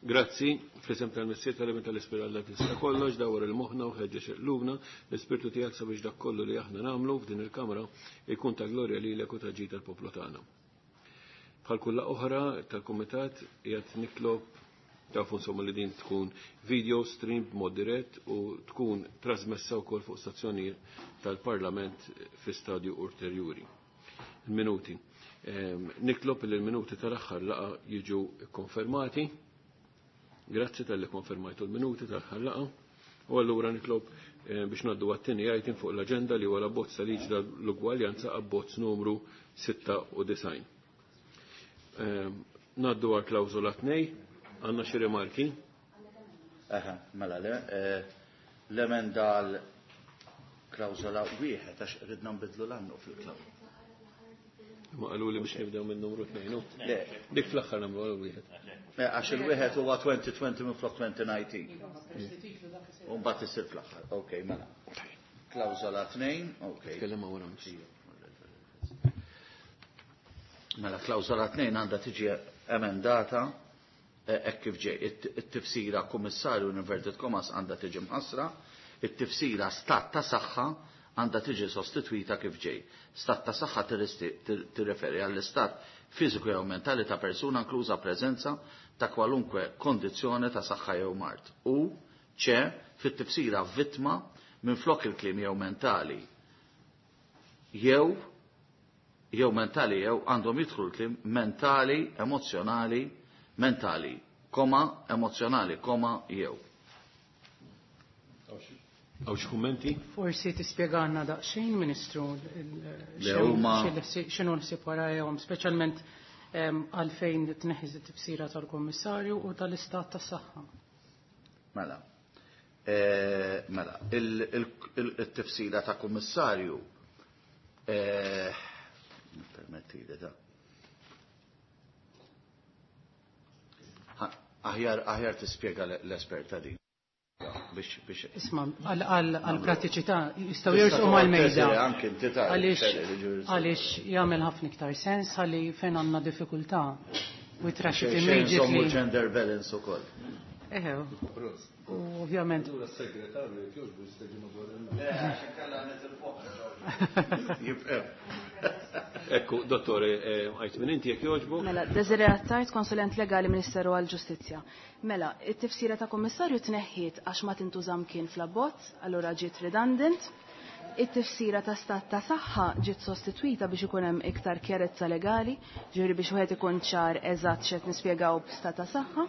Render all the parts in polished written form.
Grazzi, fl-isem tal-Missier tal-Iben tal-Ispirtu Alla tista' kollox, dawwar il-moħħna u ħeġġeġ qlubna l-Ispirtu tiegħek sabiex dak kollu li aħna nagħmlu f'din il-kamra jkun ta' glorja lilek u ta' ġid tal-poplu tagħna. Bħal kull laqgħa oħra tal-Kumitat qiegħed nitlob tafu insomma li din tkun video stream b'mod dirett u tkun trasmessa wkoll fuq stazzjonijiet tal-Parlament fi stadju ulterjuri. Il-minuti. Nitlob li l-minuti tal-aħħar laqgħa jiġu konfermati. Grazzi talli konfermajtu l-minuti tal-aħħar laqgħa. U allura nitlob biex ngħaddu għat-tieni item fuq l-aġenda li huwa l-abbozz ta' liġi tal-ugwaljanza abbozz numru 96. Ngħaddu għal klawżola 2, għandna xi rimarki? Aha, mela le, l-emenda għal klawżola wieħed għax ridna nbidlu l-annu fil-klawżola. Ma qalu li biex nibdew minn numru 2, no? Le. Dik fl-aħħar nagħmlu għal wieħed. Le, għax il-wieħed huwa 2020 minn flok 2019. U mbagħad isir fl-aħħar. Ok, mela. Klawżola 2, ok. Tkellem ma' wara mhux. Mela, klawżola 2 għandha tiġi emendata hekk kif ġej. It-tifsira kummissarju in inverted commas għandha tiġi mħassra, it-tifsira stat ta' saħħa għandha tiġi sostitwita kif ġej. Stat ta' saħħa tirreferi għall-istat fiżiku jew mentali ta' persuna inkluża preżenza ta' kwalunkwe kondizzjoni ta' saħħa jew mard. U ċe fit-tifsira vittma minn flok il-kliem jew mentali jew mentali jew għandhom jidħlu l-kliem mentali, emozjonali, mentali, koma, emozjonali, koma, jew. Għaw xi kummenti? Forsi tispjegana daqsxejn, Ministru, Le huma x'inhu l-ħsieb warajhom, speċjalment għalfejn tneħħi t-tifsira tal-Kummissarju u tal-Istat tas-Saħħa. Mela. Mela, il-tifsira ta' Kummissarju, permetti li ta' aħjar tispjega l-esperta din. Biex Isma, għal pratiċità jistgħu Tista' jersqu toqgħod mal-mejda. teżi anke inti tgħid, xelli li ġuri Għaliex jagħmel ħafna iktar sens ħalli fejn għandna diffikultà we trash it Xejn, xejn, immediately. Żommu gender balance ukoll. Eħe, u ovvjament. Allura s-segretarju jekk jogħġbu jista' jiġi madwar il-mejda. Le, għax inkella nitilfuh. Jibqgħu. Ekku, dottore, għajt minn inti jekk jogħġbu. Mela, Desiree Attard, konsulent legali Ministeru għall-Ġustizzja. Mela, it-tifsira ta' kummissarju tneħħiet għax ma tintużam kien fl-abbozz, allura ġiet redundant. It-tifsira ta' stat ta' saħħa ġiet sostitwita biex ikun hemm iktar kjarezza legali, ġifieri biex wieħed ikun ċar eżatt x'qed nispjegaw b'stat ta' saħħa.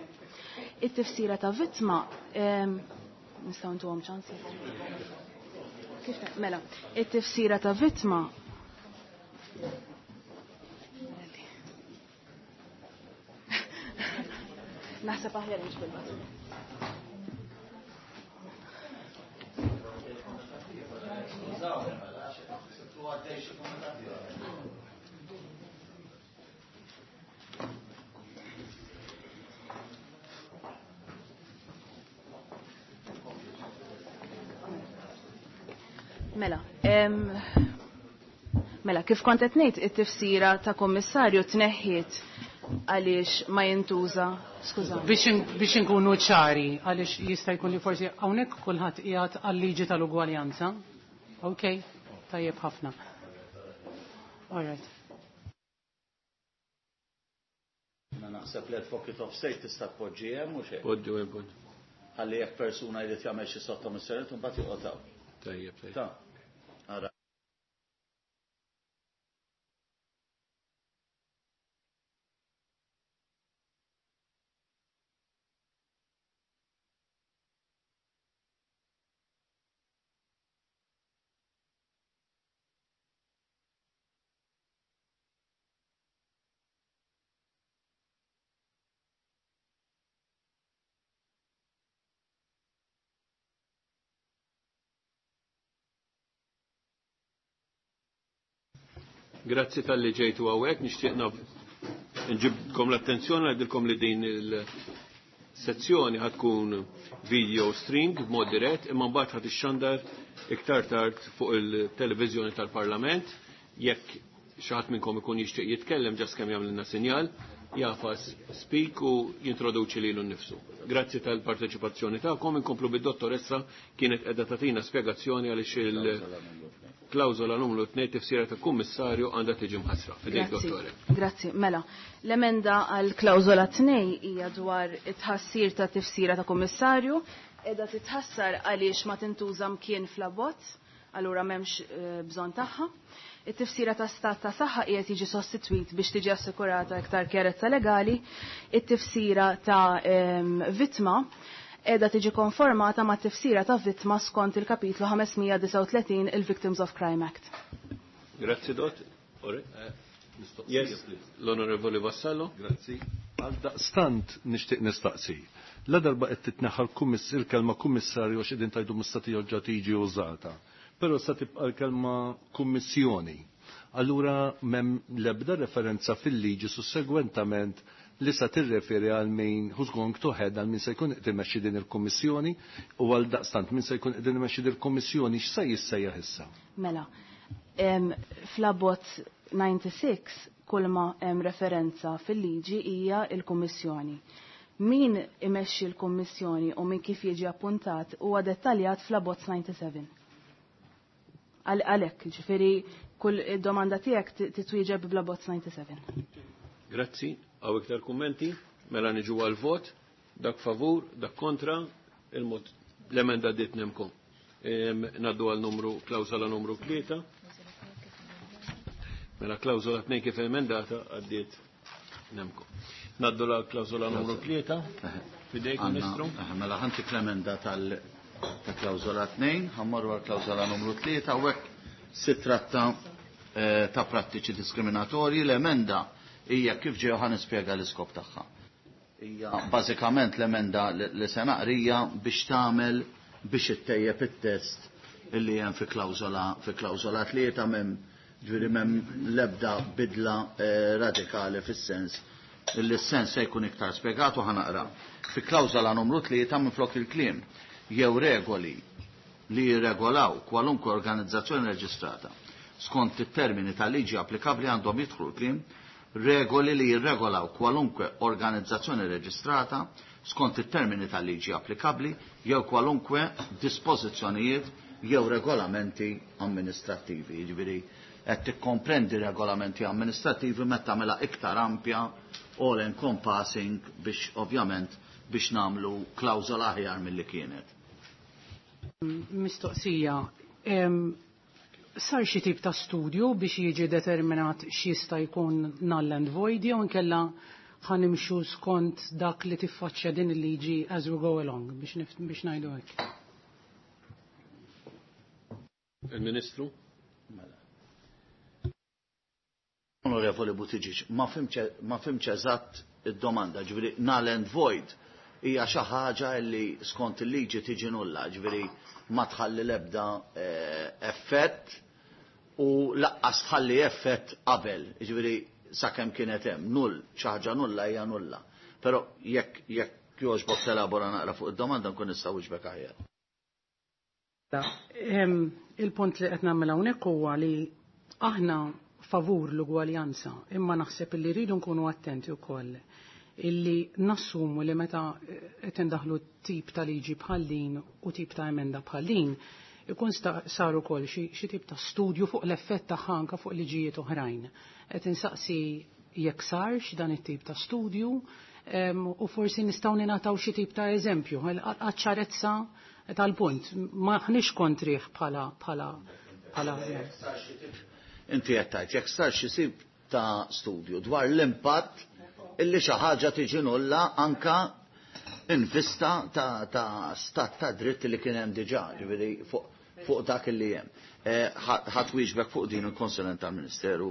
It-tifsira ta' vittma, nistgħu ntuhom ċans? Kif mela, it-tifsira ta' vittma Naħseb aħjar mhux bil-batu. Mela, mela, kif kont qed ngħid, it-tifsira ta' kummissarju tneħħiet għaliex ma jintuża, skużani. Biex inkunu ċari, għaliex jista' jkun li forsi hawnhekk kulħadd qiegħed għal-liġi tal-ugwaljanza. Ok, tajjeb ħafna. All right. Na naħseb li advocate of state tista' tpoġġi hemm u xejn. Poġġu hemm, poġġu. Ħalli jekk persuna jrid jagħmel xi sottomissjoni mbagħad joqgħod hawn. Tajjeb, tajjeb. Ta. Ara. Grazzi tal-li ġejtu għawek, nixtieq nġibkom l-attenzjoni għadilkom li din il-sezzjoni ħatkun video stream b'mod dirett, imma mbagħad ħad ixxandar iktar tard fuq il-televiżjoni tal-Parlament, jekk xi ħadd minnkom ikun jixtieq jitkellem ġas kemm jagħmlilna sinjal Jafas speak u jintroduċi lilu nnifsu. Grazzi tal-parteċipazzjoni tagħkom, inkomplu bid-dottoressa kienet qiegħda tagħtina spjegazzjoni għaliex il-klawżola numru 2 tifsira ta' kummissarju għandha tiġi mħassra. Fidejk dottore. Grazzi, mela. L-emenda għal klawżola 2 hija dwar it-tħassir ta' tifsira ta' kummissarju, qiegħda titħassar għaliex ma tintuża mkien fl-abbozz, allura m'hemmx bżonn tagħha. It-tifsira ta' stat ta' saħħa qiegħed jiġi sostitwit biex tiġi assikurata iktar kjerezza legali, it-tifsira ta' vittma qiegħda tiġi konformata ma' tifsira ta' vittma skont il-kapitlu 539 il-Victims of Crime Act. Grazzi dott. Yes, l-Onorevoli Vassallo. Grazzi. Għal daqstant nixtieq nistaqsi. La darba qed titneħħa il-kelma kummissarju għax qegħdin tajdu mistati ġa tiġi użata. Però sa tibqa' l-kelma kummissjoni. Allura m'hemm l-ebda referenza fil-liġi sussegwentament li sa tirreferi għal min who's going to head għal min se jkun qed imexxi din il-kummissjoni u għal daqstant min se jkun qed imexxi din il-kummissjoni x'se jissejjaħ issa. Mela, fl-abbozz 96 kull ma hemm referenza fil-liġi hija l-kummissjoni. Min imexxi l-kummissjoni u min kif jiġi appuntat huwa dettaljat fl-abbozz 97. Għalhekk, ġifieri kull domanda tiegħek titwieġeb bl-abbozz 97. Grazzi, għaw iktar kummenti, mela niġu għal-vot, dak favur, dak kontra, l-emenda dit nemkom. Naddu għal numru, klawsola numru 3. Mela klawsola 2 kif emendata għaddiet nemkom. Naddu għal klawsola numru 3. Fidejk, Ministru. Mela ħantik l-emenda tal ta' klawżola 2, ħammorru għal klawżola numru 3, u hekk si tratta ta' prattiċi diskriminatorji. L-emenda hija kif ġew ħa nispjega l-iskop tagħha. Hija bażikament l-emenda li se naqrija biex tagħmel biex ittejjeb it-test illi hemm fi klawżola 3 m'hemm ġifieri m'hemm l-ebda bidla radikali fis-sens illi s-sens se jkun iktar spjegat u ħanaqra. Fi klawżola numru 3 minflok il-kliem jew regoli li jirregolaw kwalunkwe organizzazzjoni reġistrata skont it-termini tal-liġi applikabbli għandhom jidħlu l-kliem regoli li jirregolaw kwalunkwe organizzazzjoni reġistrata skont it-termini tal-liġi applikabbli jew kwalunkwe dispożizzjonijiet jew regolamenti amministrattivi. Jiġifieri qed tikkomprendi regolamenti amministrattivi meta tagħmilha iktar ampja all encompassing biex ovvjament biex nagħmlu klawżola aħjar milli kienet. Mistoqsija, sar xi tip ta' studju biex jiġi determinat x'jista' jkun null and void jew inkella ħanimxu skont dak li tiffaċċja din il-liġi as we go along biex ngħidu hekk. Il-Ministru? Mela. Onorevoli Buttigieg, ma fimx eżatt id-domanda, ġifieri null and void hija xi ħaġa li skont il-liġi tiġi nulla, ġifieri ma tħalli l-ebda effett u laqqas tħalli effett qabel, ġifieri sakemm kienet hemm null, xi ħaġa nulla hija nulla. Però jekk jogħġbok telabora naqra fuq id-domanda nkun nista' wieġbek aħjar. Il-punt li qed nagħmel hawnhekk huwa li aħna favur l-ugwaljanza, imma naħseb li rridu nkunu attenti wkoll illi nassumu li meta qed indaħlu tip ta' liġi bħal din u tip ta' emenda bħal din, ikun sar ukoll xi tip ta' studju fuq l-effett tagħha anke fuq liġijiet oħrajn. Qed insaqsi jekk sarx dan it-tip ta' studju u forsi nistgħu ningħataw xi tip ta' eżempju għaċ-ċarezza tal-punt. Maħniex kontrih bħala bħala Inti qed tgħid jekk sar xi tip ta' studju dwar l-impatt illi xi ħaġa tiġi nulla anka in vista ta' stat ta' dritt li kien hemm diġà, ġifieri fuq dak li hemm. Ħadd wieġbek fuq din il-konsulent tal-Ministeru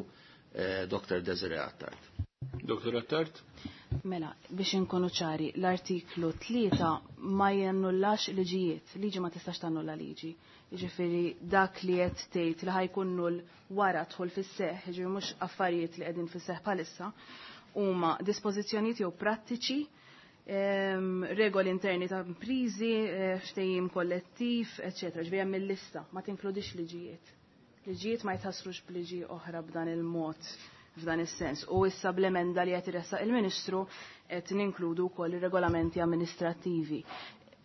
Dr. Desiree Attard. Dr. Attard? Mela, biex inkunu ċari, l-artiklu 3 ma jannullax liġijiet, liġi ma tistax tannulla liġi. Jiġifieri dak li qed tgħid li ħajkun null wara dħul fis-seħħ, jiġifieri mhux affarijiet li qegħdin fis-seħħ bħalissa, huma dispożizzjonijiet jew prattiċi, regoli interni ta' imprizi, ftehim kollettiv, eċetera. Ġifieri hemm il-lista, ma tinkludix liġijiet. Liġijiet ma jitħassrux b'liġi oħra b'dan il-mod. f'dan is-sens. U issa bl-emenda li qed iressaq il-Ministru qed ninkludu wkoll ir-regolamenti amministrattivi.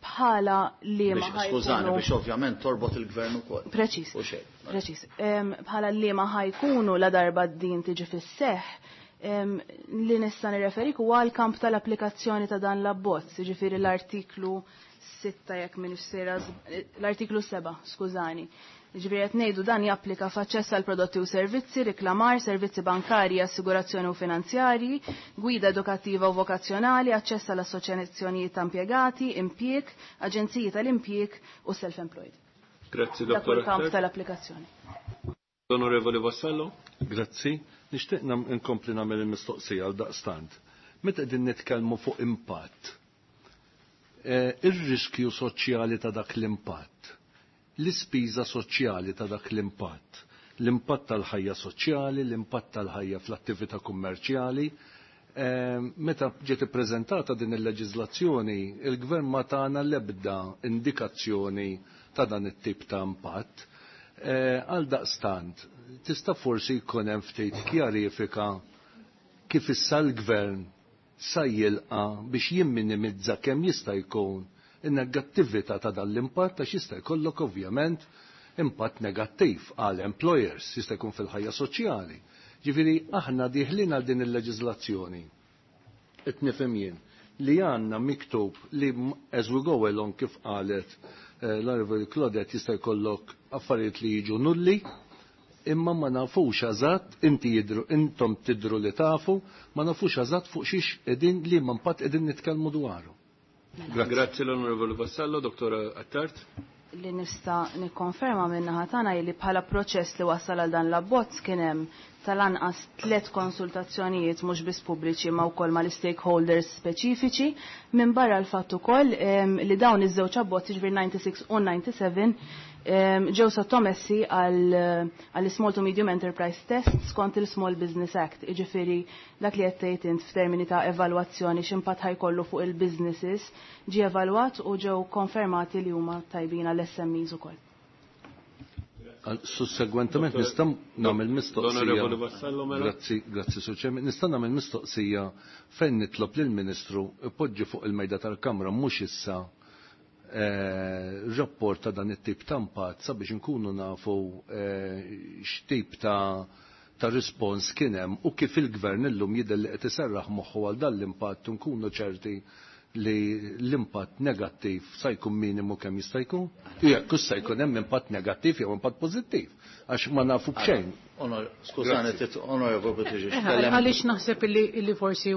Bħala li ma Skużani, biex ovvjament torbot il-gvern ukoll. Preċis. Preċis. Bħala li ma ħajkunu la darba din tiġi fis-seħħ, li nista' nirreferik huwa l-kamp tal-applikazzjoni ta' dan l-abbozz, jiġifieri l-artiklu 6 jekk m'iniex sejra l-artiklu 7, skużani. Jiġifieri qed ngħidu dan japplika f'aċċess għal prodotti u servizzi, riklamar, servizzi bankarji, assigurazzjoni u finanzjarji, gwida edukattiva u vokazzjonali, aċċess għal assoċjazzjonijiet ta' impjegati, impjieg, aġenziji tal-impjieg u self-employed. Grazzi, Dak dottor. il-kamp tal-applikazzjoni. Onorevoli Vassallo. Grazzi. Nixtieq nkompli nagħmel il-mistoqsija għal daqstant. Meta qegħdin nitkellmu fuq impatt, ir-riskju soċjali ta' dak l-impatt, l-ispiża soċjali ta' dak l-impatt, l-impatt tal-ħajja soċjali, l-impatt tal-ħajja fl-attività kummerċjali. Meta ġiet ippreżentata din il-leġiżlazzjoni, il-gvern ma tagħna l-ebda indikazzjoni ta' dan it-tip ta' impatt. Għal daqstant, tista' forsi jkun hemm ftit kjarifika kif issa l-gvern sa jilqa' biex jimminimizza kemm jista' jkun in-negattività ta' dan l-impatt għax jista' jkollok ovvjament impatt negattiv għal employers, jista' jkun fil-ħajja soċjali. Ġifieri aħna dieħlin għal din il-leġiżlazzjoni. Qed nifhem jien li għandna miktub li as we go along kif qalet l-Onorevoli Claudette jista' jkollok affarijiet li jiġu nulli, imma ma nafux eżatt, inti jidru, intom tidru li tafu, ma nafux eżatt fuq xiex qegħdin li ma impatt qegħdin nitkellmu dwaru. Grazzi l-Onorevoli Vassallo, Dottora Attard. Li nista' nikkonferma min-naħa tagħna li bħala proċess li wassal għal dan l-abbozz kien hemm tal-anqas 3 konsultazzjonijiet mhux biss pubbliċi ma wkoll mal-stakeholders speċifiċi, minn barra l-fatt ukoll li dawn iż-żewġ abbozz, jiġifieri 96 u 97, ġew sottomessi għal Small to Medium Enterprise Test skont il-Small Business Act, jiġifieri dak li qed tgħid int f'termini ta' evalwazzjoni x'impatt ħajkollu fuq il-businesses ġie evalwat u ġew konfermati li huma tajbin għall SMEs ukoll. Sussegwentement nista' nagħmel mistoqsija. Onorevoli Vassallo, mela. Grazzi, grazzi Sur Chairman. Nista' nagħmel mistoqsija fejn nitlob lill-Ministru ipoġġi fuq il-mejda tal-Kamra mhux issa rapport ta' dan it-tip ta' impatt sabiex inkunu nafu x'tip ta' rispons kien hemm u kif il-gvern illum jidher li qed iserraħ moħħu għal dan l-impatt u nkunu ċerti li l-impatt negattiv sa jkun minimu kemm jista' jkun. Jekk sa jkun hemm impatt negattiv jew impatt pożittiv, għax ma nafu b'xejn. Skużani, Onorevoli Buttigieg, tkellem. Għaliex naħseb illi forsi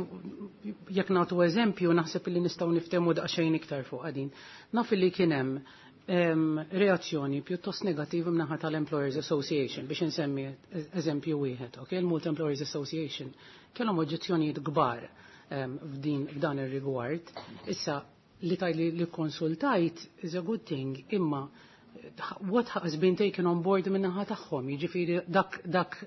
jekk nagħtu eżempju, naħseb illi nistgħu niftehmu daqsxejn iktar fuq din. Naf illi kien hemm reazzjoni pjuttost negattiva mnaħa tal-Employers Association, biex insemmi eżempju wieħed, ok? Il-Malta Employers Association kellhom oġġezzjonijiet kbar f'dan ir-rigward. Issa li tajli li konsultajt is a good thing, imma what has been taken on board minnaħa tagħhom, jiġifieri dak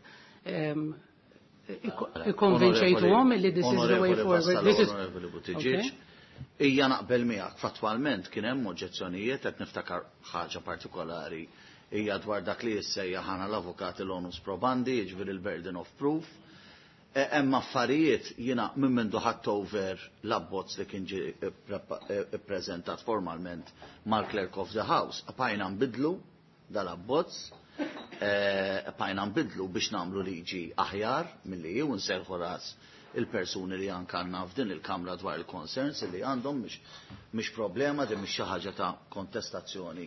ikkonvinċejtuhom li this is the way forward. This is Onorevoli Buttigieg, ija naqbel miegħek, fattwalment kien hemm oġġezzjonijiet qed niftakar ħaġa partikolari hija dwar dak li jissejjaħ ħana l-avukati l-onus probandi, jiġifieri l-burden of proof. Hemm affarijiet jiena minn mindu ħadd over l-abbozz li kien ġie ippreżentat formalment mal-Clerk of the House. Bqajna nbidlu dal-abbozz, bqajna nbidlu biex nagħmlu liġi aħjar milli hi u nserħu ras il-persuni li anke għandna f'din il-Kamra dwar il-concerns li għandhom, mhix problema, din mhix xi ħaġa ta' kontestazzjoni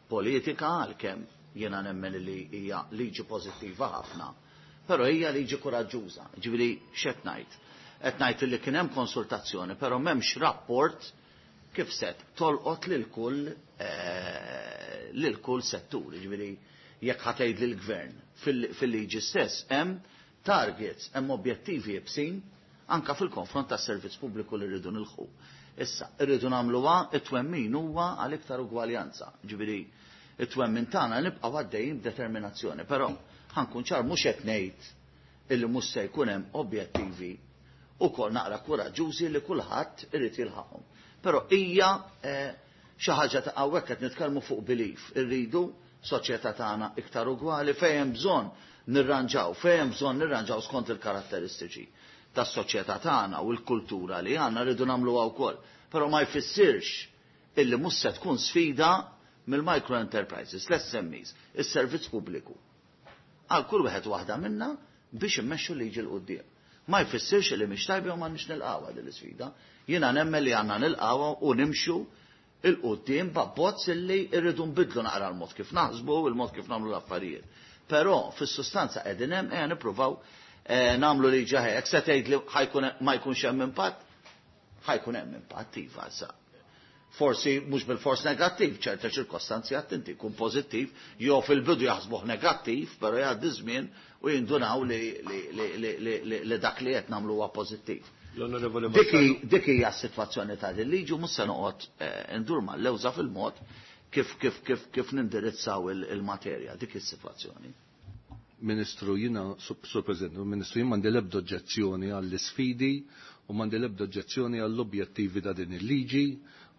politika, għalkemm jiena nemmen li hija liġi pożittiva ħafna. Però hija liġi kuraġġuża, ġifieri x'qed ngħid? Qed ngħid li kien hemm konsultazzjoni, però m'hemmx rapport kif set tolqot lil kull settur, ġifieri jekk ħatgħid lill-gvern fil-liġi stess hemm targets, hemm objettivi jebsin anka fil-konfront tas-servizz pubbliku li rridu nilħu. Issa, rridu nagħmluha it-twemmin huwa għal iktar ugwaljanza. Ġifieri it-twemmin tagħna nibqgħu għaddejjin b'determinazzjoni, però ħankun ċar mhux qed ngħid illi mhux se jkun hemm objettivi ukoll naqra kuraġġużi li kulħadd irid jilħaqhom. Però hija xi ħaġa ta' hawnhekk qed nitkellmu fuq belief, irridu soċjetà tagħna iktar ugwali fejn hemm bżonn nirranġaw, fejn hemm bżonn nirranġaw skont il-karatteristiċi tas-soċjetà tagħna u l-kultura li għandna rridu nagħmluha wkoll. Però ma jfissirx illi mhux se tkun sfida mill-micro enterprises, l-SMEs, is-servizz pubbliku. Għal kull wieħed waħda minna biex immexxu liġi 'l quddiem. Ma jfissirx li mhix tajba u m'għandniex nilqgħuha din l-isfida. Jiena nemmen li għandna nilqgħuha u nimxu 'l quddiem b'abbozz illi rridu nbiddlu naqra l-mod kif naħsbu, il-mod kif nagħmlu l-affarijiet. Però fis-sustanza qegħdin hemm ejja nippruvaw nagħmlu liġi aħjar. Jekk se tgħid li ħajkun ma jkunx hemm impatt, ħajkun hemm impatt iva sa. Forsi mhux bil-fors negattiv, ċerta ċirkostanzi għad inti jkun pożittiv, jew fil-bidu jaħsbuh negattiv, però jgħaddi żmien u jindunaw li, li, li, li, li, li, li dak li qed nagħmlu huwa pożittiv. L-Onorevoli Dik hija s-sitwazzjoni ta' din liġi u mhux se noqgħod ndur mal-lewża fil-mod kif kif kif kif nindirizzaw il-materja, dik is-sitwazzjoni. Ministru, jiena, Sur President, Ministru, jien m'għandi l-ebda oġġezzjoni għall-isfidi u m'għandi l-ebda oġġezzjoni għall-objettivi ta' din il-liġi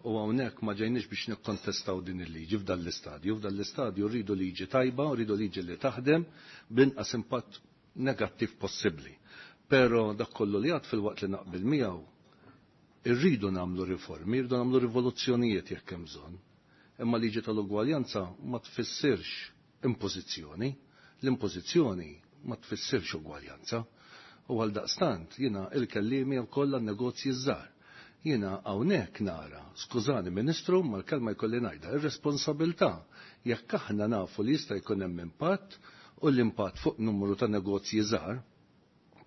u hawnhekk ma ġejniex biex nikkontestaw din il-liġi f'dan l-istadju. F'dan l-istadju rridu liġi tajba, rridu liġi li taħdem b'inqas impatt negattiv possibbli. Però dak kollu li għad fil-waqt li naqbel miegħu, irridu nagħmlu riformi, irridu nagħmlu rivoluzzjonijiet jekk hemm bżonn. Imma liġi tal-ugwaljanza ma tfissirx impożizzjoni. L-impożizzjoni ma tfissirx ugwaljanza. U għal daqstant jiena il-kellimi wkoll għan-negozji żgħar. Jiena hawnhekk nara, skużani Ministru, ma l-kelma jkolli ngħidha, ir-responsabilità jekk aħna nafu li jista' jkun hemm impatt u l-impatt fuq numru ta' negozji żgħar,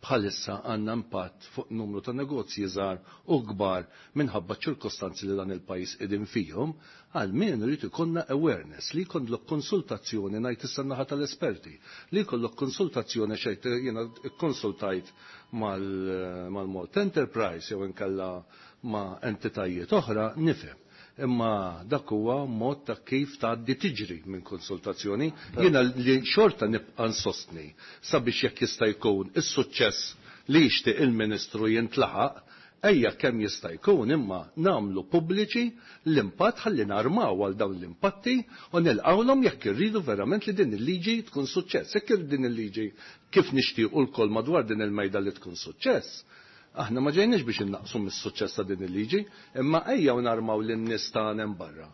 bħalissa għandna impatt fuq numru ta' negozji żgħar u kbar minħabba ċirkostanzi li dan il-pajjiż qegħdin fihom, għalmenu rrid ikollna awareness li jkollok konsultazzjoni ngħid issa naħa tal-esperti, li jkollok konsultazzjoni xejn jiena kkonsultajt mal-Malt Enterprise jew inkella ma' entitajiet oħra nifhem. Imma dak huwa mod ta' kif tgħaddi tiġri minn konsultazzjoni. Jiena li xorta nibqa' nsostni sabiex jekk jista' jkun is-suċċess li jixtieq il-Ministru jintlaħaq, ejja kemm jista' jkun imma nagħmlu pubbliċi l-impatt ħalli narmaw għal dawn l-impatti u nilqawlhom jekk irridu verament li din il-liġi tkun suċċess. Jekk irridu din il-liġi kif nixtiequ lkoll madwar din il-mejda li tkun suċċess, aħna ma ġejniex biex innaqsu mis-suċċess ta' din il-liġi, imma ejja u narmaw lin-nies tagħna hemm barra.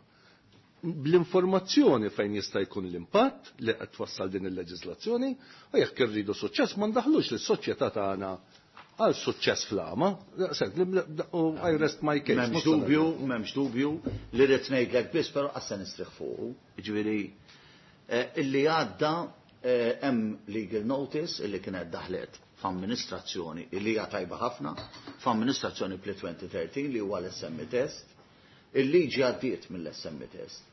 Bl-informazzjoni fejn jista' jkun l-impatt li qed twassal din il-leġiżlazzjoni, u jekk irridu suċċess ma ndaħlux lis-soċjetà tagħna għal suċċess fl-għama. U I rest my case. M'hemmx dubju, m'hemmx dubju li rrid ngħidlek biss, però qas se nistrieħ fuqu. Jiġifieri illi għadda hemm legal notice illi kienet daħlet f'amministrazzjoni illi hija tajba ħafna, f'amministrazzjoni pli 2013 li huwa l-SME test, il-liġi għaddiet mill-SME test.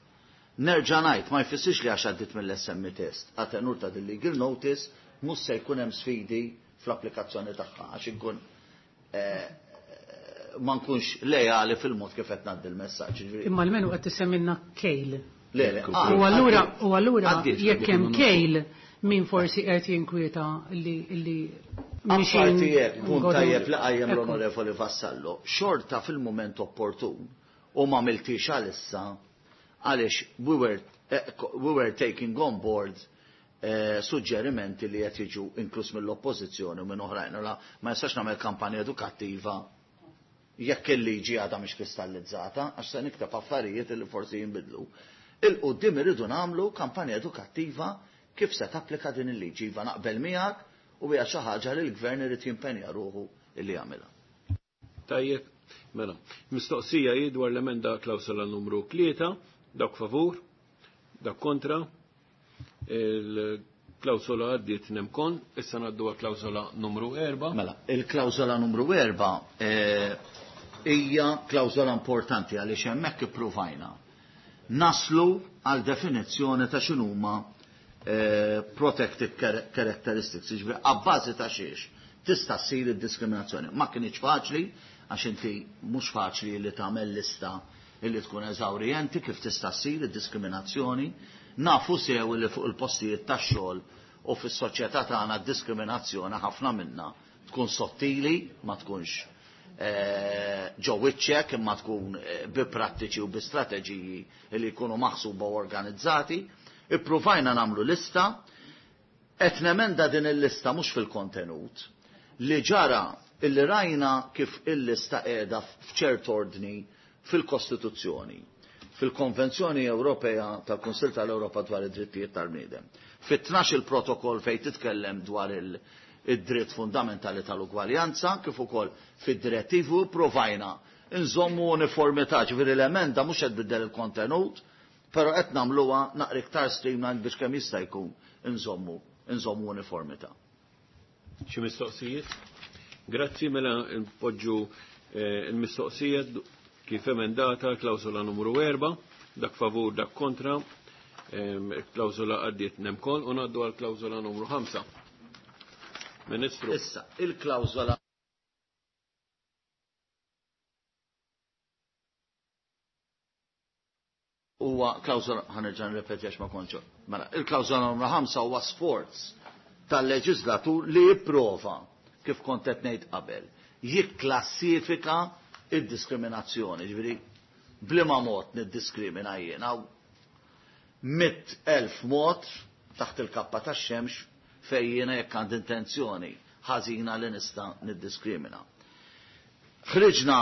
Nerġa' ngħid ma jfissirx li għax għaddiet mill-SME test, għatenur ta' din legal notice mhux se jkun hemm sfidi fl-applikazzjoni tagħha għax inkun ma nkunx lejali fil-mod kif qed ngħaddi l-messaġġ. Imma almenu qed tisemmilna kejl. Le, le, U allura jekk hemm kejl min forsi qed jinkwieta li Apparti hekk, punt tajjeb li qajjem l-Onorevoli Vassallo, xorta fil-mument opportun u ma miltix għalissa għaliex we were taking on board suġġerimenti li qed jiġu inkluż mill-oppożizzjoni u minn oħrajn. La ma jistax nagħmel kampanja edukattiva jekk il-liġi għadha mhix kristallizzata, għax se nikteb affarijiet li forsi jinbidlu. Il-qudiem irridu nagħmlu kampanja edukattiva kif se tapplika din il-liġi. Iva naqbel miegħek u hija xi ħaġa li l-gvern irid jimpenja ruħu illi jagħmilha. Tajjeb, mela, mistoqsija hi dwar l-emenda klawsola numru 3, dak favur, dak kontra, il-klawsola għaddiet nemkon, issa ngħaddu għal klawsola numru 4. Mela, il-klawsola numru 4 hija klawsola importanti għaliex hemmhekk ippruvajna naslu għal definizzjoni ta' x'inhuma protected characteristics, jiġifieri abbażi ta' xiex tista' ssir id-diskriminazzjoni. Ma kienx faċli, għax inti mhux faċli li tagħmel lista illi tkun eżawrjenti kif tista' ssir id-diskriminazzjoni. Nafu sew li fuq il-postijiet tax-xogħol u fis-soċjetà tagħna d-diskriminazzjoni ħafna minna tkun sottili, ma tkunx ġo wiċċek, imma tkun bi prattiċi u bi strateġiji li jkunu maħsuba u organizzati. Ippruvajna nagħmlu lista, qed nemenda din il-lista mhux fil-kontenut, li ġara illi rajna kif il-lista qiegħda f'ċert ordni fil-Kostituzzjoni, fil-Konvenzjoni Ewropea tal-Kunsill tal-Ewropa dwar id-drittijiet tal-bniedem. Fit-12 il-protokoll fejn titkellem dwar id-dritt fundamentali tal-ugwaljanza, kif ukoll fid-direttivi provajna nżommu uniformità, ġifieri l-emenda mhux qed tbiddel il-kontenut, però qed nagħmluha naqra iktar streamlined biex kemm jista' jkun nżommu uniformità. Xi mistoqsijiet? Grazzi, mela npoġġu il-mistoqsijiet kif emendata klawsola numru 4, dak favur, dak kontra, klawsola għaddiet nemkol u ngħaddu għal klawsola numru 5. Ministru. Issa, il-klawsola huwa klawsola, ħanerġa' nirrepeti għax ma kontx. Mela, il-klawsola numru 5 huwa sforz tal-leġislatur li jipprova, kif kont qed ngħid qabel, jikklassifika id-diskriminazzjoni, ġifieri bliema mod niddiskrimina jiena, 100,000 mod taħt il-kappa tax-xemx fejn jiena jekk għandi intenzjoni ħażina li nista' niddiskrimina. Ħriġna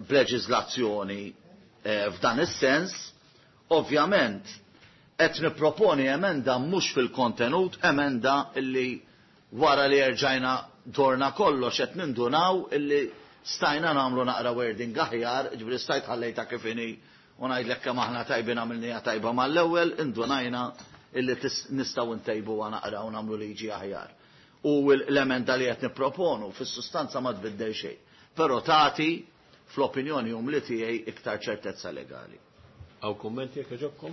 b'leġiżlazzjoni f'dan is-sens, ovvjament qed nipproponi emenda mhux fil-kontenut, emenda illi wara li erġajna dorna kollox qed nindunaw illi stajna nagħmlu naqra wording aħjar, ġifieri stajt ħallejta kif inhi u ngħidlek kemm aħna tajbin għamilniha tajba mal-ewwel, indunajna illi nistgħu ntejbuha naqra u nagħmlu liġi aħjar. U l-emenda li qed nipproponu fis-sustanza ma tbiddel xejn, però tagħti fl-opinjoni umli tiegħi iktar ċertezza legali. Hawn kummenti jekk jogħġobkom?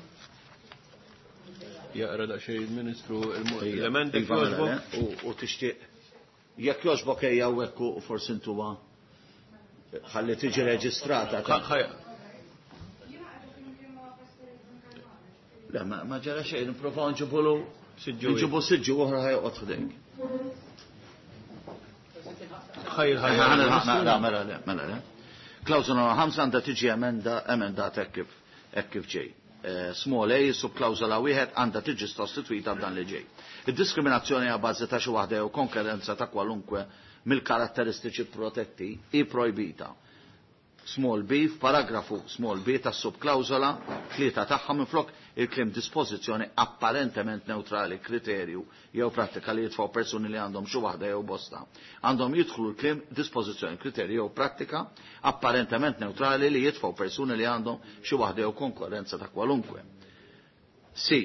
Jaqra daqsxejn il-Ministru l-emendi Iva, mela, jogħġbok. U tixtieq jekk jogħġbok ejja hawnhekk u forsi intuha ħalli tiġi reġistrata. Le, ma ġara xejn, nipprovaw nġibulu Siġġu. nġibu siġġu oħra ħajqgħod ħdejk. Ħajr, ħajr. Mela, mela, le, mela, le. Klawsola 5 għandha tiġi emendata hekk kif ġej. Small a subklawsola wieħed għandha tiġi sostituita b'dan li ġej. Id-diskriminazzjoni għal bażi ta' xi waħda jew konkurrenza ta' kwalunkwe mill-karatteristiċi protetti hi projbita. Small b f'paragrafu small b tas subklawsola 3 tagħha minflok il-kliem dispożizzjoni apparentement neutrali kriterju jew prattika li jitfgħu persuni li għandhom xi waħda jew bosta. Għandhom jidħlu l-kliem dispożizzjoni kriterju jew prattika apparentement neutrali li jitfgħu persuni li għandhom xi waħda jew konkurrenza ta' kwalunkwe. Si,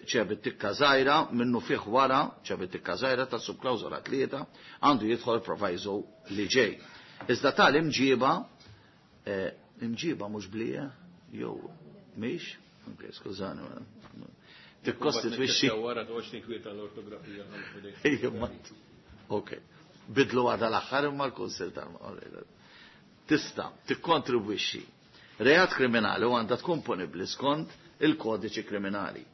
ċebit tikka żgħira minnu fih wara ċebit tikka żgħira ta' subklawsola 3 għandu jidħol proviso li ġej. Iżda tal-imġiba imġiba mhux blija jew mhix? Ok, skużani, ma tikkostitwixxi. Wara toqgħodx tinkwieta l-ortografija. Ejja, ma ok. Bidlu għadha l-aħħar imma l-Kunsill tal-Maqgħod. Tista' tikkontribwixxi reat kriminali u għandha tkun punibbli skont il-kodiċi kriminali.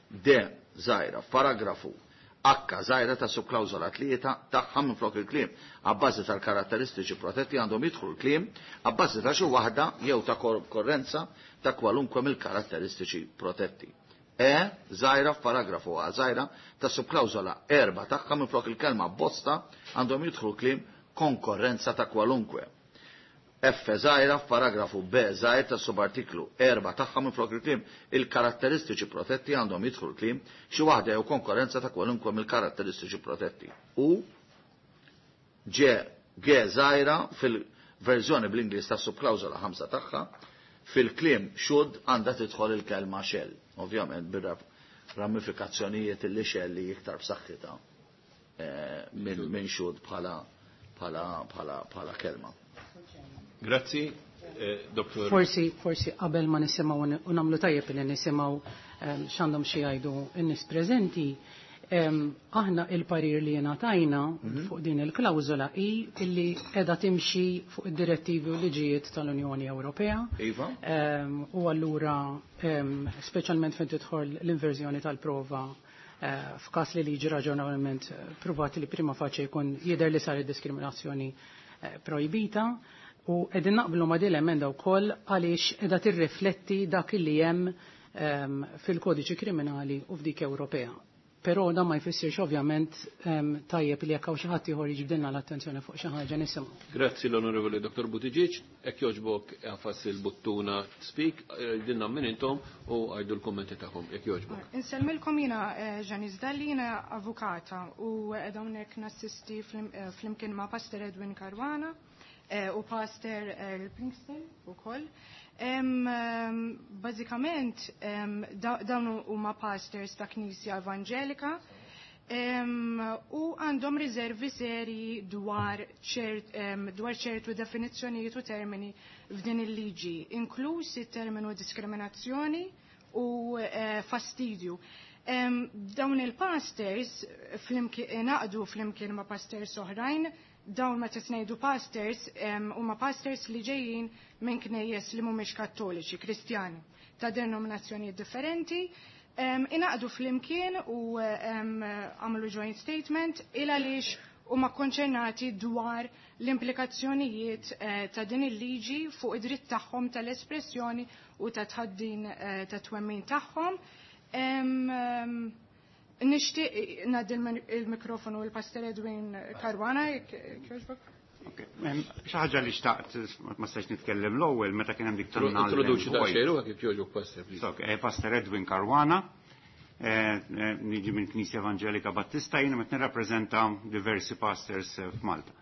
D żgħira f'paragrafu H żgħira ta' subklawsola 3 tagħha minflok il-kliem abbażi tal-karatteristiċi protetti għandhom jidħlu l-kliem abbażi ta' xi waħda jew ta' korrenza ta' kwalunkwe mill-karatteristiċi protetti. E żgħira f'paragrafu A żgħira ta' subklawsola 4 tagħha minflok il-kelma bosta għandhom jidħlu l-kliem konkorrenza ta' kwalunkwe. F żgħira f'paragrafu B żgħir ta' subartiklu 4 tagħha minflok il-kliem il-karatteristiċi protetti għandhom jidħlu l-kliem xi waħda jew konkurrenza ta' kwalunkwe mill-karatteristiċi protetti. U G G żgħira fil-verżjoni bl-Ingliż ta' subklawsola 5 tagħha fil-kliem should għandha tidħol il-kelma shall, ovvjament bir-ramifikazzjonijiet li shall li iktar b'saħħitha minn should bħala kelma. Grazzi, doktor. Forsi qabel ma nisimgħu u nagħmlu tajjeb li nisimgħu x'għandhom xi jgħidu n-nies preżenti, aħna il-parir li ngħatajna fuq din il-klawżola hi illi qiegħda timxi fuq id-direttivi u liġijiet tal-Unjoni Ewropea. U allura speċjalment fejn tidħol l-inverżjoni tal-prova f'każ li liġi raġonevolment pruvat li prima faċe jkun jidher li saret diskriminazzjoni projbita. U qegħdin naqblu ma' din l-emenda wkoll għaliex qiegħda tirrifletti dak li hemm fil-kodiċi kriminali u f'dik Ewropea. Però dan ma jfissirx ovvjament tajjeb li jekk hawn xi ħadd ieħor jiġbdilna l-attenzjoni fuq xi ħaġa nisimgħu. Grazzi l-Onorevoli Dr. Buttigieg, hekk jogħġbok għafas il-buttuna speak, dinna minn intom u għajdu l-kommenti tagħkom, jekk jogħġbok. Insellmilkom jiena Janice Dalli, jiena avukata u qiegħda hawnhekk nassisti flimkien ma' Pastor Edwin Caruana u Pastor Earl Pinkston ukoll. Bażikament dawn huma pastors ta' Knisja Evanġelika u għandhom riservi serji dwar ċertu definizzjonijiet u termini f'din il-liġi, inkluż it-terminu diskriminazzjoni u fastidju. Dawn il-pastors naqdu flimkien ma' pastors oħrajn, dawn meta ngħidu pastors huma pastors li ġejjin minn knejjes li mhumiex kattoliċi, Kristjani, ta' denominazzjonijiet differenti, inaqdu flimkien u għamlu joint statement il għaliex huma konċernati dwar l-implikazzjonijiet ta' din il-liġi fuq id-dritt tagħhom tal-espressjoni u ta' tħaddin ta' twemmin tagħhom. Nixtieq ngħaddi il-mikrofonu l-Pastor Edwin Caruana, jogħġbok. Xi ħaġa li xtaqt ma stax nitkellem l-ewwel meta kien hemm dik tan Introduċi daqsxejn ruħek kif jogħġbok, Pastor, please. Pastor Edwin Caruana, niġi minn Knisja Evangelika Battista, jiena meta nirrappreżenta diversi pastors f'Malta.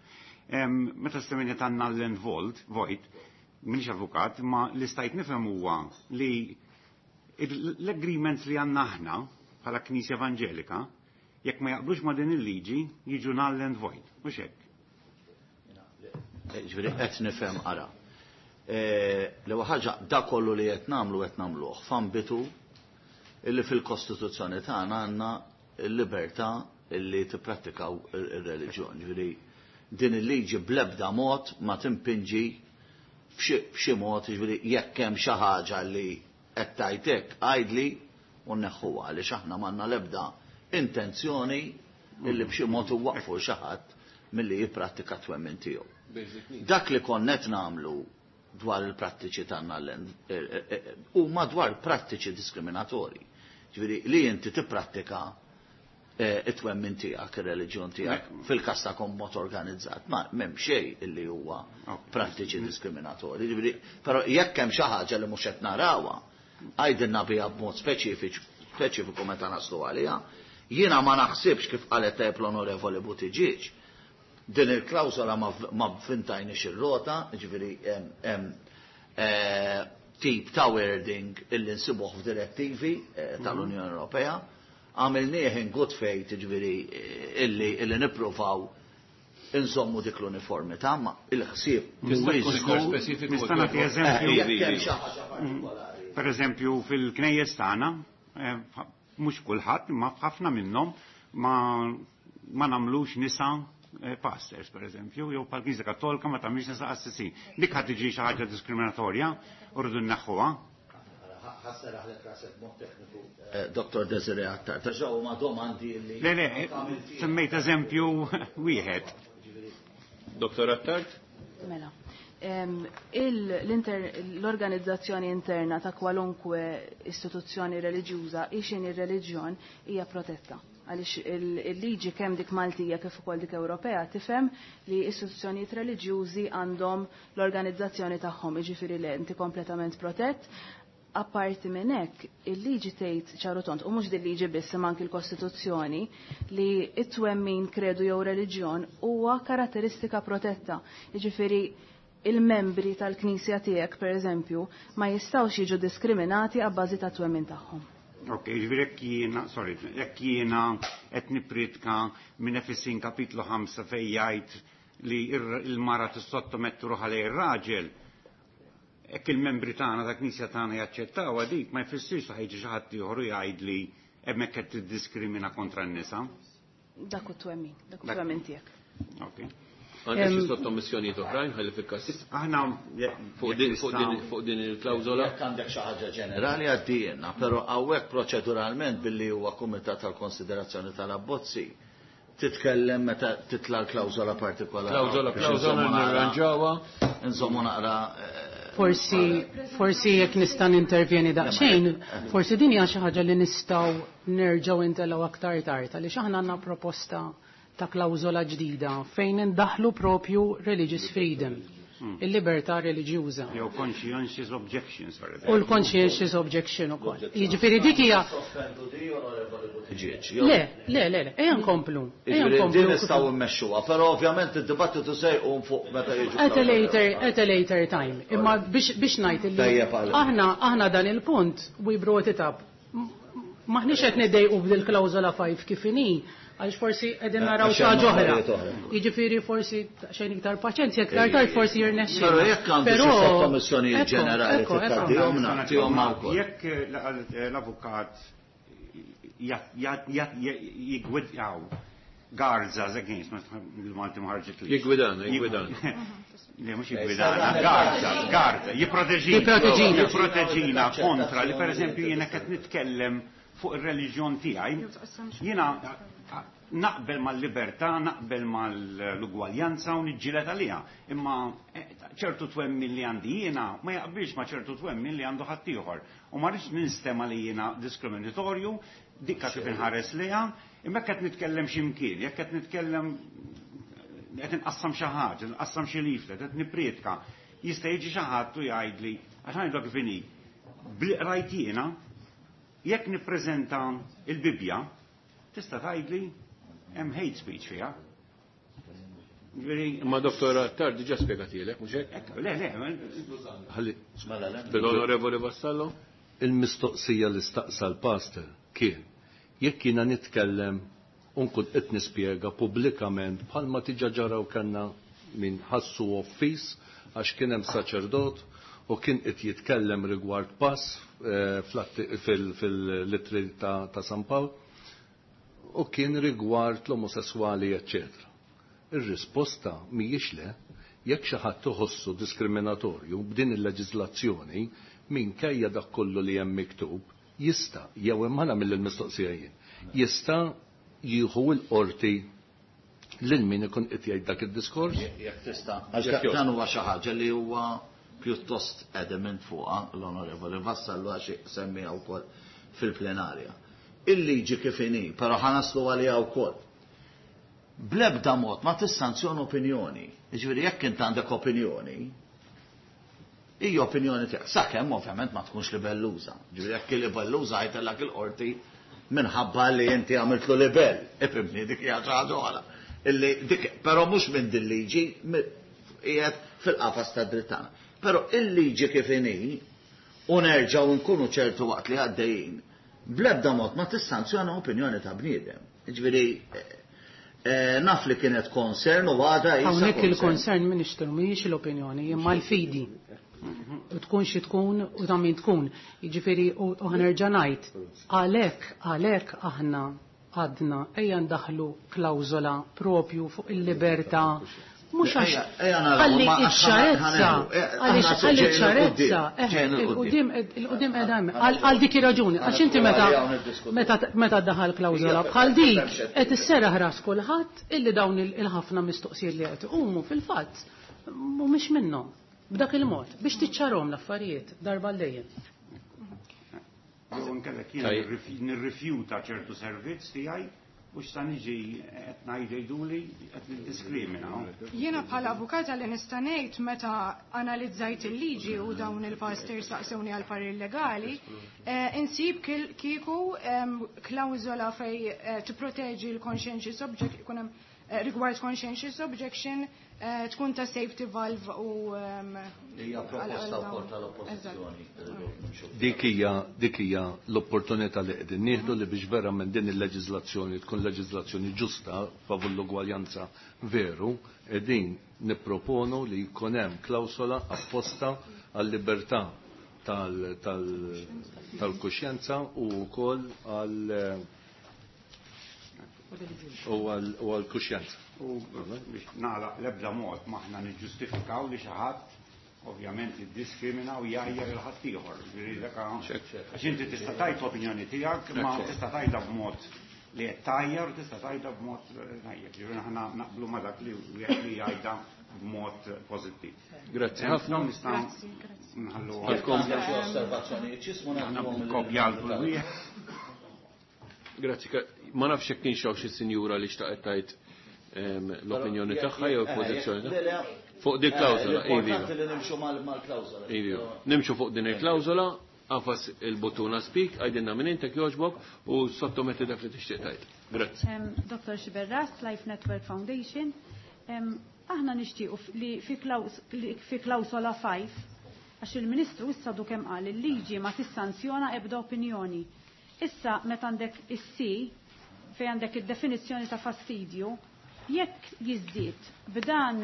Meta stemminja tan null and void, minix avukat, ma li stajt nifhem huwa li l-agreements li għandna aħna bħala Knisja Evangelika, jekk ma jaqblux ma din il-liġi, jiġu null and void, mhux hekk. Ġifieri qed nifhem ara. L-ewwel ħaġa da kollu li qed nagħmlu qed nagħmluh f'ambitu illi fil-Kostituzzjoni tagħna għandna l-libertà illi tipprattikaw ir-reliġjon. Ġifieri din il-liġi bl-ebda mod ma timpinġi b'xi mod, ġifieri jekk hemm xi ħaġa li qed tgħidlek għidli u nneħħuha għaliex aħna m'għandna l-ebda intenzjoni illi b'xi mod iwaqfu xi ħadd milli jipprattika twemmin tiegħu. Dak li konnet nagħmlu dwar il-prattiċi tagħna huma dwar prattiċi diskriminatorji. Ġifieri li inti tipprattika it-twemmin tiegħek, ir-reliġjon tiegħek fil-każ tagħkom mod organizzat, ma m'hemm xejn illi huwa prattiċi diskriminatorji. Ġifieri, però jekk hemm xi ħaġa li mhux qed narawha, għajdilna biha b'mod speċifiku meta naslu għaliha. Jiena ma naħsibx kif qalet tajjeb l-Onorevoli Buttigieg, din il-klawsola ma fintajniex ir-rota, ġifieri hemm tip ta' wording illi nsibuh f'direttivi tal-Unjoni Ewropea, għamilnieh in good faith, ġifieri illi nippruvaw insommu dik l-uniformità, ma il-ħsieb mhuwiex speċifiku. Nista' nagħti eżempju. Jekk hemm xi ħaġa partikolari. Per eżempju fil-knejjes tagħna, mhux kulħadd, imma ħafna minnhom ma nagħmlux nisa pastors, per eżempju, jew bħal Knisja Kattolika ma tagħmilx nisa qassisin. Dik ħadd tiġi xi ħaġa diskriminatorja u rridu nneħħuha. Ħasseraħlek rasek mod tekniku. Dr. Desiree Attard, ta' ġew ma domandi li Le, le, semmejt eżempju wieħed. Dr. Attard? Mela. L-organizzazzjoni interna ta' kwalunkwe istituzzjoni reliġjuża, ixin ir-reliġjon hija protetta. Għaliex il-liġi kemm dik Maltija kif ukoll dik Ewropea tifhem li istituzzjonijiet reliġjużi għandhom l-organizzazzjoni tagħhom, jiġifieri li inti kompletament protett. Apparti minn hekk, il-liġi tgħid ċaru tont, u mhux din liġi biss imma anki l-Kostituzzjoni, li t-twemmin kredu jew reliġjon huwa karatteristika protetta. Jiġifieri il-membri tal-Knisja tiegħek, pereżempju, ma jistgħux jiġu diskriminati għabbażi ta' twemmin tagħhom. Ok, ġifieri jekk jiena, sorry, jekk jiena qed nippriedka minn Efesin kapitlu 5 fejn jgħid li il-mara tissottomettu ruħha lejn ir-raġel, jekk il-membri tagħna ta' Knisja tagħna jaċċettawha dik, ma jfissirx li ħajġi xi ħadd ieħor u jgħid li hemmhekk qed tiddiskrimina kontra n-nisa. Dak hu twemmin, dak hu twemmin tiegħek. Ok. Għandek xi sottomissjonijiet oħrajn ħalli fil-każ. Aħna fuq din il-klawżola. Jekk għandek xi ħaġa ġenerali għaddejna, però hawnhekk proċeduralment billi huwa kumitat tal-konsiderazzjoni tal-abbozzi titkellem meta titla' l-klawżola partikolari. Klawżola, Biex klawżola nżommu naqra nirranġawha. Nżommu naqra Forsi forsi jekk nista' nintervjeni daqsxejn, forsi din hija xi ħaġa li nistgħu nerġgħu intellgħu aktar tard għaliex aħna għandna proposta ta' klawżola ġdida fejn indaħlu propju religious freedom, il-libertà reliġjuża. Jew conscientious objection, sorry. U l-conscientious objection ukoll. Jiġifieri dik hija Le, le, le, le, ejja nkomplu. Ejja Jiġifieri din nkomplu. nistgħu mmexxuha, però ovvjament id-dibattitu se jqum fuq meta jiġu. At a later, at a later time. Imma biex ngħid illi Tajjeb għal. aħna dan il-punt we brought it up. Maħniex qed niddejqu b'dil klawżola 5 kif inhi, għaliex forsi qegħdin naraw Għax xi hemm ħaġa oħra. affarijiet oħra. Jiġifieri forsi xejn iktar paċenzja, iktar tard forsi jirnexxi. Però jekk għandu xi sottomissjonijiet Ekko, ġenerali ekko, ekko. tgħaddihomna, tihomna wkoll. Jekk l-avukat jigwidjaw guards us against, il-Malti ma ħarġet li. Jigwidana, jigwidana. Le, mhux jigwidana, guards us, guards, jipproteġina. Jipproteġina. Jipproteġina kontra li per eżempju jiena qed nitkellem fuq ir-reliġjon tiegħi, jiena naqbel mal-libertà, naqbel mal-ugwaljanza u niġġieled għaliha. Imma ċertu twemmin li għandi jiena ma jaqbilx ma ċertu twemmin li għandu ħaddieħor. U ma rridx ninstema li jiena diskriminatorju, dikka kif inħares liha, imma jekk qed nitkellem xi mkien, jekk qed nitkellem qed inqassam xi ħaġa, nqassam xi leaflet, qed nipprietka, jista' jiġi xi ħadd u jgħidli, għax ngħidlek kif inhi, bli qrajt jiena, jekk nippreżenta il-Bibbja, tista' tgħidli hemm hate speech fiha. Ġifieri, Imma Dottor Attard diġà spjegatilek, mhux hekk? ekk, le, le, Ħalli Mela le. L-Onorevoli Vassallo? il-mistoqsija li staqsa l-pastor kien jekk jiena nitkellem u nkun qed nispjega pubblikament bħalma tiġa ġaraw kellna min ħassu offiż għax kien hemm saċerdot u kien qed jitkellem rigward pass fil-littri ta' San Pawl u kien rigward l-omosessuali, eccetera. Ir-risposta mhijiex le, jekk xi ħadd iħossu diskriminatorju b'din il-leġiżlazzjoni minkejja dak kollu li hemm miktub, jista' jew imma nagħmel il-mistoqsija jien, jista' jieħu l-qorti lil min ikun qed jgħid dak id-diskors? Jekk tista' għax Jekk dan huwa xi ħaġa li huwa pjuttost adamant fuqha l-Onorevoli Vassallo għax semmiha wkoll fil-plenarja. Il-liġi kif inhi, però ħa naslu għaliha wkoll. Bl-ebda mod ma tissanzjona opinjoni. Jiġifieri jekk int għandek opinjoni, hija opinjoni tiegħek. Sakemm ovvjament ma tkunx libelluża. Ġifieri jekk libelluża ħajtellak il-qorti minħabba li inti għamiltlu libell. Ifhimni dik hija xi ħaġa oħra. Illi dik però mhux minn din liġi qiegħed fil-qafas ta' dritt tagħna. Però il-liġi kif inhi u nerġgħu nkunu ċertu waqt li għaddejjin, bl-ebda mod ma tissanzjona opinjoni ta' bniedem. Ġifieri naf li kienet concern u għada jisa Hawnhekk concern. il-concern minn ixtru mhijiex l-opinjoni, imma l-fidi. U tkun xi tkun u ta' min tkun. Jiġifieri u ħanerġa' ngħid, għalhekk aħna għadna ejja ndaħlu klawżola propju fuq il-libertà. Mhux għax Ejja, ejja naraw, ħalli ma għax iċ-ċarezza, għaliex aħna ħalli ġejna ċ-ċarezza, l-qudiem, ġejna l-qudiem. il-qudiem qiegħda hemm. Għal dik ir-raġuni, għax inti meta daħal klawżola bħal dik qed isserraħ ras kulħadd illi dawn il-ħafna mistoqsijiet li qed iqumu fil-fatt mhumiex minnhom b'dak il-mod biex tiċċarhom l-affarijiet darba l dejjem. Jew inkellek jiena nirrifjuta ċertu servizz tiegħi u x'sa niġi qed ngħiduli qed niddiskrimina. Jiena bħala avukata li nista' ngħid meta analizzajt il-liġi u dawn il-pastors saqsewni għal parir legali, insib kieku klawżola fej tipproteġi l-conscientious object, ikun hemm rigward conscientious objection, tkun ta' safety valve u Hija proposta wkoll tal-oppożizzjoni. Dik hija l-opportunità li qegħdin nieħdu li biex verament din il-leġiżlazzjoni tkun leġiżlazzjoni ġusta favur l-ugwaljanza veru, qegħdin nipproponu li jkun hemm klawsola apposta għal-libertà tal-kuxjenza u wkoll għal-kuxjenza. U biex nagħlaq l-ebda mod maħna niġġustifikaw li xi ħadd ovvjament jiddiskrimina u jgħajjar il ħadd ieħor. Ġifieri dak għax inti tista' tgħid l-opinjoni tiegħek, ma tista' tgħidha b'mod li qed tgħajjar u tista' tgħidha b'mod tajjeb. Ġifieri aħna naqblu ma' dak li wieħed li jgħidha b'mod pożittiv. Grazzi ħafna. Nistgħu nħallu Għandkom xi osservazzjonijiet x'ismu nagħtuhom kopja għal kull wieħed. Grazzi, ma nafx jekk kienx hawn xi sinjura li xtaqet tgħid l-opinjoni tagħha jew il-pożizzjoni tagħha. Fuq din klawżola, iva. Importanti li nimxu mal-klawżola. Iva. Nimxu fuq din il-klawżola, agħfas il-buttuna speak, għidilna minn intek jogħġbok u sottometti dak li tixtieq tgħid. Grazzi. Dr. Sciberras, Life Network Foundation. Aħna nixtiequ li fi klawsola 5, għax il-Ministru issa du kemm qal il-liġi ma tissanzjona ebda opinjoni. Issa meta għandek is-C fejn għandek id-definizzjoni ta' fastidju, jekk jiżdied b'dan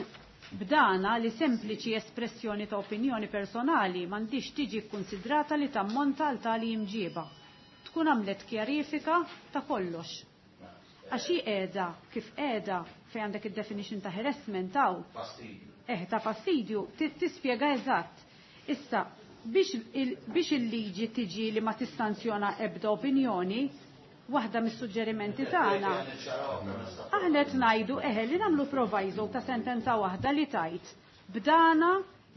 b'dana li sempliċi espressjoni ta' opinjoni personali m'għandix tiġi kkunsidrata li tammonta għal tali imġiba. Tkun għamlet kjarifika ta' kollox. Għax hi qiegħda kif qiegħda fejn għandek id-definition ta' harassment hawn. Ta' fastidju, tispjega eżatt. Issa, biex il-liġi tiġi li ma tissanzjona ebda opinjoni, waħda mis-suġġerimenti tagħna. Aħna qed ngħidu eħe li nagħmlu proviso ta' sentenza waħda li tajt b'dana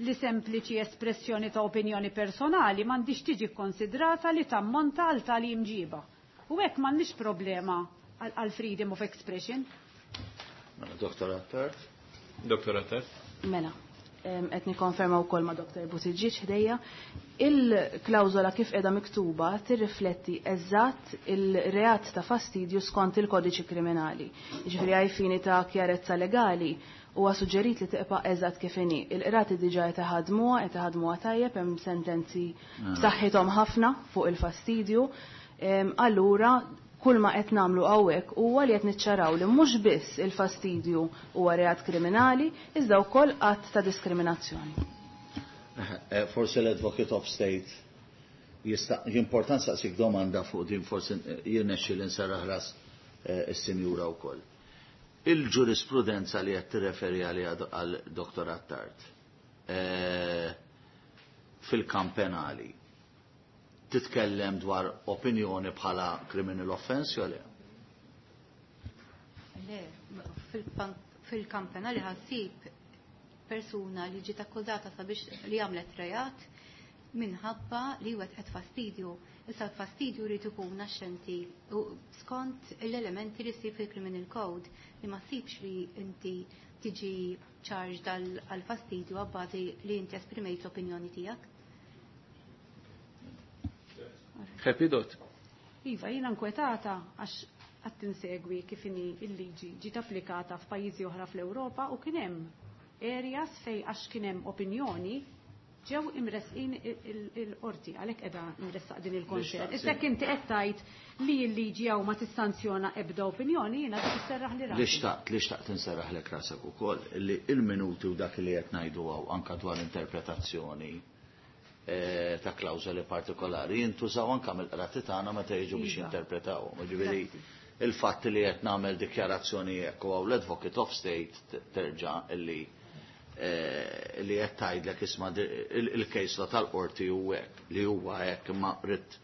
li sempliċi espressjoni ta' opinjoni personali m'għandix tiġi kkonsidrata li tammonta għal tali imġiba. U hekk m'għandix problema għal freedom of expression. Mela, Dr. Attard. Dr. Attard. Mela, qed nikkonferma wkoll ma' Dr. Buttigieg ħdejja. Il-klawżola kif qiegħda miktuba tirrifletti eżatt il-reat ta' fastidju skont il-kodiċi kriminali. Jiġifieri għaj fini ta' kjarezza legali huwa suġġerit li tibqa' eżatt kif inhi. Il-qrati diġà qed iħadmuha, qed iħadmuha tajjeb, hemm sentenzi b'saħħithom ħafna fuq il-fastidju. Allura kull ma qed nagħmlu hawnhekk huwa li qed niċċaraw li mhux biss il-fastidju huwa reat kriminali, iżda wkoll att ta' diskriminazzjoni. Forsi l-Advocate of State jista' importanza saqsik domanda fuq din, forsi jirnexxi li nserraħ ras is-sinjura wkoll. Il-ġurisprudenza li qed tirreferi għaliha għal Dr. Attard fil-kamp penali titkellem dwar opinjoni bħala criminal offense jew le? Le, fil-kamp penali ħassib persuna li ġiet akkużata sabiex li għamlet reat minħabba li wetqet fastidju. Issa l-fastidju jrid ikun naxxenti u skont l-elementi li ssib fil-criminal code li ma ssibx li inti tiġi charged għal fastidju għabbażi li inti esprimejt l-opinjoni tiegħek. Happy dot. Iva, jiena nkwetata għax qed tinsegwi kif inhi il-liġi ġiet applikata f'pajjiżi oħra fl-Ewropa u kien hemm areas fej għax kien hemm opinjoni ġew imresqin il-qorti, għalhekk qiegħda nressaq din il-konċert. Issa jekk inti qed tgħid li l-liġi hawn ma tissanzjona ebda opinjoni, jiena dik isserraħ li rasi. Li xtaqt, li xtaqt inserraħlek rasek ukoll li il-minuti u dak li qed ngħidu hawn anke dwar interpretazzjoni ta' klawżoli partikolari jintużaw anke mill-qrati tagħna meta jiġu biex jinterpretawhom. Jiġifieri il-fatt li qed nagħmel dikjarazzjoni hekk u hawn l-Advocate of State terġa' illi li qed tgħidlek isma' il-case law tal-qorti hu hekk, li huwa hekk imma rrid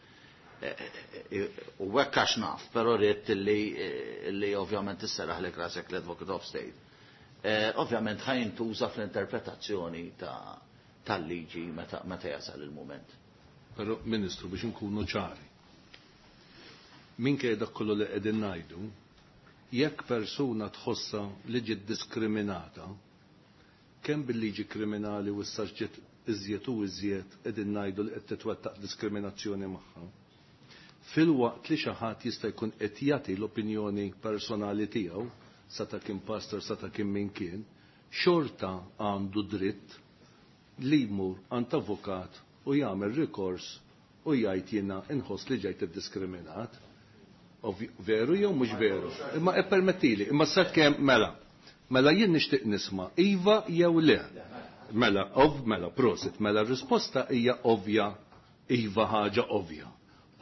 u hekk għax naf, però rrid li ovvjament isserraħlek rasek l-Advocate of State. Ovvjament ħa jintuża fl-interpretazzjoni tal-liġi meta jasal il-moment. Però, Ministru, biex inkunu ċari, minkejja dak kollu li qegħdin ngħidu, jekk persuna tħossha li ġiet diskriminata, kemm bil-liġi kriminali u issa ġiet iżjed u iżjed qegħdin ngħidu li qed titwettaq diskriminazzjoni magħha. Filwaqt li xi ħadd jista' jkun qed jagħti l-opinjoni personali tiegħu, sa ta' kien pastor, sa ta' kien min kien, xorta għandu dritt li jmur għand avukat u jagħmel rikors u jgħid jiena inħoss li ġejt iddiskriminat. Veru jew mhux veru? Imma ippermettili, imma sakemm mela. Mela jien nixtieq nisma' iva jew le. Mela, ov, mela, prosit, mela r-risposta hija ovvja, iva ħaġa ovvja.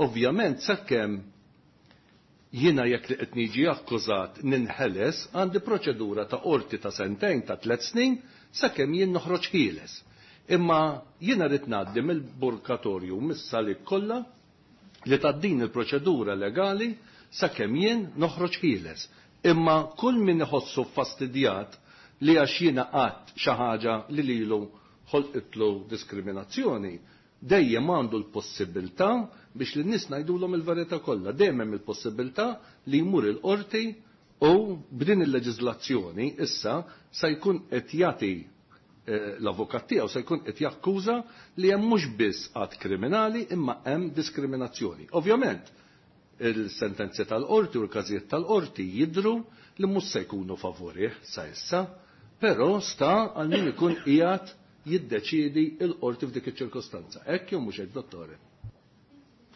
Ovvjament sakemm jiena jekk li qed niġi akkużat ninħeles għandi proċedura ta' qorti ta' sentejn ta' 3 snin sakemm jien noħroġ ħieles. Imma jiena rrid ngħaddi mill-burkatorju mis-salik kollha li tgħaddin il-proċedura legali sakemm jien noħroġ ħieles. Imma kull min iħossu fastidjat li għax jiena qatt xi ħaġa li lilu ħolqitlu diskriminazzjoni, dejjem għandu l-possibilità biex lin-nies ngħidulhom il-verità kollha, dejjem hemm il-possibilità li jmur il-qorti u b'din il-leġiżlazzjoni issa se jkun qed jagħti l-avukat tiegħu se jkun qed jakkuża li hemm mhux biss att kriminali imma hemm diskriminazzjoni. Ovvjament, il-sentenzi tal-qorti u l-każijiet tal-qorti jidhru li mhux se jkunu favorih sa issa, però sta għal min ikun qiegħed jiddeċiedi l-qorti f'dik iċ-ċirkostanza. Hekk jew mhux hekk, dottore?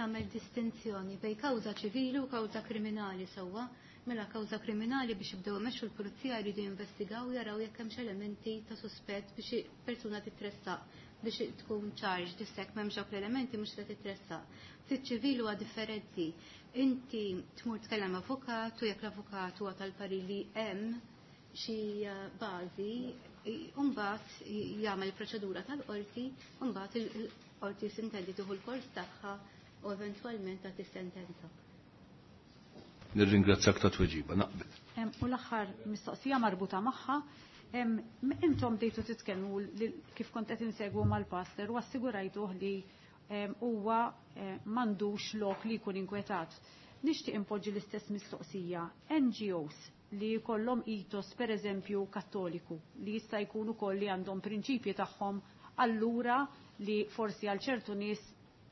Tagħmel distinzjoni bejn kawża ċivili u kawża kriminali sewwa. Mela kawża kriminali biex jibdew imexxu l-pulizija jridu jinvestigaw jaraw jekk hemmx elementi ta' suspett biex persuna titressaq biex tkun charged issek m'hemmx dawk l-elementi mhux se titressaq. Fiċ-ċivili huwa differenti. Inti tmur tkellem avukat u jekk l-avukat huwa tal-parir li hemm xi bażi, mbagħad jagħmel proċedura tal-qorti, u mbagħad il-qorti sintendi tieħu l-kors tagħha u eventwalment tagħti sentenza. Nirringrazzjak ta' tweġiba, naqbel. U l-aħħar mistoqsija marbuta magħha, intom bdejtu titkellmu kif kont qed insegwu mal-pastor u assigurajtuh li huwa m'għandux lok li jkun inkwetat. Nixtieq impoġġi l-istess mistoqsija. NGOs li jkollhom ethos pereżempju kattoliku li jista' jkun ukoll li għandhom prinċipji tagħhom allura li forsi għal ċertu nies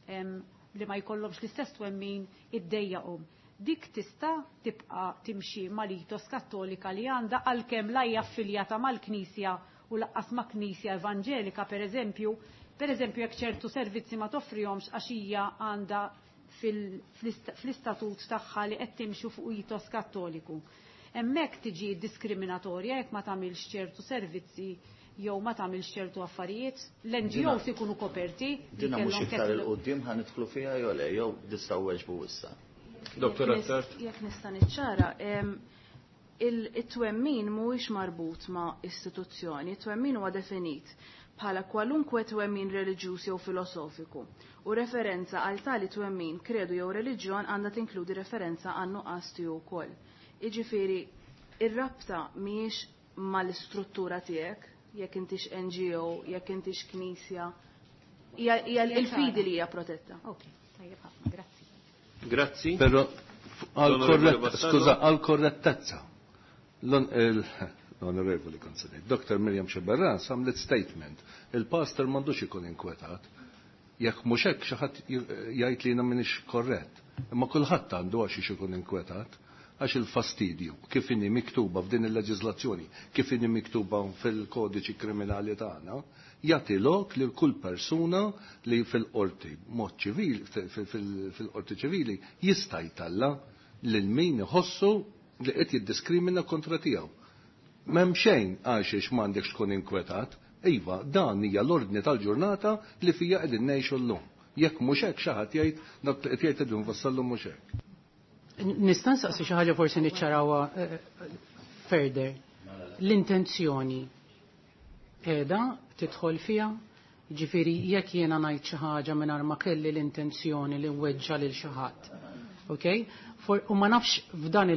li ma jkollhomx l-istess twemmin iddejjaqhom. Dik tista' tibqa' timxi mal-ethos kattolika li għandha għalkemm la hija affiljata mal-Knisja u laqqas ma' Knisja Evanġelika pereżempju, pereżempju jekk ċertu servizzi ma toffrihomx għax hija għandha fl-istatut tagħha li qed timxu fuq ethos kattoliku. Hemmhekk tiġi diskriminatorja jekk ma tagħmilx ċertu servizzi jew ma tagħmilx ċertu affarijiet, l-NGOs ikunu koperti. Dina mhux iktar il-qudiem ħa nidħlu fiha jew le, jew tistgħu weġbu issa. Dottor Attard. Jekk nista' niċċara, it-twemmin mhuwiex marbut ma' istituzzjoni, it-twemmin huwa definit bħala kwalunkwe twemmin reliġjuż jew filosofiku u referenza għal tali twemmin, kredu jew reliġjon għandha tinkludi referenza għan nuqqas tiegħu wkoll. Jiġifieri, ir-rabta mhijiex mal-istruttura tiegħek, jekk intix NGO, jekk intix knisja, hija l-fidi li hija protetta. Ok, tajjeb ħafna, grazzi. Grazzi. Però skuża, għal korrettezza. L-Onorevoli Consigliere, Dr. Miriam Sceberras għamlet statement. Il-pastor m'għandux ikun inkwetat. Jekk mhux hekk xi ħadd jgħid li jiena m'iniex korrett. Imma kulħadd għandu għax ikun inkwetat, għax il-fastidju kif inhi miktuba f'din il-leġiżlazzjoni, kif inhi miktuba fil-kodiċi kriminali tagħna, jagħti lok lil kull persuna li fil-qorti mod ċivili, fil-qorti ċivili jista' jtalla lil min iħossu li qed jiddiskrimina kontra tiegħu. M'hemm xejn għax m'għandekx tkun inkwetat, iva, dan hija l-ordni tal-ġurnata li fija qegħdin ngħixu llum. Jekk mhux hekk xi ħadd jgħid dak li qed jgħid qegħdin nfassallu mhux hekk. Nista' nsaqsi xi ħaġa forsi niċċarawha further. L-intenzjoni qiegħda tidħol fiha, jiġifieri jekk jiena ngħid xi ħaġa mingħajr ma kelli l-intenzjoni li nweġġa' lil xi ħadd. Okay? U ma nafx f'dan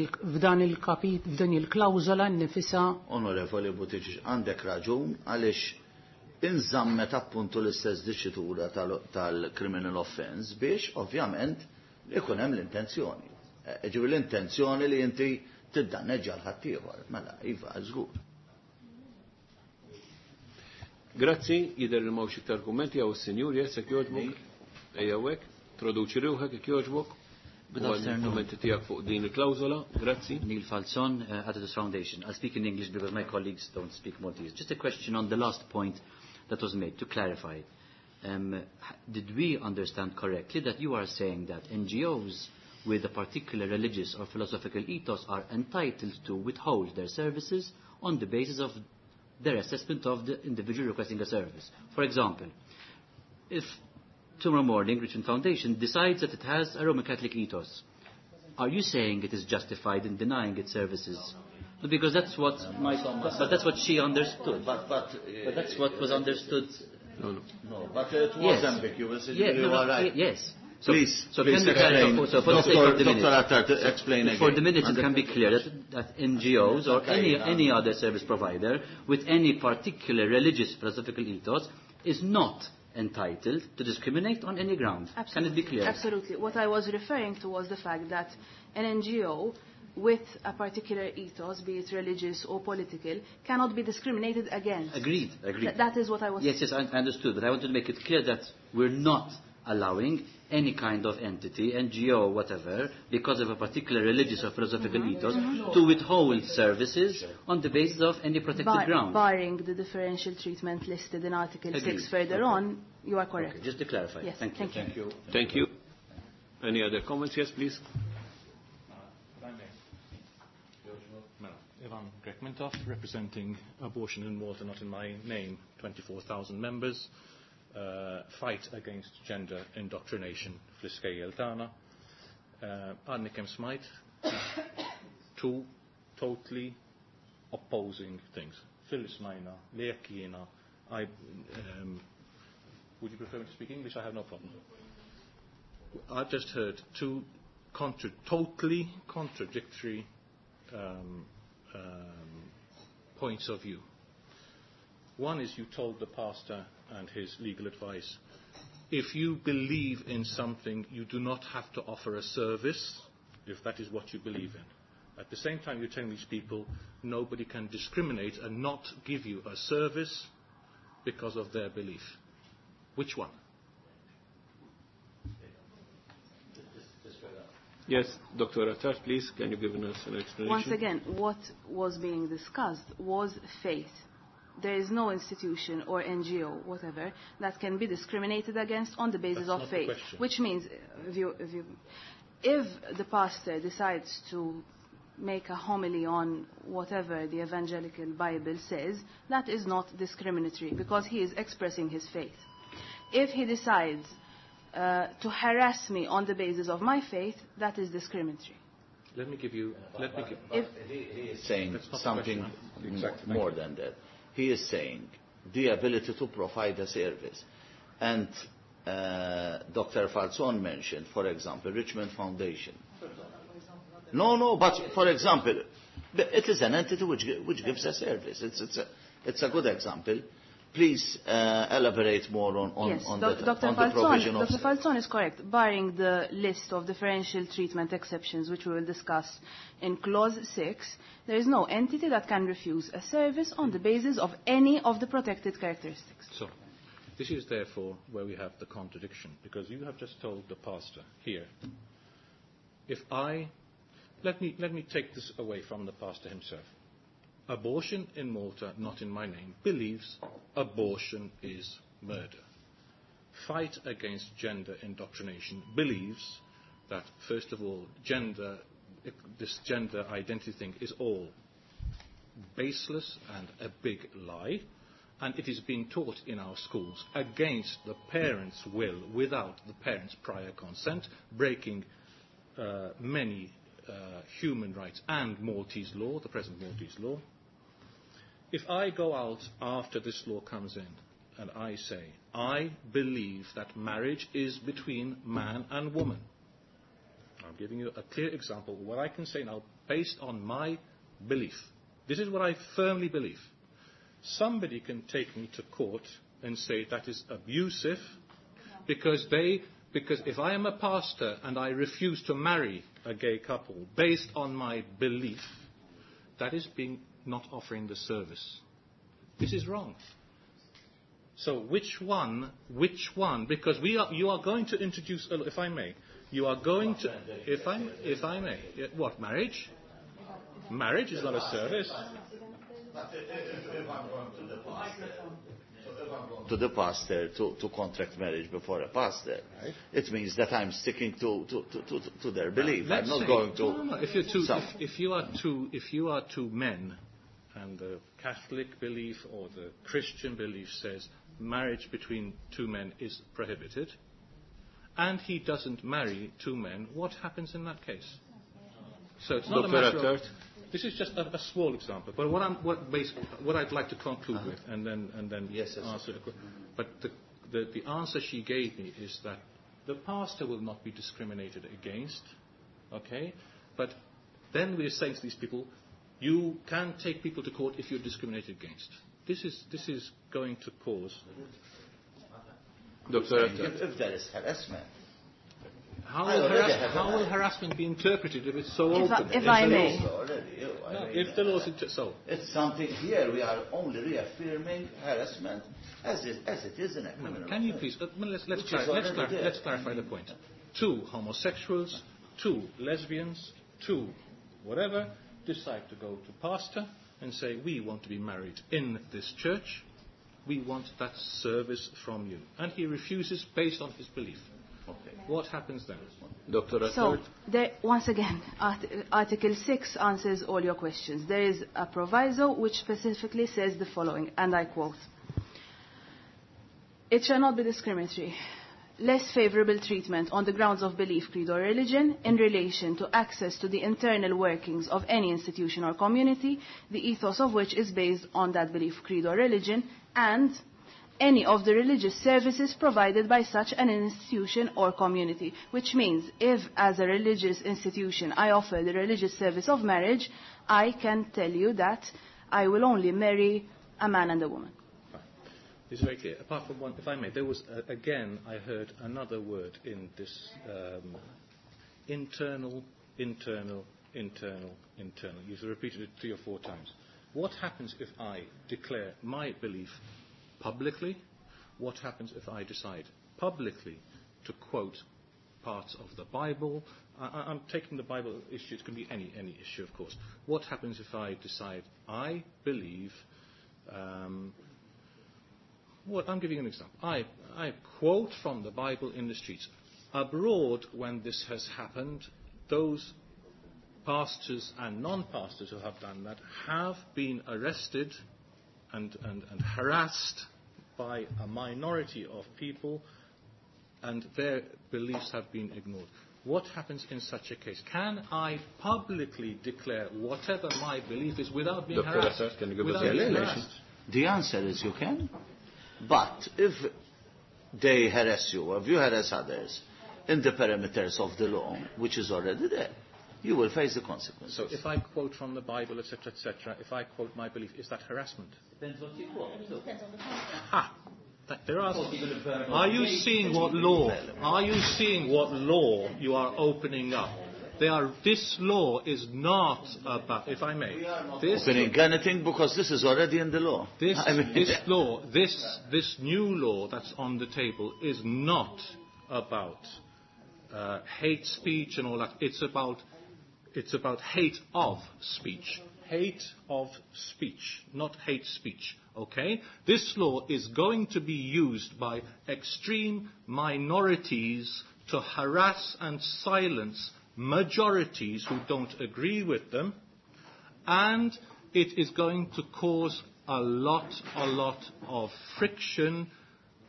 il-kapit, f'dan il-klawżola nnifisha. Onorevoli Buttigieg, għandek raġun għaliex inżammet appuntu l-istess diċitura tal-criminal offense biex ovvjament ikun hemm l-intenzjoni. Ġifieri l-intenzjoni li inti tiddanneġġa l-ħaddieħor. Mela, iva, żgur. Grazzi, jidher li m'hawnx iktar kummenti hawn is-sinjur jessek jogħġbok. Ejja hekk, introduċi ruħek jekk jogħġbok. Good afternoon. Kummenti tiegħek fuq din il-klawżola. Grazzi. Neil Falzon, Aditus Foundation. I'll speak in English because my colleagues don't speak Maltese. Just a question on the last point that was made to clarify. Did we understand correctly that you are saying that NGOs with a particular religious or philosophical ethos are entitled to withhold their services on the basis of their assessment of the individual requesting a service? For example, if tomorrow morning Richmond Foundation decides that it has a Roman Catholic ethos, are you saying it is justified in denying its services? No, because that's what my, but that's what she understood. But that's what was understood. No, no. No, but it was Yes. ambiguous. Yeah, You no, no, are right. Yes. So, please, so please can we clarify- explain. so for the sake of the Dr. minutes. Attard, explain again. For the minutes, it can be clear that NGOs or Okay, any other service provider with any particular religious philosophical ethos is not entitled to discriminate on any ground. Can it be clear? Absolutely. What I was referring to was the fact that an NGO with a particular ethos, be it religious or political, cannot be discriminated against. Agreed, agreed. That is what I was Yes, yes, I understood, but I wanted to make it clear that we're not allowing any kind of entity, NGO, whatever, because of a particular religious or philosophical ethos, to withhold services on the basis of any protected ground. Barring the differential treatment listed in Article Agreed. 6 further Okay. on, you are correct. Okay, just to clarify. Yes, Thank you. thank you. Thank you. Thank you. Any other comments? Yes, please. Ivan Grech Mintoff, representing Abortion in Malta, not in my name, 24,000 members, fight against gender indoctrination fl-iskejjel tagħna. Għadni kemm smajt two totally opposing things. Fil smajna li jekk jiena would you prefer me to speak English? I have no problem. I've just heard two totally contradictory points of view. One is you told the pastor and his legal advice, if you believe in something, you do not have to offer a service, if that is what you believe in. At the same time, you're telling these people nobody can discriminate and not give you a service because of their belief. Which one? Yes, Dr. Attard, please, can you give us an explanation? Once again, what was being discussed was faith. There is no institution or NGO, whatever, that can be discriminated against on the basis That's of not the faith. question. Which means, if the pastor decides to make a homily on whatever the evangelical Bible says, that is not discriminatory because he is expressing his faith. If he decides to harass me on the basis of my faith, that is discriminatory. Let me give you. Let me give. If He is saying That's not the something question. Exactly. more than that. He is saying the ability to provide a service. And Dr. Falzon mentioned, for example, Richmond Foundation. No, but for example, it is an entity which gives a service. It's a good example. Please elaborate more on, yes, on, Dr. on the provision of Dr. Falzon is correct, barring the list of differential treatment exceptions, which we will discuss in Clause 6, there is no entity that can refuse a service on the basis of any of the protected characteristics. So, this is therefore where we have the contradiction, because you have just told the pastor here, if I, let me take this away from the pastor himself. Abortion in Malta, not in my name, believes abortion is murder. Fight against gender indoctrination believes that, first of all, this gender identity thing is all baseless and a big lie, and it is being taught in our schools against the parents' will, without the parents' prior consent, breaking many human rights and Maltese law, the present Maltese law. If I go out after this law comes in and I say, I believe that marriage is between man and woman, I'm giving you a clear example of what I can say now based on my belief. This is what I firmly believe. Somebody can take me to court and say that is abusive because if I am a pastor and I refuse to marry a gay couple based on my belief, that is being not offering the service. This is wrong. So which one, because you are going to introduce, if I may, you are going to, if I may, what, marriage? Marriage is not a service. If I'm going to the pastor to contract marriage before a pastor, right, it means that I'm sticking to their belief. I'm not going to. No. If you are two men, and the Catholic belief or the Christian belief says marriage between two men is prohibited, and he doesn't marry two men, what happens in that case? So it's not a matter of. This is just a small example, but what I'd like to conclude with, and then yes, answer. But the answer she gave me is that The pastor will not be discriminated against, okay? But then we are saying to these people, you can take people to court if you're discriminated against. This is, this is going to cause... Dr. If there is harassment. How will, harass, how will harassment be interpreted if it's so if open? I, if I may. Already, I no, mean, if the law is inter- so. It's something here, we are only reaffirming harassment as it, as it is in a criminal Can you please, let's, let's, Which is clar- let's, already clar- there. let's clarify the point. Two homosexuals, two lesbians, two whatever, decide to go to pastor and say, we want to be married in this church. We want that service from you. And he refuses based on his belief. Okay. What happens then? Dr. So, Attard? there, once again, art- Article 6 answers all your questions. There is a proviso which specifically says the following, and I quote, It shall not be discriminatory, less favorable treatment on the grounds of belief, creed or religion in relation to access to the internal workings of any institution or community, the ethos of which is based on that belief, creed or religion, and any of the religious services provided by such an institution or community. Which means if as a religious institution I offer the religious service of marriage, I can tell you that I will only marry a man and a woman. It's very clear. Apart from one, if I may, there was, again, I heard another word in this um, internal, internal, internal, internal. You've repeated it three or four times. What happens if I declare my belief publicly? What happens if I decide publicly to quote parts of the Bible? I, I'm taking the Bible issue. It can be any, any issue, of course. What happens if I decide I believe... Um, well, I'm giving an example. I, I quote from the Bible in the streets. Abroad, when this has happened, those pastors and non-pastors who have done that have been arrested and, and, and harassed by a minority of people, and their beliefs have been ignored. What happens in such a case? Can I publicly declare whatever my belief is without being Dr. harassed? Assad, can you give us without the being explanation? harassed? The answer is you can. But if they harass you, or if you harass others, in the parameters of the law, which is already there, you will face the consequences. So if I quote from the Bible, etc., etc., if I quote my belief, is that harassment? Depends what you quote. Depends on the context. Ha! That there are. Are you seeing what law? Are you seeing what law you are opening up? They are. This law is not about. If I may, this Opening anything because this is already in the law. This, I mean, this law, this, this new law that's on the table is not about uh, hate speech and all that. It's about, it's about hate of speech. Hate of speech, not hate speech. Okay? This law is going to be used by extreme minorities to harass and silence majorities who don't agree with them and it is going to cause a lot, a lot of friction.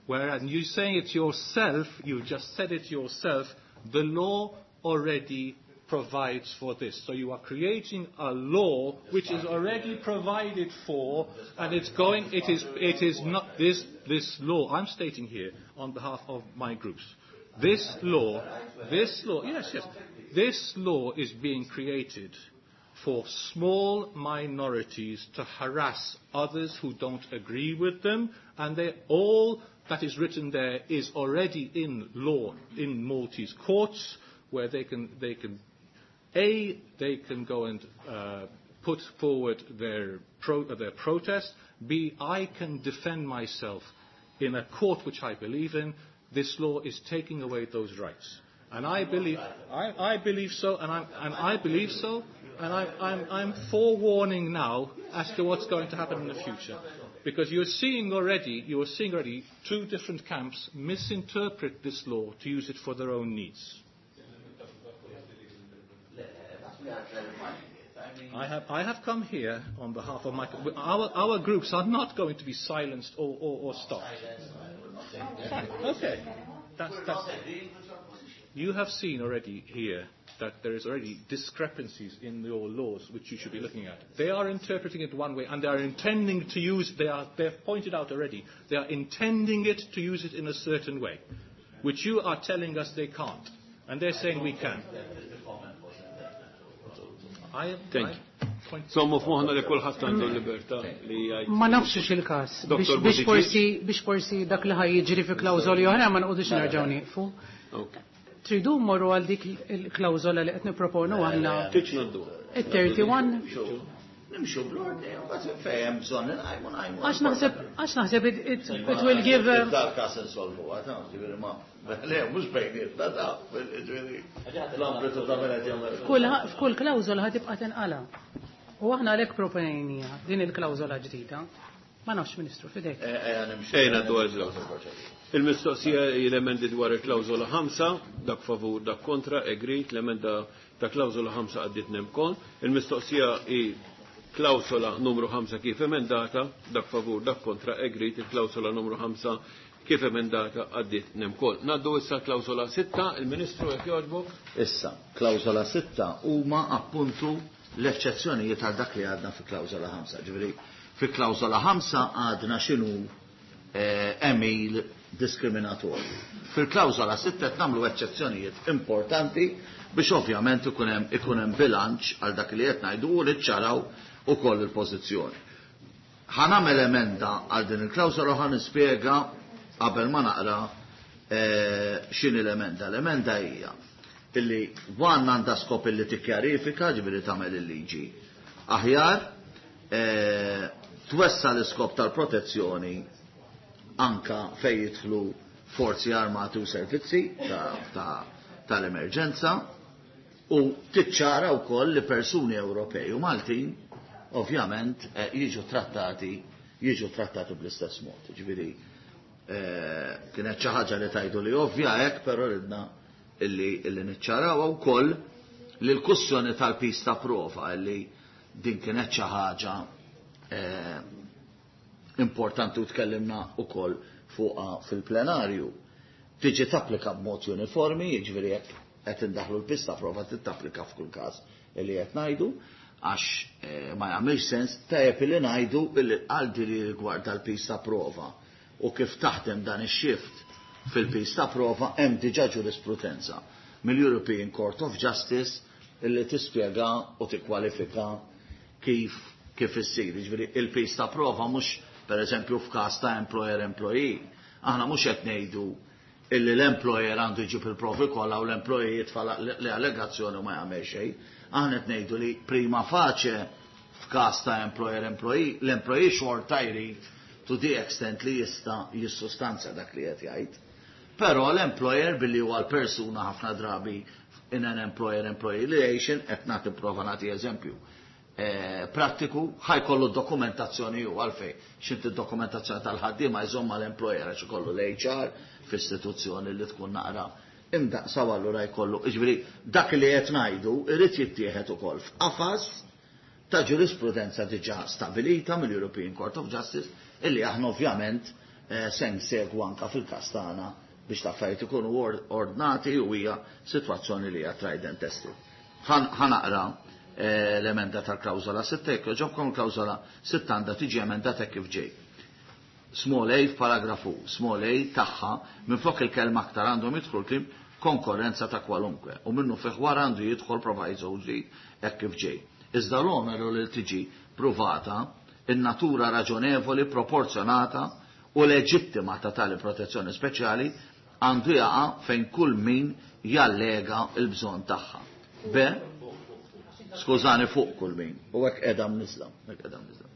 Whereas you're saying it yourself, you just said it yourself, the law already provides for this. So you are creating a law which is already provided for, and it's going, it is, it is not, this, this law, I'm stating here on behalf of my groups, this law, this law, yes, yes, this law is being created for small minorities to harass others who don't agree with them, and they, all that is written there is already in law in Maltese courts, where they can, they can A, they can go and uh, put forward their, pro, uh, their protest. B, I can defend myself in a court which I believe in. This law is taking away those rights. And I believe, I, I believe so, and, I'm, and I believe so, and I, I'm, I'm forewarning now as to what's going to happen in the future. Because you're seeing already, you are seeing already two different camps misinterpret this law to use it for their own needs. I have, I have come here on behalf of my... Our, our groups are not going to be silenced or, or, or stopped. Fine, okay. That's, that's, you have seen already here that there is already discrepancies in your laws which you should be looking at. They are interpreting it one way and they are intending to use, they are, they have pointed out already, they are intending it to use it in a certain way. Which you are telling us they can't. And they're saying we can. I, Thank you. Sommu f'moħna li kulħadd għandu l-libertà li jgħid. Ma nafx il-każ. Dr. Biex Buttigieg. forsi biex forsi dak li ħaj jiġri fi klawżoli oħra ma nqogħdux nerġgħu nieqfu. Ok. Tridu mmorru għal dik il-klawżola li qed nipproponu aħna Tiċ naddu. it-31 Nimxu bl-ordni, u mbagħad fejn hemm bżonn inqajmu ngħajmu. għax naħseb għax naħseb it, it, it will give Dal-każ insolvu għata, ġifieri ma. Le, mhux bejnietna ta' ġifieri. L-ambitu ta' minn qed jagħmel. f'kull f'kull klawżola ħa tibqa' tinqala. U aħna għalhekk proponejnija din il-klawżola ġdida. Ma nafx Ministru fidejk. Ejja nimxu. Ejja ngħaddu għal klawżola. Il-mistoqsija hi l-emendi dwar il-klawżola 5, dak favur, dak kontra, agreed, l-emenda ta' klawżola 5 għaddiet nemkon. Il-mistoqsija hi klawsola numru 5 kif emendata, dak favur, dak kontra, agreed, il-klawsola numru 5 kif emendata għaddiet nemkol. Naddu issa klawsola 6, il-Ministru jekk jogħġbok. Issa, klawżola 6 huma appuntu l-eċċezzjonijiet għal dak li għadna fi klawżola 5. Ġifieri, fi klawżola 5 għadna x'inhu emil diskriminatorju. Fil-klawżola 6 qed nagħmlu eċċezzjonijiet importanti biex ovvjament ikun hemm ikun hemm bilanċ għal dak li qed ngħidu u li ċċaraw ukoll il-pożizzjoni. Ħa nagħmel emenda għal din il-klawżola u ħa nispjega qabel ma naqra x'inhi l-emenda. L-emenda hija illi one għandha skop illi tikkjarifika, ġifieri tagħmel il-liġi aħjar, twessa l-iskop tal-protezzjoni anka fejn jidħlu forzi armati u servizzi tal-emerġenza u tiċċara wkoll li persuni Ewropej u Maltin ovvjament jiġu trattati jiġu trattati bl-istess mod. Ġifieri kienet xi ħaġa li tajdu li ovvja hekk, però ridna illi niċċarawha wkoll li l-kussjoni tal-pis ta' prova illi din kienet xi ħaġa importanti u tkellimna wkoll fuqha fil-plenarju. Tiġi tapplika b'mod uniformi, jiġifieri jekk qed indaħlu l-pis ta' prova titapplika f'kull każ illi qed ngħidu, għax ma jagħmilx sens tajjeb illi ngħidu illi għal li rigward tal-pis ta' prova u kif taħdem dan ix-shift fil-pis ta' prova hemm diġà ġurisprudenza mill-European Court of Justice illi tispjega u tikkwalifika kif issir. Jiġifieri il-pis ta' prova mhux pereżempju f'każ ta' employer employee. Aħna mhux qed ngħidu illi l-employer għandu jġib il-provi kollha u l-employee jitfa' l-allegazzjoni u ma jagħmel xejn. Aħna qed ngħidu li prima facie f'każ ta' employer employee, l-employee xorta jrid to the extent li jista' jissustanzja dak li qed jgħid. Però l-employer billi huwa l-persuna ħafna drabi in an employer-employee relation, qed nagħti prova nagħti eżempju prattiku, ħajkollu dokumentazzjoni hu għalfejn. X'inti d-dokumentazzjoni tal-ħaddiema jżomm mal-employer għax ikollu l-HR f'istituzzjoni li tkun naqra imdaqsa u allura jkollu. Jiġifieri dak li qed ngħidu irid jittieħed ukoll f'qafas ta' ġurisprudenza diġà stabilita mill-European Court of Justice illi aħna ovvjament se nsegwu anka fil-każ tagħna biex l-affarijiet ikunu ordnati u hija sitwazzjoni li hija tried and tested. Ħa naqra l-emenda tal-klawżola 6, jekk jogħġobkom il-klawżola 6 għandha tiġi emendata kif ġej. Small a f'paragrafu small a tagħha minflok il-kelma aktar għandhom jidħlu l-kliem konkorrenza ta' kwalunkwe u minnu fih wara għandu jidħol proviso ġdid hekk kif ġej. Iżda l-oneru li tiġi pruvata in-natura raġonevoli, proporzjonata u leġittima ta' tali protezzjoni speċjali għandu jaqa' fejn kull min jallega l-bżonn tagħha. B, skużani fuq kull min, u hekk qiegħda mniżla, hekk qiegħda mniżla.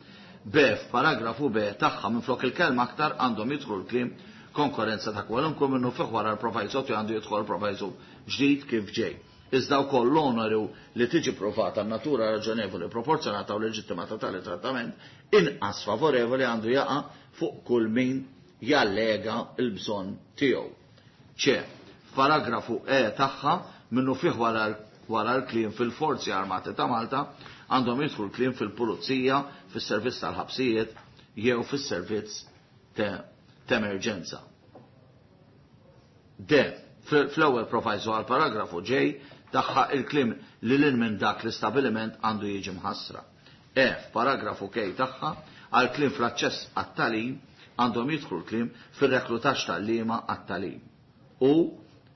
B, f'paragrafu B tagħha minflok il-kelma aktar għandhom jidħlu l-kliem konkurrenza ta' kwalunkwe minnu fih wara l-proviso għandu jidħol proviso ġdid kif ġej. Iżda wkoll l-oneru li tiġi provata n-natura raġonevoli, proporzjonata u leġittima ta' tali trattament inqas favorevoli għandu jaqa' fuq kull min jallega l-bżonn tiegħu. C, f'paragrafu E tagħha minnu fih wara l-kliem fil-Forzi Armati ta' Malta għandhom jidħlu l-kliem fil-Pulizija, fis-servizz tal-ħabsijiet jew fis-servizz t'emerġenza. D, fl-ewwel proviso għal paragrafu ġej tagħha il-kliem li lil minn dak l-istabiliment għandu jiġi mħassra. E, f'paragrafu K tagħha għal kliem fl-aċċess għat-tagħlim għandhom jidħlu l-kliem fir-reklutaġġ tal-liema għat-tagħlim. u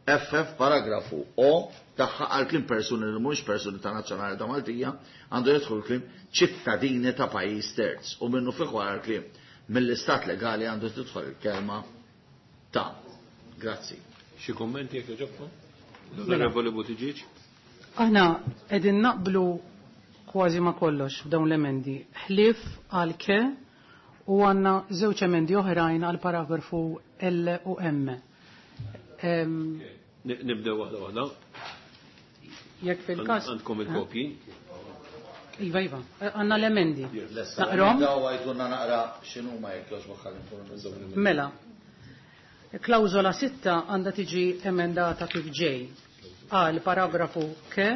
FF paragrafu O tagħha għal kliem persuni li mhux persuni ta' nazzjonalità Maltija għandu jidħol kliem ċittadini ta' pajjiż terz u minnu fih wara l-kliem mill-istat legali għandu tidħol il-kelma ta'. Grazzi. Xi kummenti jekk jogħġobkom? L-Onorevoli Buttigieg. Aħna qegħdin naqblu kważi ma' kollox f'dawn l-emendi. Ħlief għal ke u għandna żewġ emendi oħrajn għal paragrafu L u M. Nibdew waħda waħda. Jekk fil-każ. Għandkom il-kopji. Iva, iva, għandna l-emendi. Naqrom? Daw għajdunna naqra x'inhuma jekk jogħġbok ħalli nkunu Mela. Klawżola 6 għandha tiġi emendata kif ġej. Għal paragrafu ke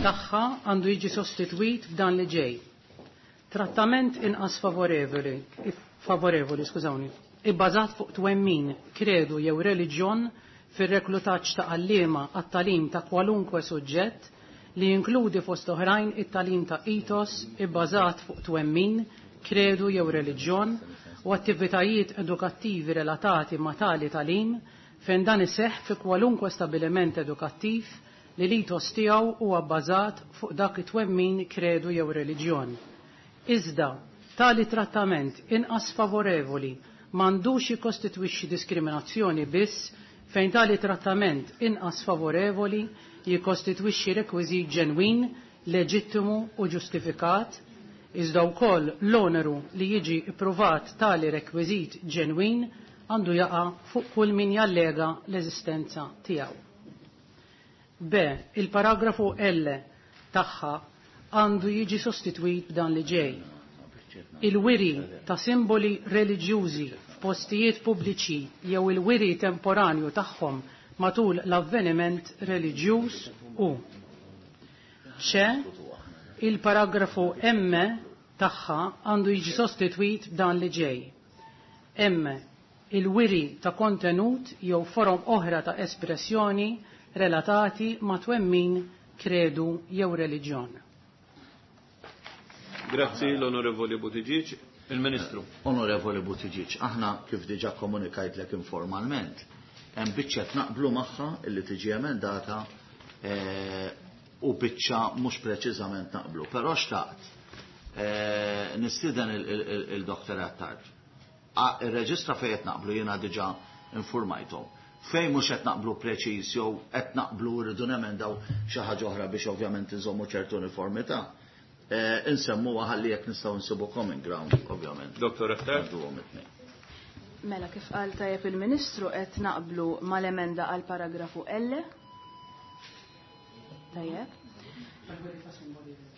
tagħha għandu jiġi sostitwit b'dan li ġej. Trattament inqas favorevoli, favorevoli, skużawni, ibbażat fuq twemmin, kredu jew reliġjon fir-reklutaġġ ta' għalliema għat-tagħlim ta' kwalunkwe suġġett li jinkludi fost oħrajn it-tagħlim ta' ethos ibbażat fuq twemmin, kredu jew reliġjon u attivitajiet edukattivi relatati ma' tali tagħlim fejn dan iseħħ fi kwalunkwe stabiliment edukattiv li l-ethos tiegħu huwa bbażat fuq dak it-twemmin, kredu jew reliġjon. Iżda, tali trattament inqas favorevoli m'għandux jikkostitwixxi diskriminazzjoni biss fejn tali trattament inqas favorevoli jikkostitwixxi rekwiżit ġenwin, leġittimu u ġustifikat, iżda wkoll l-oneru li jiġi ippruvat tali rekwiżit ġenwin għandu jaqa' fuq kull min jallega l-eżistenza tiegħu. B. Il-paragrafu L tagħha għandu jiġi sostitwit b'dan li ġej. Il-wiri ta' simboli reliġjużi f'postijiet pubbliċi jew il-wiri temporanju tagħhom matul l-avveniment reliġjuż u C. Il-paragrafu M tagħha għandu jiġi sostitwit b'dan li ġej. M. Il-wiri ta' kontenut jew forom oħra ta' espressjoni relatati ma' twemmin, kredu jew reliġjon. Grazzi l-Onorevoli Buttigieg. Il-Ministru. Onorevoli Buttigieg, aħna kif diġà komunikajtlek informalment, hemm biċċa naqblu magħha illi tiġi emendata u biċċa mhux preċiżament naqblu. Però xtaqt nistieden il-Dr. Attard. Ir-reġistra fejn qed naqblu jiena diġà informajthom. Fejn mhux qed naqblu preċiż jew qed naqblu rridu nemendaw xi ħaġa oħra biex ovvjament inżommu ċertu uniformità. Insemmu ħalli jekk nistgħu nsibu common ground, ovvjament. Dr. Attard. Għadduhom it-tnejn. Mela, kif qal tajjeb il-Ministru qed naqblu mal-emenda għal paragrafu L. Tajjeb.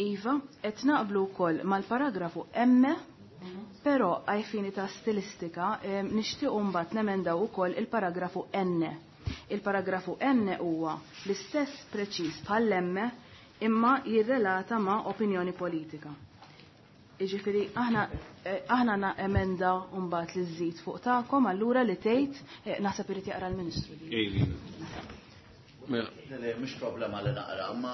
Iva, qed naqblu wkoll mal-paragrafu M, però għaj fini ta' stilistika nixtiequ mbagħad nemendaw ukoll il-paragrafu N. Il-paragrafu N huwa l-istess preċiż bħall-M imma jirrelata ma' opinjoni politika. Jiġifieri aħna na emenda mbagħad li żżid fuq tagħkom allura li tgħid naħseb irid jaqra l-Ministru. Le, le, mhux problema li naqra, ma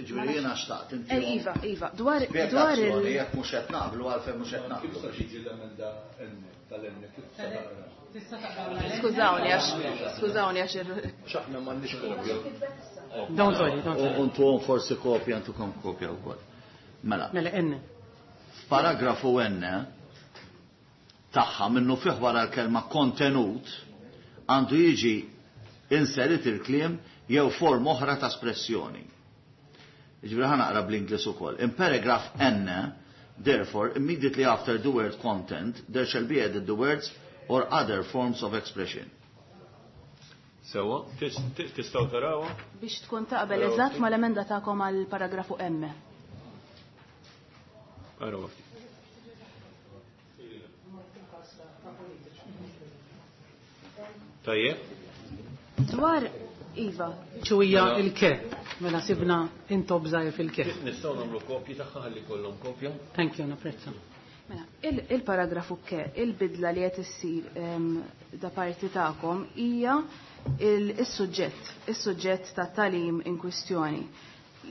ġifieri jiena xtaqt inti. Iva, iva, dwar Spjegazzjoni jekk mhux qed naqblu għalfejn mhux qed naqblu. Kif se tiġi l-emenda N tal-N kif se taqra? Skużawni għax, skużawni għax X'aħna m'għandniex kopja. Don't worry, don't worry. Untuhom forsi kopja, intukom kopja wkoll. Mela. Mela N. Paragrafu N tagħha minnu fih wara l-kelma kontenut għandu jiġi inserit il-kliem jew form oħra ta' espressjoni. Ġifieri ħa naqra bl-Ingliż ukoll. In paragraph N, therefore, immediately after the word content, there shall be added the words or other forms of expression. Sewa, tistgħu tarawha? Biex tkun taqbel eżatt mal-emenda tagħkom għal paragrafu M. Araw ftit. Tajjeb. Dwar Iva. Ċuwija il-ke, mela sibna intob żgħir fil-ke. Nistgħu nagħmlu kopji tagħha ħalli kollhom kopja. Thank you, napprezza. Mela, il-paragrafu ke, il-bidla li qed issir da parti tagħkom hija is-suġġett ta' tagħlim in kwistjoni.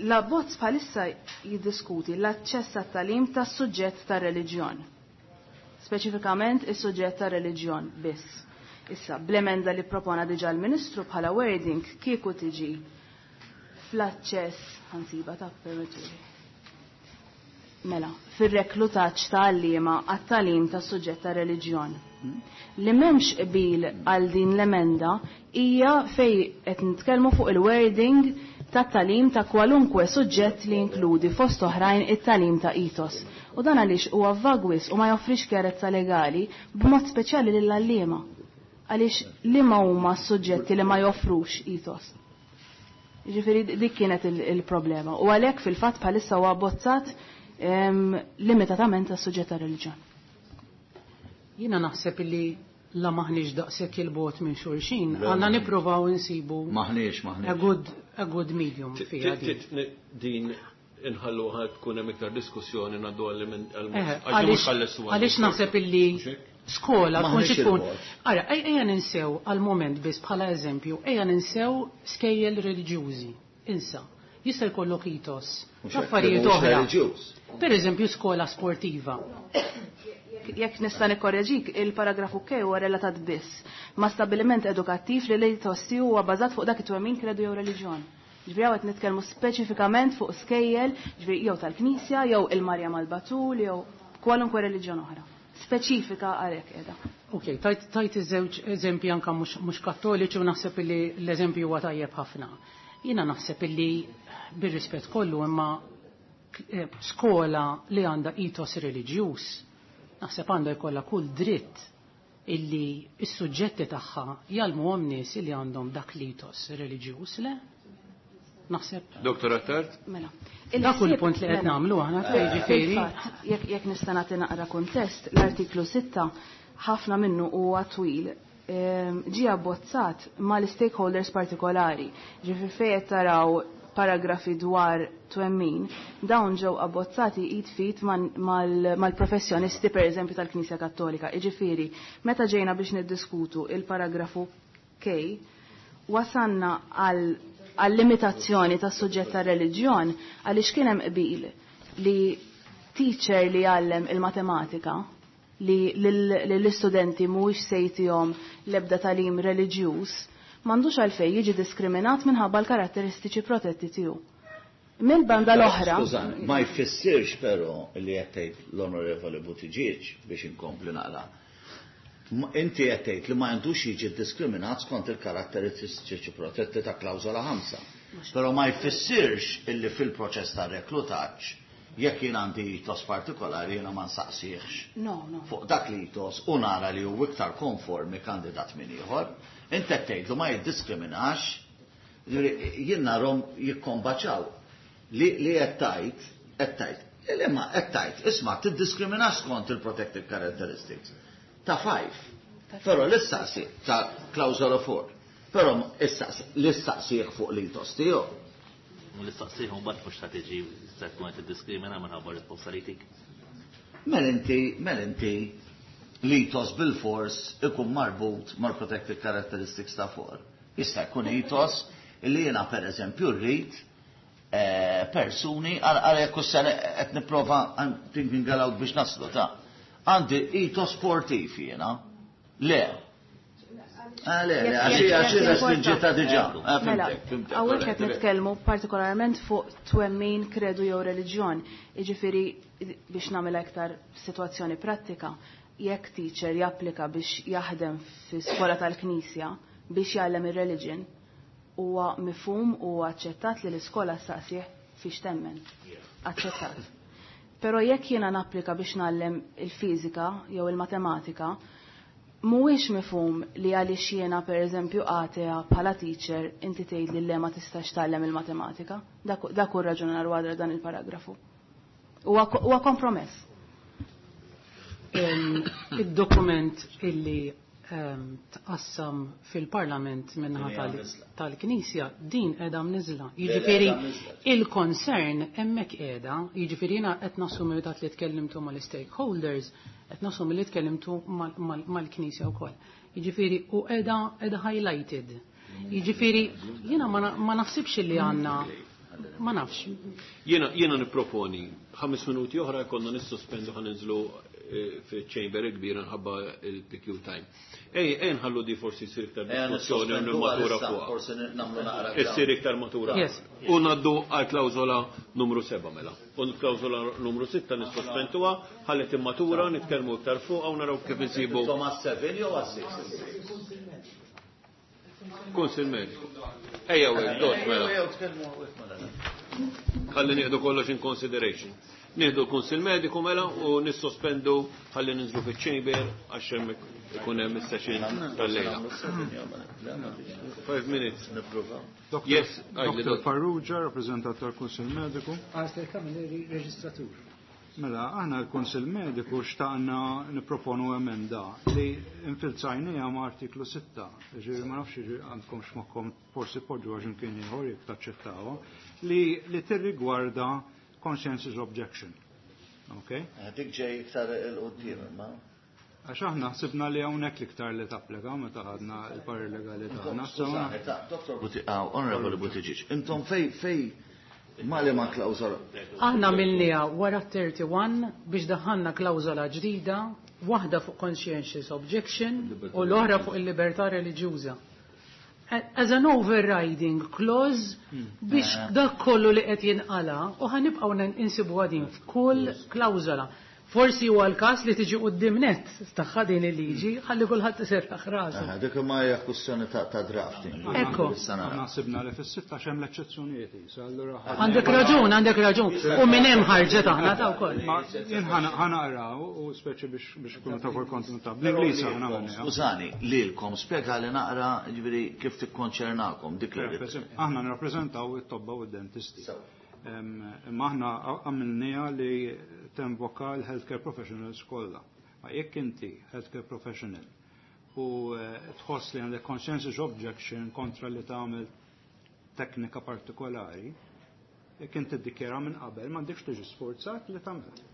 L-abbozz bħalissa jiddiskuti l-aċċess għat-tagħlim tas-suġġett tar-reliġjon. Speċifikament is-suġġett tar-reliġjon biss. Issa, bl-emenda li propona diġà l-Ministru bħala wording kieku tiġi fl-aċċess ħansiba ta' permetturi. Mela, fir-reklutaġġ ta' għalliema għat-tagħlim ta' suġġett ta' reliġjon. Li m'hemmx qbil għal din l-emenda hija fej qed nitkellmu fuq il-wording ta' tagħlim ta' kwalunkwe suġġett li jinkludi fost oħrajn it-tagħlim ta' ethos. U dan għaliex huwa vag wisq u ma joffrix kjarezza legali b'mod speċjali lill-għalliema. Għaliex liema huma s-suġġetti li ma joffrux ethos. Ġifieri dik kienet il-problema. U għalhekk fil-fatt bħalissa huwa abbozzat limitatament għas-suġġett ta' reliġjon. Jiena naħseb li la maħniex daqshekk il-bogħod minn xulxin, għandna nippruvaw insibu Maħniex, maħniex. a good, a good medium fiha din. Din inħallu ħad tkun hemm iktar diskussjoni ngħaddu għall Għaliex naħseb illi skola tkun xi tkun. Ara, ejja ninsew għal moment biss bħala eżempju, ejja ninsew skejjel reliġjużi. Insa, jista' jkollok ethos, affarijiet oħra. Per eżempju skola sportiva. Jekk nista' nikkorreġik, il-paragrafu K huwa relatat biss ma' stabbiliment edukattiv li l-ethos tiegħu huwa bażat fuq dak it-twemmin kredu jew reliġjon. Ġifieri hawn qed nitkellmu speċifikament fuq skejjel, ġifieri jew tal-Knisja, jew il-Marja mal-Batul, jew kwalunkwe reliġjon oħra. Speċifika għalhekk qiegħda. Ok, tajt iż-żewġ eżempji anke mhux kattoliċi u naħseb li l-eżempju huwa tajjeb ħafna. Jiena naħseb illi bir-rispett kollu imma skola li għandha ethos reliġjuż, naħseb għandha jkollha kull dritt illi s-suġġetti tagħha jgħallmuhom nies illi għandhom dak l-ethos reliġjuż, le? Naħseb. Dr. Attard? Mela. Dak hu l-punt li qed nagħmlu aħna jiġifieri. Jekk nista' nagħti naqra kuntest, l-artiklu 6 ħafna minnu huwa twil ġie abbozzat mal-stakeholders partikolari. Ġifieri fejn qed taraw paragrafi dwar twemmin, dawn ġew abbozzati id fit mal-professjonisti per eżempju tal-Knisja Kattolika. Jiġifieri, meta ġejna biex niddiskutu il-paragrafu K, wasanna għal limitazzjoni tas suġġett ta' reliġjon għaliex kien hemm qbil li teacher li jgħallem il-matematika li lill-istudenti mhuwiex se jtihom l-ebda tagħlim reliġjuż m'għandux għalfejn jiġi diskriminat minħabba l-karatteristiċi protetti tiegħu. Mill-banda l-oħra. Skużani, ma jfissirx però li qed tgħid l-Onorevoli Buttigieg biex inkompli naqra. Inti qed tgħid li ma għandux jiġi diskriminat skont il-karatteristiċi protetti ta' klawżola 5. Però ma jfissirx illi fil-proċess ta' reklutaġġ jekk jien għandi ethos partikolari jiena ma nsaqsihx. No, no. Fuq dak li ethos u nara li hu iktar konformi kandidat minn ieħor, inti qed tgħidlu ma jiddiskriminax, jien narhom jikkombaċaw. Li qed tgħid, qed tgħid, li ma qed tgħid, isma' tiddiskriminax skont il-protected characteristics ta' 5. Però l-istaqsi ta' klawżola 4. Però l-istaqsih fuq l-ethos tiegħu. U l-istaqsih mbagħad mhux ta' tiġi se tkun qed tiddiskrimina minħabba risposta li tik. Mela inti l-ethos bil-fors ikun marbut mal-protected characteristics ta' 4. Jista' jkun ethos li jiena pereżempju rrid persuni għal jekk qed nipprova I'm thinking aloud biex naslu ta' għandi ethos sportiv jiena. Le. Le, għax restrinġita diġà. Mela, hawnhekk qed nitkellmu partikolarment fuq twemmin, kredu jew reliġjon. Jiġifieri biex nagħmel aktar sitwazzjoni prattika, jekk teacher japplika biex jaħdem fi skola tal-Knisja biex jgħallem ir-religion, huwa mifhum u aċċettat li l-iskola staqsih fiex temmen. Aċċettat. Però jekk jiena napplika biex ngħallem il-fiżika jew il-matematika, mhuwiex mifhum li għaliex jiena pereżempju atea bħala teacher inti tgħid li le ma tistax tgħallem il-matematika. Dak hu raġunar wara dan il-paragrafu. Huwa kompromess. Id-dokument illi tqassam fil-Parlament minnaħa tal-Knisja din qiegħda mniżla. Jiġifieri il-concern hemmhekk qiegħda, jiġifieri jiena qed nassumi dak li tkellimtu mal-stakeholders, qed nassumi li tkellimtu mal-Knisja wkoll. Jiġifieri u qiegħda highlighted. Jiġifieri jiena ma naħsibx li għandna ma nafx. Jiena nipproponi 5 minuti oħra konna nissospendu ħa ninżlu fiċ-chamber kbira nħabba il-PQ time. Ej, ej nħallu di forsi jsir iktar diskussjoni u matura fuqha. Forsi nagħmlu naqra. Issir iktar matura. U ngħaddu għal klawżola numru 7 mela. U l-klawżola numru 6 nissospenduha, ħalli timmatura, nitkellmu iktar fuqha u naraw kif insibu. Intom għas-7 jew għas-6? Kunsil mediku. Ejja u dot mela. Ħalli nieħdu kollox in consideration. Nieħdu l-Kunsil Mediku mela u nissospendu ħalli ninżlu fiċ-chamber għax hemm ikun hemm is-session tal-lejla. 5 minutes. Yes, Dr. Farrugia, rappresentant tal-Kunsil Mediku. Alistair Camilleri, reġistratur. Mela, aħna l-Kunsil Mediku xtaqna niproponu emenda li infilzajnija ma' artiklu 6. Ġifieri ma nafx għandkom x'moħħkom forsi poġġu għax imkien ieħor jekk taċċettawha, li tirrigwarda conscientious objection. Okay? Dik ġej iktar il-qudiem imma. Għax aħna ħsibna li hawnhekk l-iktar li tapplika meta ħadna l-parir legali tagħna. Dr. Honorable Buttigieg, intom fej ma li ma klawżola. Aħna għamilniha wara 31 biex daħħalna klawżola ġdida, waħda fuq conscientious objection u l-oħra fuq il-libertà reliġjuża. As an overriding clause biex dak kollu li qed jinqala u ħanibqgħu insibu din f'kull klawżola. Forsi huwa l-każ li tiġi quddiem net tagħha din il-liġi ħalli kulħadd iserraħ rasu. Dik ma hija kwistjoni ta' drafting. Ekku. Aħna sibna li fis-sitta hemm l-eċċezzjonijiet isa, allura Għandek raġun, għandek raġun. U minn hemm ħarġet aħna ta' wkoll. Jien ħanaqra u speċi biex ikunu tafu l-kontenut bl-Ingliż aħna għamilniha. Skużani, lilkom spjega li naqra ġifieri kif tikkonċernakom dik li. Aħna nirrappreżentaw it-tobba u d-dentisti. Imma aħna għamilniha li tinvoka l-healthcare professionals kollha. Ma jekk inti healthcare professional u tħoss li għandek conscientious objection kontra li tagħmel teknika partikolari, jekk inti tiddikjara minn qabel m'għandekx tiġi sforzat li tagħmel.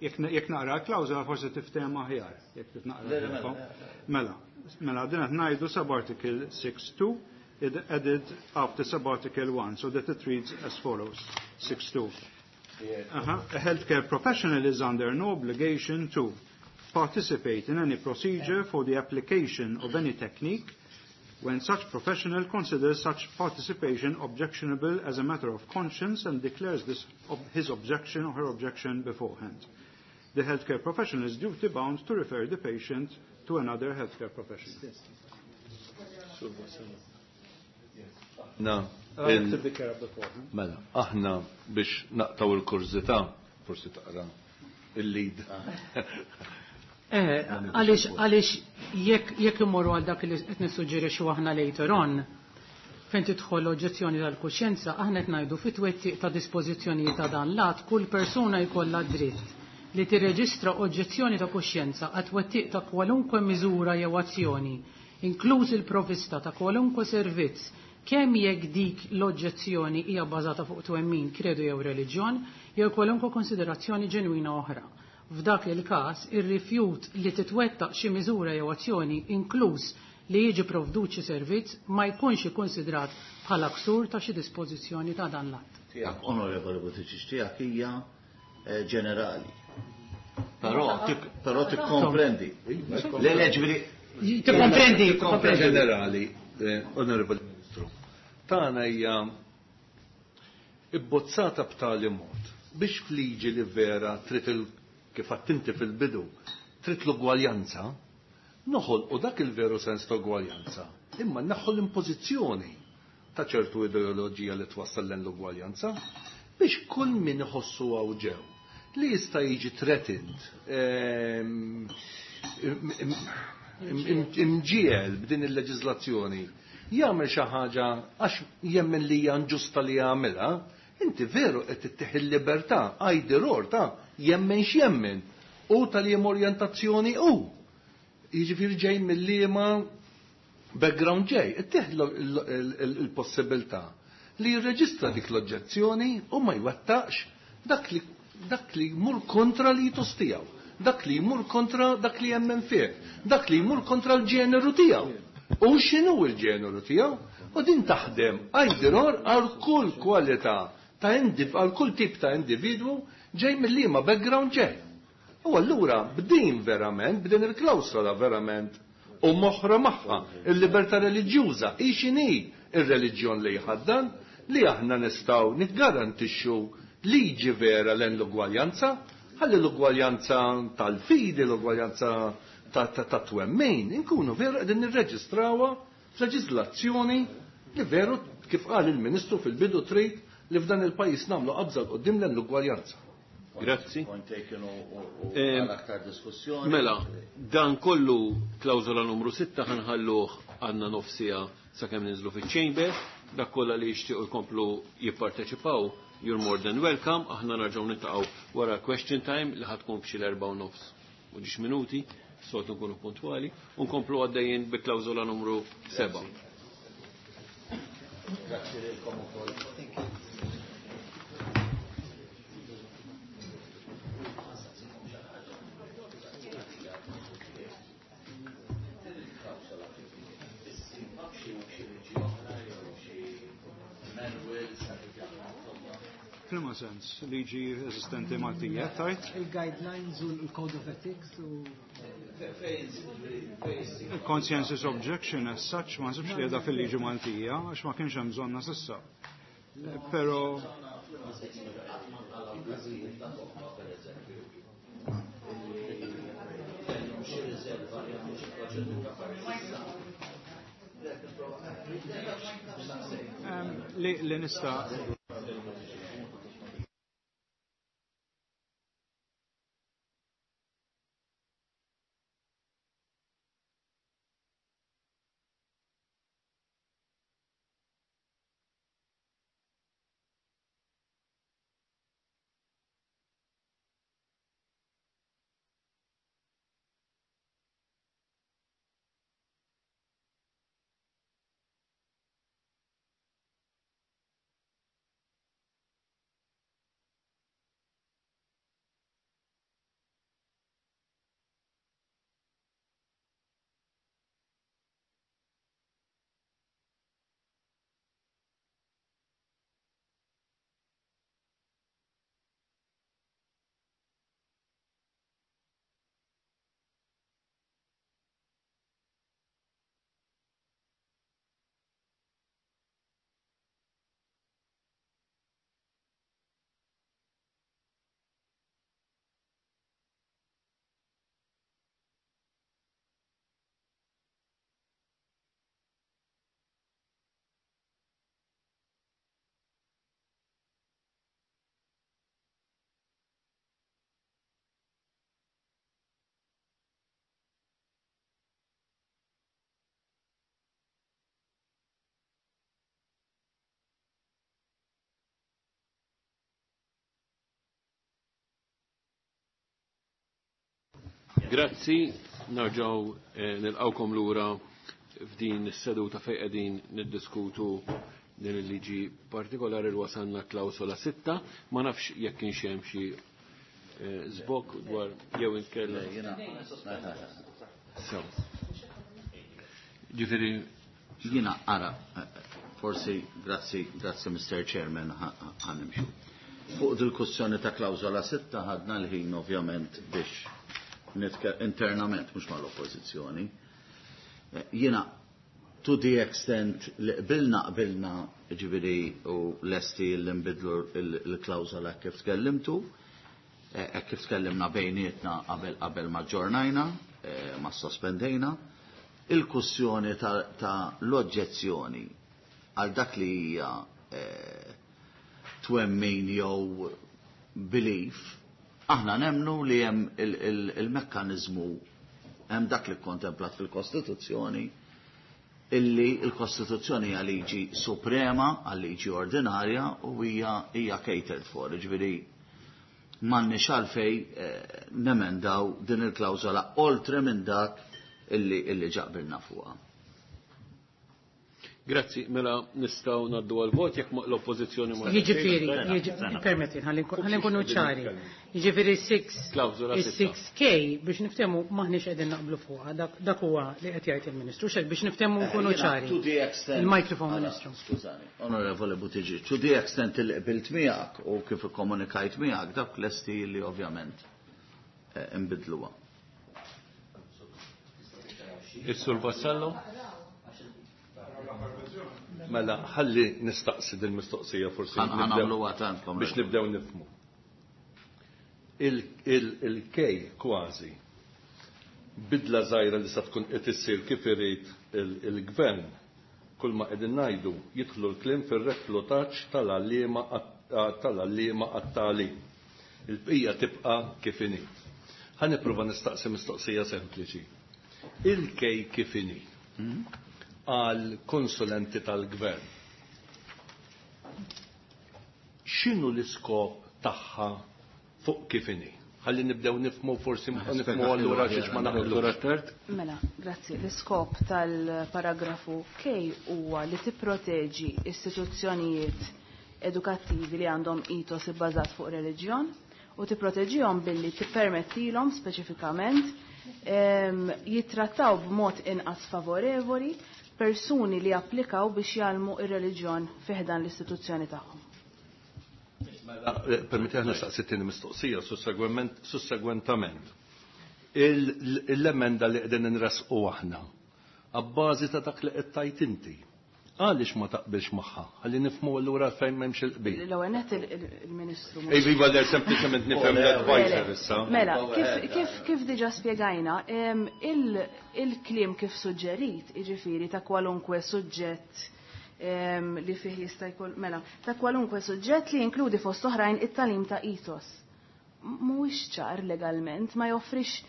Jekk naqra l-klawżola forsi tifhem aħjar, jekk titnaqra. Mela, mela din qed ngħidu subarticle 6.2 it added after subarticle 1, so that it reads as follows, 6.2. A healthcare professional is under no obligation to participate in any procedure for the application of any technique when such professional considers such participation objectionable as a matter of conscience and declares this his objection or her objection beforehand. The healthcare professional is duty bound to refer the patient to another healthcare professional. Na, mela, aħna biex naqtaw il-kurżità, forsi taqra il-lead. Għaliex jekk imorru għal dak li qed nissuġġerixxu aħna later on, fejn tidħol oġġezzjoni tal-kuxjenza, aħna qed ngħidu fit-twettiq ta' dispożizzjonijiet ta' dan l-att kull persuna jkollha dritt li tirreġistra oġġezzjoni ta' kuxjenza għat twettiq ta' kwalunkwe miżura jew azzjoni, inkluż il-provvista ta' kwalunkwe servizz, kemm jekk dik l-oġġezzjoni hija bbażata fuq twemmin, kredu jew reliġjon, jew kwalunkwe konsiderazzjoni ġenwina oħra. F'dak il-każ, ir-rifjut li titwettaq xi miżura jew azzjoni, inkluż li jiġi provdut xi servizz, ma jkunx ikkonsidrat bħala ksur ta' xi dispożizzjoni ta' dan l-att. Tiegħek, Onorevoli Buttigieg, tiegħek hija ġenerali. Però tikkomprendi. Le, le, ġifieri Tikkomprendi, tikkomprendi. Ġenerali, Onorevoli Ministru. Tagħna hija ibbozzata b'tali mod biex fliġi li vera trid kif għattinti fil-bidu, trid l-ugwaljanza, noħolqu dak il-veru sens ta' ugwaljanza, imma naħħu l-impożizzjoni ta' ċertu ideoloġija li twassal l-ugwaljanza biex kull min iħossu għaw ġew li jista' jiġi threatened, imġiel b'din il-leġiżlazzjoni jagħmel xi ħaġa għax jemmen li hija inġusta li jagħmilha, inti veru qed tittieħ il-libertà either or ta' jemmen x'jemmen u tal-jem orjentazzjoni u. Jiġifieri ġej mill-liema background ġej, ittieħ il-possibilità li jirreġistra dik l-oġġezzjoni u ma jwettaqx dak li jmur kontra li jitus tiegħu, dak li jmur kontra dak li jemmen fih, dak li jmur kontra l-ġeneru tiegħu. U x'inhu l-ġeneru tiegħu? U din taħdem either or għal kull kwalità ta' għal kull tip ta' individwu ġej mill-liema background ġej. U allura b'din verament, b'din il-klawsola verament u moħra magħha il-libertà reliġjuża hi x'inhi ir-reliġjon li jħaddan li aħna nistgħu niggarantixxu liġi vera lejn l-ugwaljanza, ħalli l-ugwaljanza tal-fidi, l-ugwaljanza ta' twemmin, inkunu veru qegħdin nirreġistrawha f'leġiżlazzjoni li veru kif qal il-Ministru fil-bidu trid li f'dan il-pajjiż nagħmlu qabża 'l quddiem lejn l-ugwaljanza. Grazzi. Point taken u għal aktar diskussjoni. Mela, dan kollu klawżola numru 6 ħanħalluh għandna nofsija sakemm ninżlu fiċ-chamber, dak kollha li jixtiequ jkomplu jipparteċipaw, you're more than welcome, aħna nerġgħu niltaqgħu wara question time li ħa tkun f'xi l-4:30 u ġiex minuti, soltu nkunu puntwali, u nkomplu għaddejjin bi klawżola numru 7. Grazzi lilkom ukoll. F'liema sens, liġi eżistenti Maltija, tajt? Il-guidelines u l-code of ethics u Il-conscientious objection as such ma nsibx li qiegħda fil-liġi Maltija għax ma kienx hemm bżonna s'issa. Però li nista' Grazzi, narġaw nilqawkom lura f'din is-seduta fejn qegħdin niddiskutu din il-liġi partikolari li wasalna klawsola 6, ma nafx jekk kienx hemm xi żbokk dwar jew inkella. So. Ġifieri jiena ara, forsi grazzi, grazzi Mr. Chairman ħanimxu. Fuq dil-kwestjoni ta' klawsola 6 ħadna l-ħin ovvjament biex internament, mhux mal-oppożizzjoni. Jiena to the extent li qbilna qbilna ġifieri u lesti li nbidlu l-klawżola kif tkellimtu, hekk kif tkellimna bejnietna qabel qabel ma ġġornajna, ma sospendejna, il-kwestjoni ta' l-oġġezzjoni għal dak li hija twemmin jew belief, aħna nemnu li hemm il-mekkaniżmu hemm dak li kontemplat fil-Kostituzzjoni illi l-Kostituzzjoni hija liġi suprema għal liġi ordinarja u hija catered for, ġifieri m'għandniex għalfej nemendaw din il-klawżola oltre minn dak illi ġaqbilna fuqha. Grazzi, mela nistgħu ngħaddu għal-vot jekk l-oppożizzjoni ma Jiġifieri, permetti, ħalli nkunu ċari. Jiġifieri Klawżola sitta. 6K biex niftehmu m'aħniex qegħdin naqblu fuqha, dak huwa li qed jgħid il-Ministru, x'hekk biex niftehmu nkunu ċari. To the extent Il-microphone, Ara, Ministru. Skużani, Onorevole Buttigieg, to the extent li qbilt miegħek u kif ikkomunikajt miegħek dak lesti li ovvjament. nbiddluha. Is-Sur Vassallo? Mela, ħalli nistaqsi din mistoqsija forsi. Ħa nagħmluha tantkom. Biex nibdew nifhmu. Il-K kważi bidla żgħira li sa tkun qed issir kif irid il-gvern, kull ma qegħdin ngħidu jidħlu l-kliem fir-reklutaġġ tal-għalliema għat-tagħlim. Il-bqija tibqa' kif inhi. Ħa nipprova nistaqsi mistoqsija sempliċi. Il-K kif inhi għal konsulenti tal-gvern. X'inhu l-iskop tagħha fuq kif inhi? Ħalli nibdew nifhmu, forsi nifhmu allura xiex ma naqblux. Mela, grazzi. L-iskop tal-paragrafu K huwa li tipproteġi istituzzjonijiet edukattivi li għandhom ethos ibbażat fuq reliġjon u tipproteġihom billi tippermettilhom speċifikament jittrattaw b'mod inqas favorevoli persuni li applikaw biex jgħallmu ir-reliġjon fi ħdan l-istituzzjoni tagħhom. Mela, permetti aħna staqsi t-tieni mistoqsija sussegwentament. L-emenda li qegħdin nressqu aħna, abbażi ta' dak li qed tgħid inti, għaliex ma taqbilx magħha? Ħalli nifhmu allura fejn m'hemmx il-qbil. L-ewwel nett il-Ministru mhux. Ej, iva, le, sempliċement nifhem l-advisor issa. Mela, kif diġà spjegajna, il-kliem kif suġġerit, jiġifieri ta' kwalunkwe suġġett li fih jista' jkun, mela, ta' kwalunkwe suġġett li jinkludi fost oħrajn it-tagħlim ta' ethos. Mhuwiex ċar legalment, ma joffrix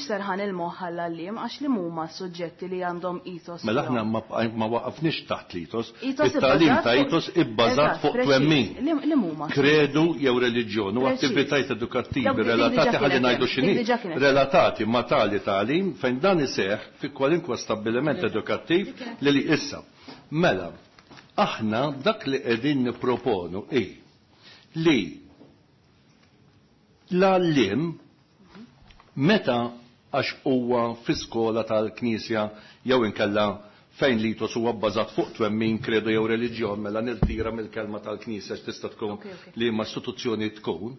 serħan il-moħħ għall-għalliem għax li huma suġġetti li għandhom ethos. Mela aħna ma waqafniex taħt l-ethos. Ethos It-tagħlim ibbażat ta' fuq ethos ibbażat Eżatt, fuq preċiż. twemmin. Li huma Kredu jew reliġjon u Preċiż. attivitajiet edukattivi Dawk dik relatati, diġà ħalli kienet ngħidu hemm. x'inhi, Dik diġà kienet hemm. relatati ma' tali tagħlim fejn dan iseħħ fi kwalinkwa stabbiliment edukattiv Dik kienet li li issa. Mela, aħna dak li qegħdin nipproponu hi li l-għalliem meta għax huwa fi skola tal-Knisja jew inkella fejn l-ethos huwa bbażat fuq twemmin, kredu jew reliġjon, mela nirtira mill-kelma tal-Knisja x'tista' tkun li ma istituzzjoni tkun,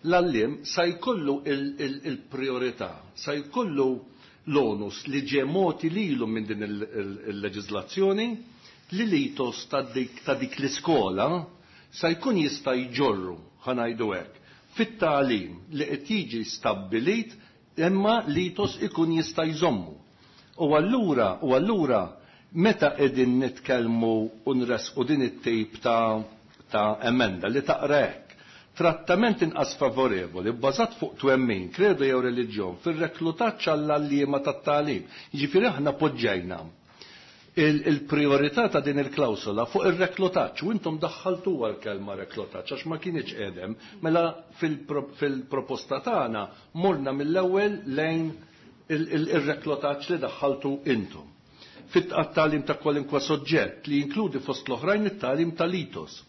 l-għalliem sa jkollu il-priorità, sa jkollu l-onus li ġie mogħti lilu minn din il-leġiżlazzjoni li l-ethos ta' dik l-iskola sa jkun jista' jġorru, ħa ngħidu hekk, fit-tagħlim li qed jiġi stabbilit imma l-ethos ikun jista' jżommu. U allura meta qegħdin nitkellmu u nresqu din it-tip ta' emenda li taqra hekk, trattament inqas favorevoli bbażat fuq twemmin, kredu jew reliġjon fir-reklutaġġ għall-għalliema tat-tagħlim. Jiġifieri aħna poġġejna il-priorità ta' din il-klawsola fuq ir-reklutaġġ u intom daħħaltuha l-kelma reklutaġġ għax ma kienx qedem, mela fil-proposta tagħna morna mill-ewwel lejn ir-reklutaġġ li daħħaltu intom. Fit-tagħlim ta' kwalinkwa soġġett li jinkludi fost l-oħrajn it-tagħlim tal-ethos,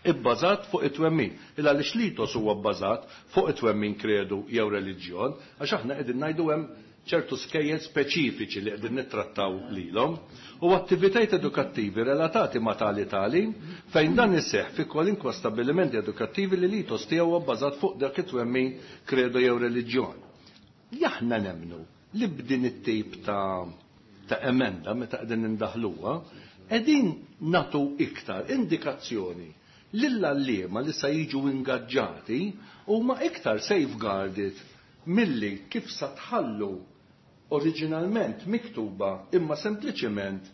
ibbażat fuq it-twemmin. Il għaliex l-ethos huwa bbażat fuq it-twemmin, kredu jew reliġjon, għax aħna qegħdin ngħidu hemm ċertu skejjel speċifiċi li qegħdin nittrattaw lilhom u attivitajiet edukattivi relatati ma' tali tagħlim fejn dan iseħħ fi kwalinkwa stabbilimenti edukattivi li l-ethos tiegħu huwa bbażat fuq dak it-twemmin, kredu jew reliġjon. Aħna nemmnu li b'din it-tip ta' emenda meta qegħdin indaħluha, qegħdin nagħtu iktar indikazzjoni lill-għalliema li sa jiġu ingaġġati huma iktar safeguarded milli kif sa tħallu oriġinalment miktuba, imma sempliċement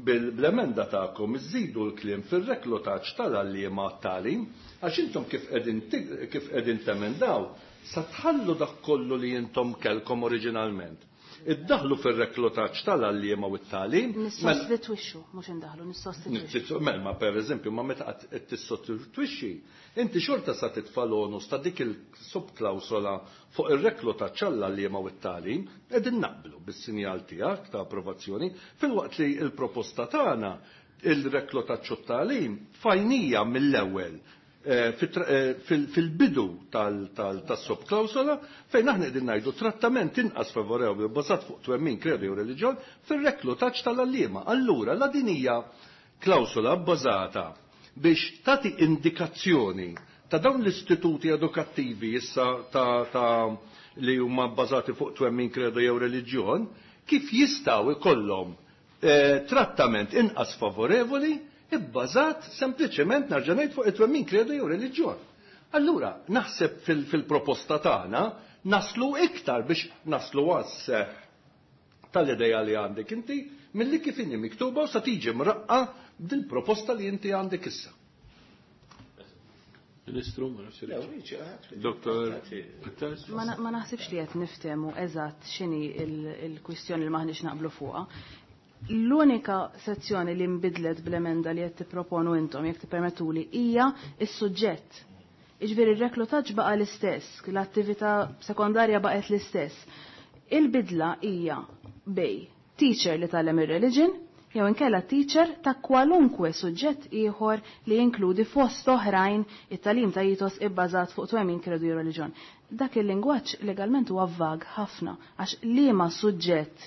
bil-emenda tagħkom iżidu l-kliem fir-reklutaġġ tal-għalliema għat-tagħlim, għax intom kif qegħdin temendaw sa tħallu dak kollu li intom kellkom oriġinalment. Iddaħlu fir-reklutaġġ tal-għalliema u t-tagħlim. Nissostitwixxu, mhux indaħlu, nissostitwixxu. Mela, ma per eżempju, ma meta qed tissostitwixxi, inti xorta sa titfa' l-onus ta' dik il-subklawsola fuq ir-reklutaġġ għall-għalliema u t-tagħlim, qegħdin naqblu bis-sinjal tiegħek ta' approvazzjoni, filwaqt li l-proposta tagħna il-reklutaġġ u t-tagħlim fajnija mill-ewwel fil-bidu tas-subklawsola fejn aħna qegħdin ngħidu trattament inqas favorevoli bbażat fuq twemmin, kredu jew reliġjon fir-reklutaġġ tal-għalliema. Allura la din hija klawsola bbażata biex tagħti indikazzjoni ta' dawn l-istituti edukattivi issa ta', ta li huma bbażati fuq twemmin kredo jew reliġjon, kif jistgħu ikollhom eh, trattament inqas favorevoli ibbażat sempliċement nerġa' ngħid fuq it-twemmin kredo jew reliġjon. Allura, naħseb fil-proposta tagħna naslu iktar biex naslu għas tal-ideja li għandek inti milli kif inhi miktuba u sa tiġi mraqqa dil-proposta li inti għandek issa. Ministru, ma nafx Doktor Attars? Ma naħsibx li qed niftehmu eżatt x'inhi il-kwistjoni li maħniex naqblu fuqha. L-unika sezzjoni li nbidlet bl-emenda li qed tipproponu intom jekk tippermettuli hija s-suġġett. Iġifieri r-reklutaġġ baqa' l-istess, l-attività sekondarja baqgħet l-istess. Il-bidla hija bej teacher li tgħallem ir-religion jew inkella teacher ta' kwalunkwe suġġett ieħor li jinkludi fost oħrajn it-tagħlim ta' ethos ibbażat fuq twemmin kredu jew reliġjon. Dak il-lingwaġġ legalment huwa vag ħafna għax liema suġġett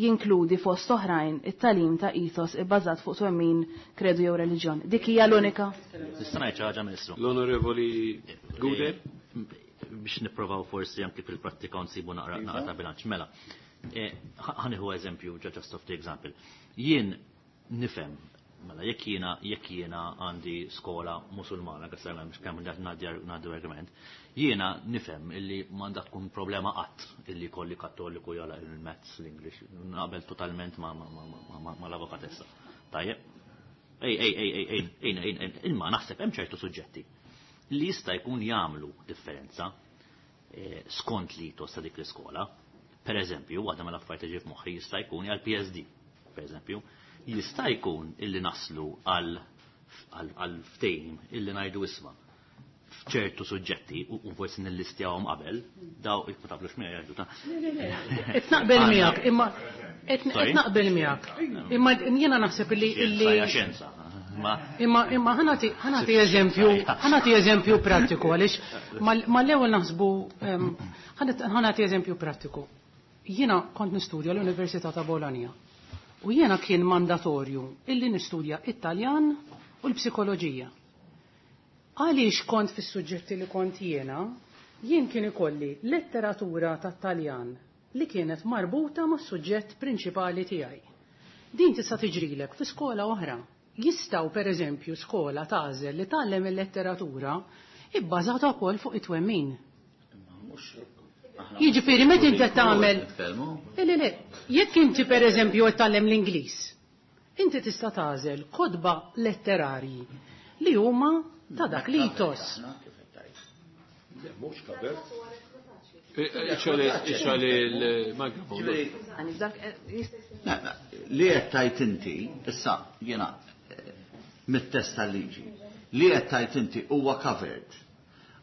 jinkludi fost oħrajn it-tagħlim ta' ethos ibbażat fuq twemmin kredu jew reliġjon. Dik hija l-unika. Nista' ngħid xi ħaġa Ministru. L-Onorevoli Gouder. Biex nipprovaw forsi anke fil-prattika nsibu naqra naqra ta' bilanċ. Mela, ħa nieħu eżempju, just of the example. Jien nifhem, mela jekk jiena għandi skola musulmana, għasar mhux kemm ngħaddi argument, jiena nifhem illi m'għandha tkun problema qatt illi kolli kattoliku jala il-maths, l-English, naqbel totalment ma l-avukatessa. Tajjeb? Ej, ej, ej, ej, ej, ej, ej, imma naħseb hemm ċertu suġġetti li jista' jkun jagħmlu differenza skont li ta' dik l-iskola. Per eżempju, waħda mill-affarijiet li ġie f'moħħi jista' jkun għal PSD, per eżempju, jista' jkun illi naslu għal ftehim illi ngħidu isma' f'ċertu suġġetti u forsi nillistjawhom qabel, daw ma taflux miegħi jgħidu ta' Qed naqbel miegħek, imma qed naqbel miegħek. Imma jiena naħseb illi illi xjenza. Imma imma ħa nagħti eżempju, ħa nagħti eżempju prattiku għaliex mal-ewwel naħsbu ħa nagħti eżempju prattiku. Jiena kont nistudja l-Università ta' Bologna. U jiena kien mandatorju illi nistudja Italjan u l-psikoloġija. Għaliex kont fis-suġġetti li kont jiena, jien kien ikolli letteratura tat-Taljan li kienet marbuta mas-suġġett prinċipali tiegħi. Din tista' tiġrilek fi skola oħra. Jistgħu per eżempju skola tagħżel li tgħallem il-letteratura ibbażata wkoll fuq it-twemmin. Jiġifieri meta inti tagħmel Le, le, jekk inti per eżempju qed tgħallem l-Ingliż, inti tista' tagħżel kotba letterarji li huma ta' dak l-ethos. Mhux covered. Ixgħel il-mikrofon. Li qed tajt inti, issa jiena mit-test tal-liġi, li qed tajt inti huwa covered.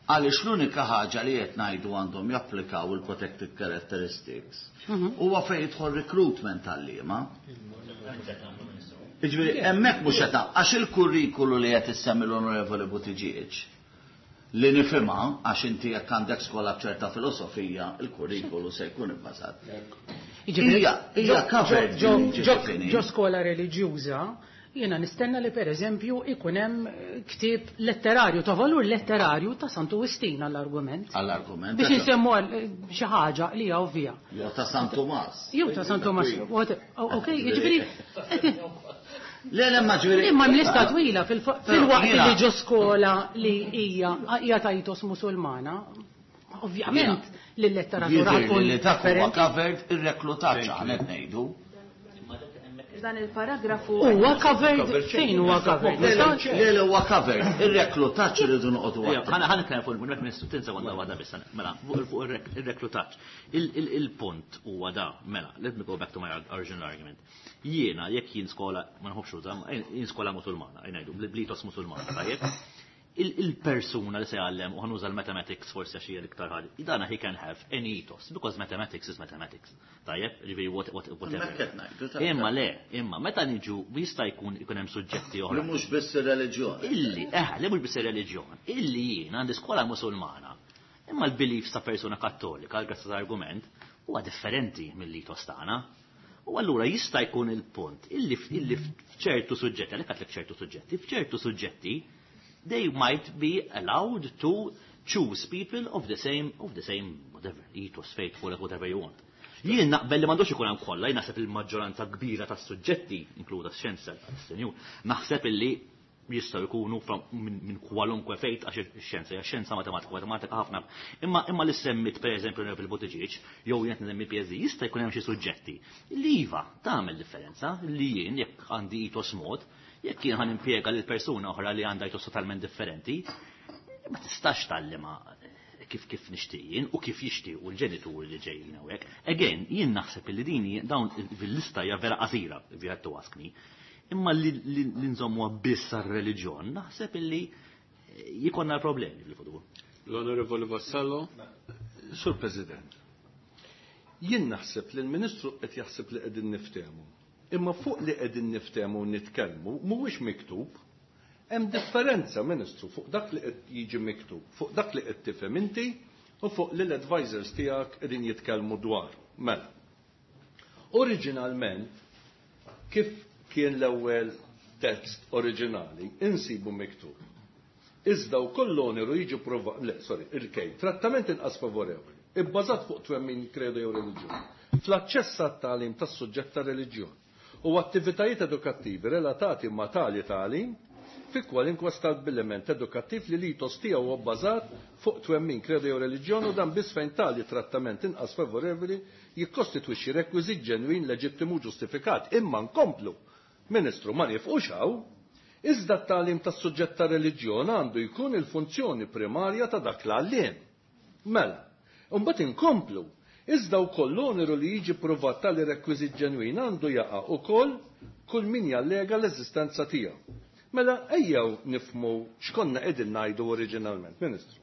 Għaliex l-unika ħaġa li qed ngħidu għandhom japplikaw il-protected characteristics huwa fejn jidħol recruitment tal-liema. Jiġifieri hemmhekk mhux qed għax il-kurrikulu li qed issemmi l-Onorevoli Buttigieg li nifhimha għax inti jekk għandek skola b'ċerta filosofija, il-kurrikulu se jkun ibbażat. Hija covered. Ġo skola reliġjuża, jiena nistenna li per eżempju ikun hemm ktieb letterarju ta' valur letterarju ta' Santu Wistin għall-argument. Għall-argument. Biex insemmu xi ħaġa li hija ovvja. Jew ta' San Tumas. Jew ta' San Tumas. Ok, jiġifieri Le, le, ma ġifieri. Imma lista twila fil-waqt li ġo skola li hija hija ta' ethos Musulmana, ovvjament li l-letteratura tkun li dak huwa covered ir-reklutaġġ aħna qed ngħidu. Dan il-paragrafu. Huwa covered fejn huwa covered? Le, le, huwa covered. Ir-reklutaġġ irridu noqogħdu. Ħa nitkellem fuq il Ministru tinsa waħda waħda biss. Mela, fuq ir-reklutaġġ. Il-punt huwa da, mela, let me go back to my original argument. Jiena jekk jien skola, ma nħobbx uża, jien skola Musulmana, ngħidu bl-ethos Musulmana, tajjeb? Il-persuna li se jgħallem, u ħa nuża l-mathematics forsi għax hija l-iktar ħaġa, dana he can have any ethos, because mathematics is mathematics. Tajjeb, ġifieri whatever. Imma le, imma meta niġu jista' jkun ikun hemm suġġetti oħra. Li mhux biss ir-reliġjon. Illi, li mhux biss ir-reliġjon. Illi jien għandi skola Musulmana. Imma l-beliefs ta' persuna kattolika, grazzi argument, huwa differenti mill-ethos tagħna. U allura jista' jkun il-punt illi f'ċertu suġġetti, għalhekk għedtlek ċertu suġġetti, f'ċertu suġġetti. They might be allowed to choose people of the same, of the same, whatever, ethos, faith, call it whatever you want. Jien naqbel li m'għandux ikun hemm kollha, jien naħseb il-maġġoranza kbira tas-suġġetti, inkluda x-xjenza, senjur, naħseb illi jistgħu jkunu minn kwalunkwe fejt għax ix-xjenza hija xjenza matematika, matematika ħafna. Imma imma li semmit pereżempju Neville Buttigieg jew jien qed nsemmi PSD jista' jkun hemm xi suġġetti li iva tagħmel differenza li jien jekk għandi ethos mod, jekk jien ħa nimpjega lil persuna oħra li għandha ethos totalment differenti, ma tistax tgħallimha kif kif nixtieq jien u kif jixtiequ l-ġenituri li ġejjin hawnhekk. Again, jien naħseb li din dawn fil-lista hija vera qasira, if you had to ask me. Imma li nżommuha biss għar-reliġjon, naħseb illi jkollna l-problemi fil-futur. L-Onorevoli Vassallo. Sur President, jien naħseb li l-Ministru qed jaħseb li qegħdin niftehmu. Imma fuq li qegħdin niftehmu u nitkellmu mhuwiex miktub. Hemm differenza, Ministru, fuq dak li qed jiġi miktub, fuq dak li qed tifhem inti u fuq li l-advisors tiegħek qegħdin jitkellmu dwar. Mela. Oriġinalment, kif kien l-ewwel tekst oriġinali, insibu miktub. Iżda wkoll l-oneru jiġi prova, le, sorry, il-kej, trattament inqas favorevoli, ibbażat fuq twemmin kredo jew reliġjon, fl-aċċess għat-tagħlim tas-suġġett ta' reliġjon u attivitajiet edukattivi relatati ma' tali tagħlim fi kwalinkwa stabbiliment edukattiv li l-ethos tiegħu huwa bbażat fuq twemmin kredo jew reliġjon u dan biss fejn tali trattament inqas favorevoli jikkostitwixxi rekwiżit ġenwin leġittimu ġustifikat. Imma nkomplu, Ministru, ma nifqux hawn. Iżda t-tagħlim tas-suġġett ta' reliġjon għandu jkun il-funzjoni primarja ta' dak l-għalliem. Mela, imbagħad inkomplu. Iżda wkoll l-oneru li jiġi pruvat tali rekwiżit ġenwin għandu jaqa' ukoll kull min jallega l-eżistenza tiegħu. Mela ejjew nifhmu x'konna qegħdin ngħidu oriġinalment, Ministru.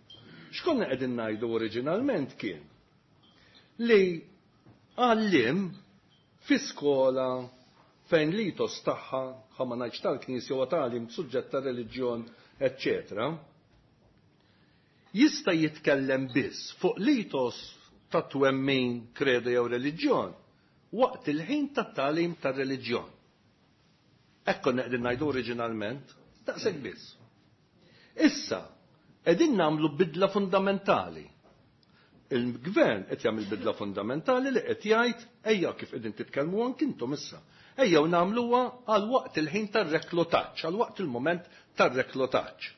X'konna qegħdin ngħidu oriġinalment kien li għalliem fi skola fejn l-ethos tagħha, ħa ma ngħidx tal-Knisja u tagħlim suġġett ta' reliġjon, eċċetera, jista' jitkellem biss fuq l-ethos ta' twemmin, kredo jew reliġjon waqt il-ħin tat-tagħlim tar-reliġjon. Hekk konna qegħdin ngħidu oriġinalment, daqshekk biss. Issa, qegħdin nagħmlu bidla fundamentali. Il-gvern qed jagħmel bidla fundamentali li qed jgħid ejja kif qegħdin titkellmu anki intom issa. Ejjew nagħmluha għal waqt il-ħin tar-reklutaġġ, għal waqt il-mument tar-reklutaġġ.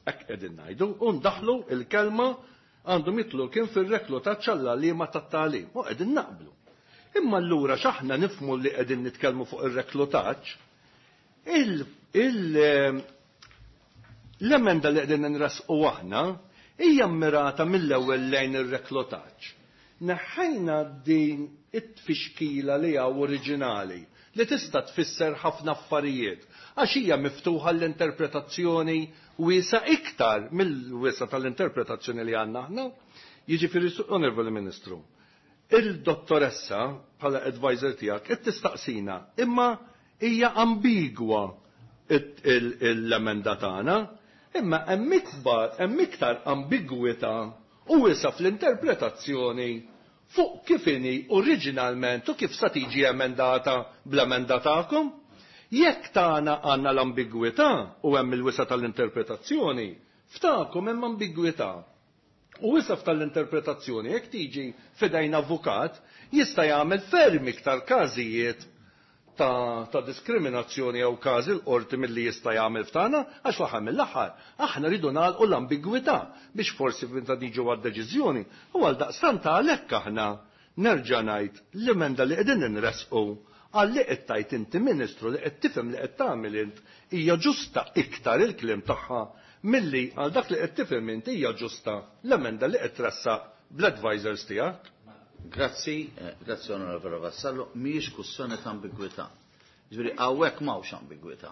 Hekk qegħdin ngħidu u ndaħlu il-kelma għandhom jitlu kien fir-reklutaġġ għall-għalliema tat-tagħlim. U qegħdin naqblu. Imma allura x'aħna nifhmu li qegħdin nitkellmu fuq ir-reklutaġġ, l-emenda li qegħdin nressqu aħna hija mmirata mill-ewwel lejn ir-reklutaġġ. Neħħejna din it-tfixkila li hawn oriġinali li tista' tfisser ħafna affarijiet għax hija miftuħa l-interpretazzjoni wiesa iktar mill-wiesa tal-interpretazzjoni li għandna aħna. Jiġifieri, Onorevoli Ministru, il-dottoressa bħala advisor tiegħek qed tistaqsina imma hija ambigwa l-emenda tagħna, imma hemm ikbar, hemm iktar ambigwità u wiesa fl-interpretazzjoni fuq kif inhi oriġinalment u kif sa tiġi emendata bl-emenda tagħkom. Jekk tagħna għandna l-ambigwità u hemm il-wisa tal-interpretazzjoni, f'tagħkom hemm ambigwità. U wisa tal-interpretazzjoni jekk tiġi f'idejn avukat jista' jagħmel ferm iktar każijiet ta' diskriminazzjoni jew każi l-qorti milli jista' jagħmel f'tagħna għax fl-aħħar mill-aħħar aħna rridu nagħlqu l-ambigwità biex forsi meta niġu għad-deċiżjoni u għal daqstant għalhekk aħna nerġa' ngħid l-emenda li qegħdin inressqu għal li qed tgħid inti Ministru li qed tifhem li qed tagħmel int hija ġusta iktar il-kliem tagħha milli għal dak li qed tifhem int hija ġusta l-emenda li qed tressaq bl-advisors tiegħek. Grazzi, grazzi Onorevole Vassallo, mhijiex kwestjoni ta' ambigwità. Ġifieri hawnhekk m'hawnx ambigwità.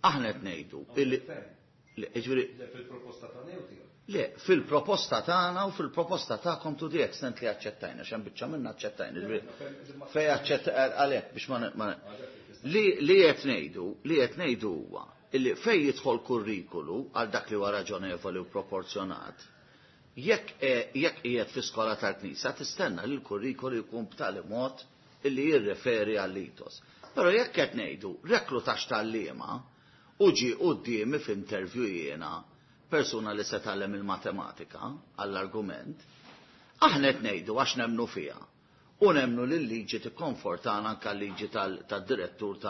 Aħna qed ngħidu illi le, ġifieri Le, fil-proposta tagħna jew tiegħek? Le, fil-proposta tagħna u fil-proposta tagħkom to the extent li aċċettajna, x'hemm biċċa minna aċċettajna. Ġifieri fej aċċett għalhekk biex ma li qed ngħidu, li qed ngħidu huwa illi fej jidħol kurrikulu għal dak li huwa raġonevoli u proporzjonat, jekk qiegħed fi skola tal-Knisja tistenna li l-kurrikulu jkun b'tali mod illi jirreferi għall-ethos. Però jekk qed ngħidu reklutaġġ tal-liema U ġie quddiemi f'interview jiena persuna li se tgħallem il-matematika għall-argument, aħna qed ngħidu għax nemmnu fiha u nemmnu li l-liġi tikkonfortana anke l-liġi tad-direttur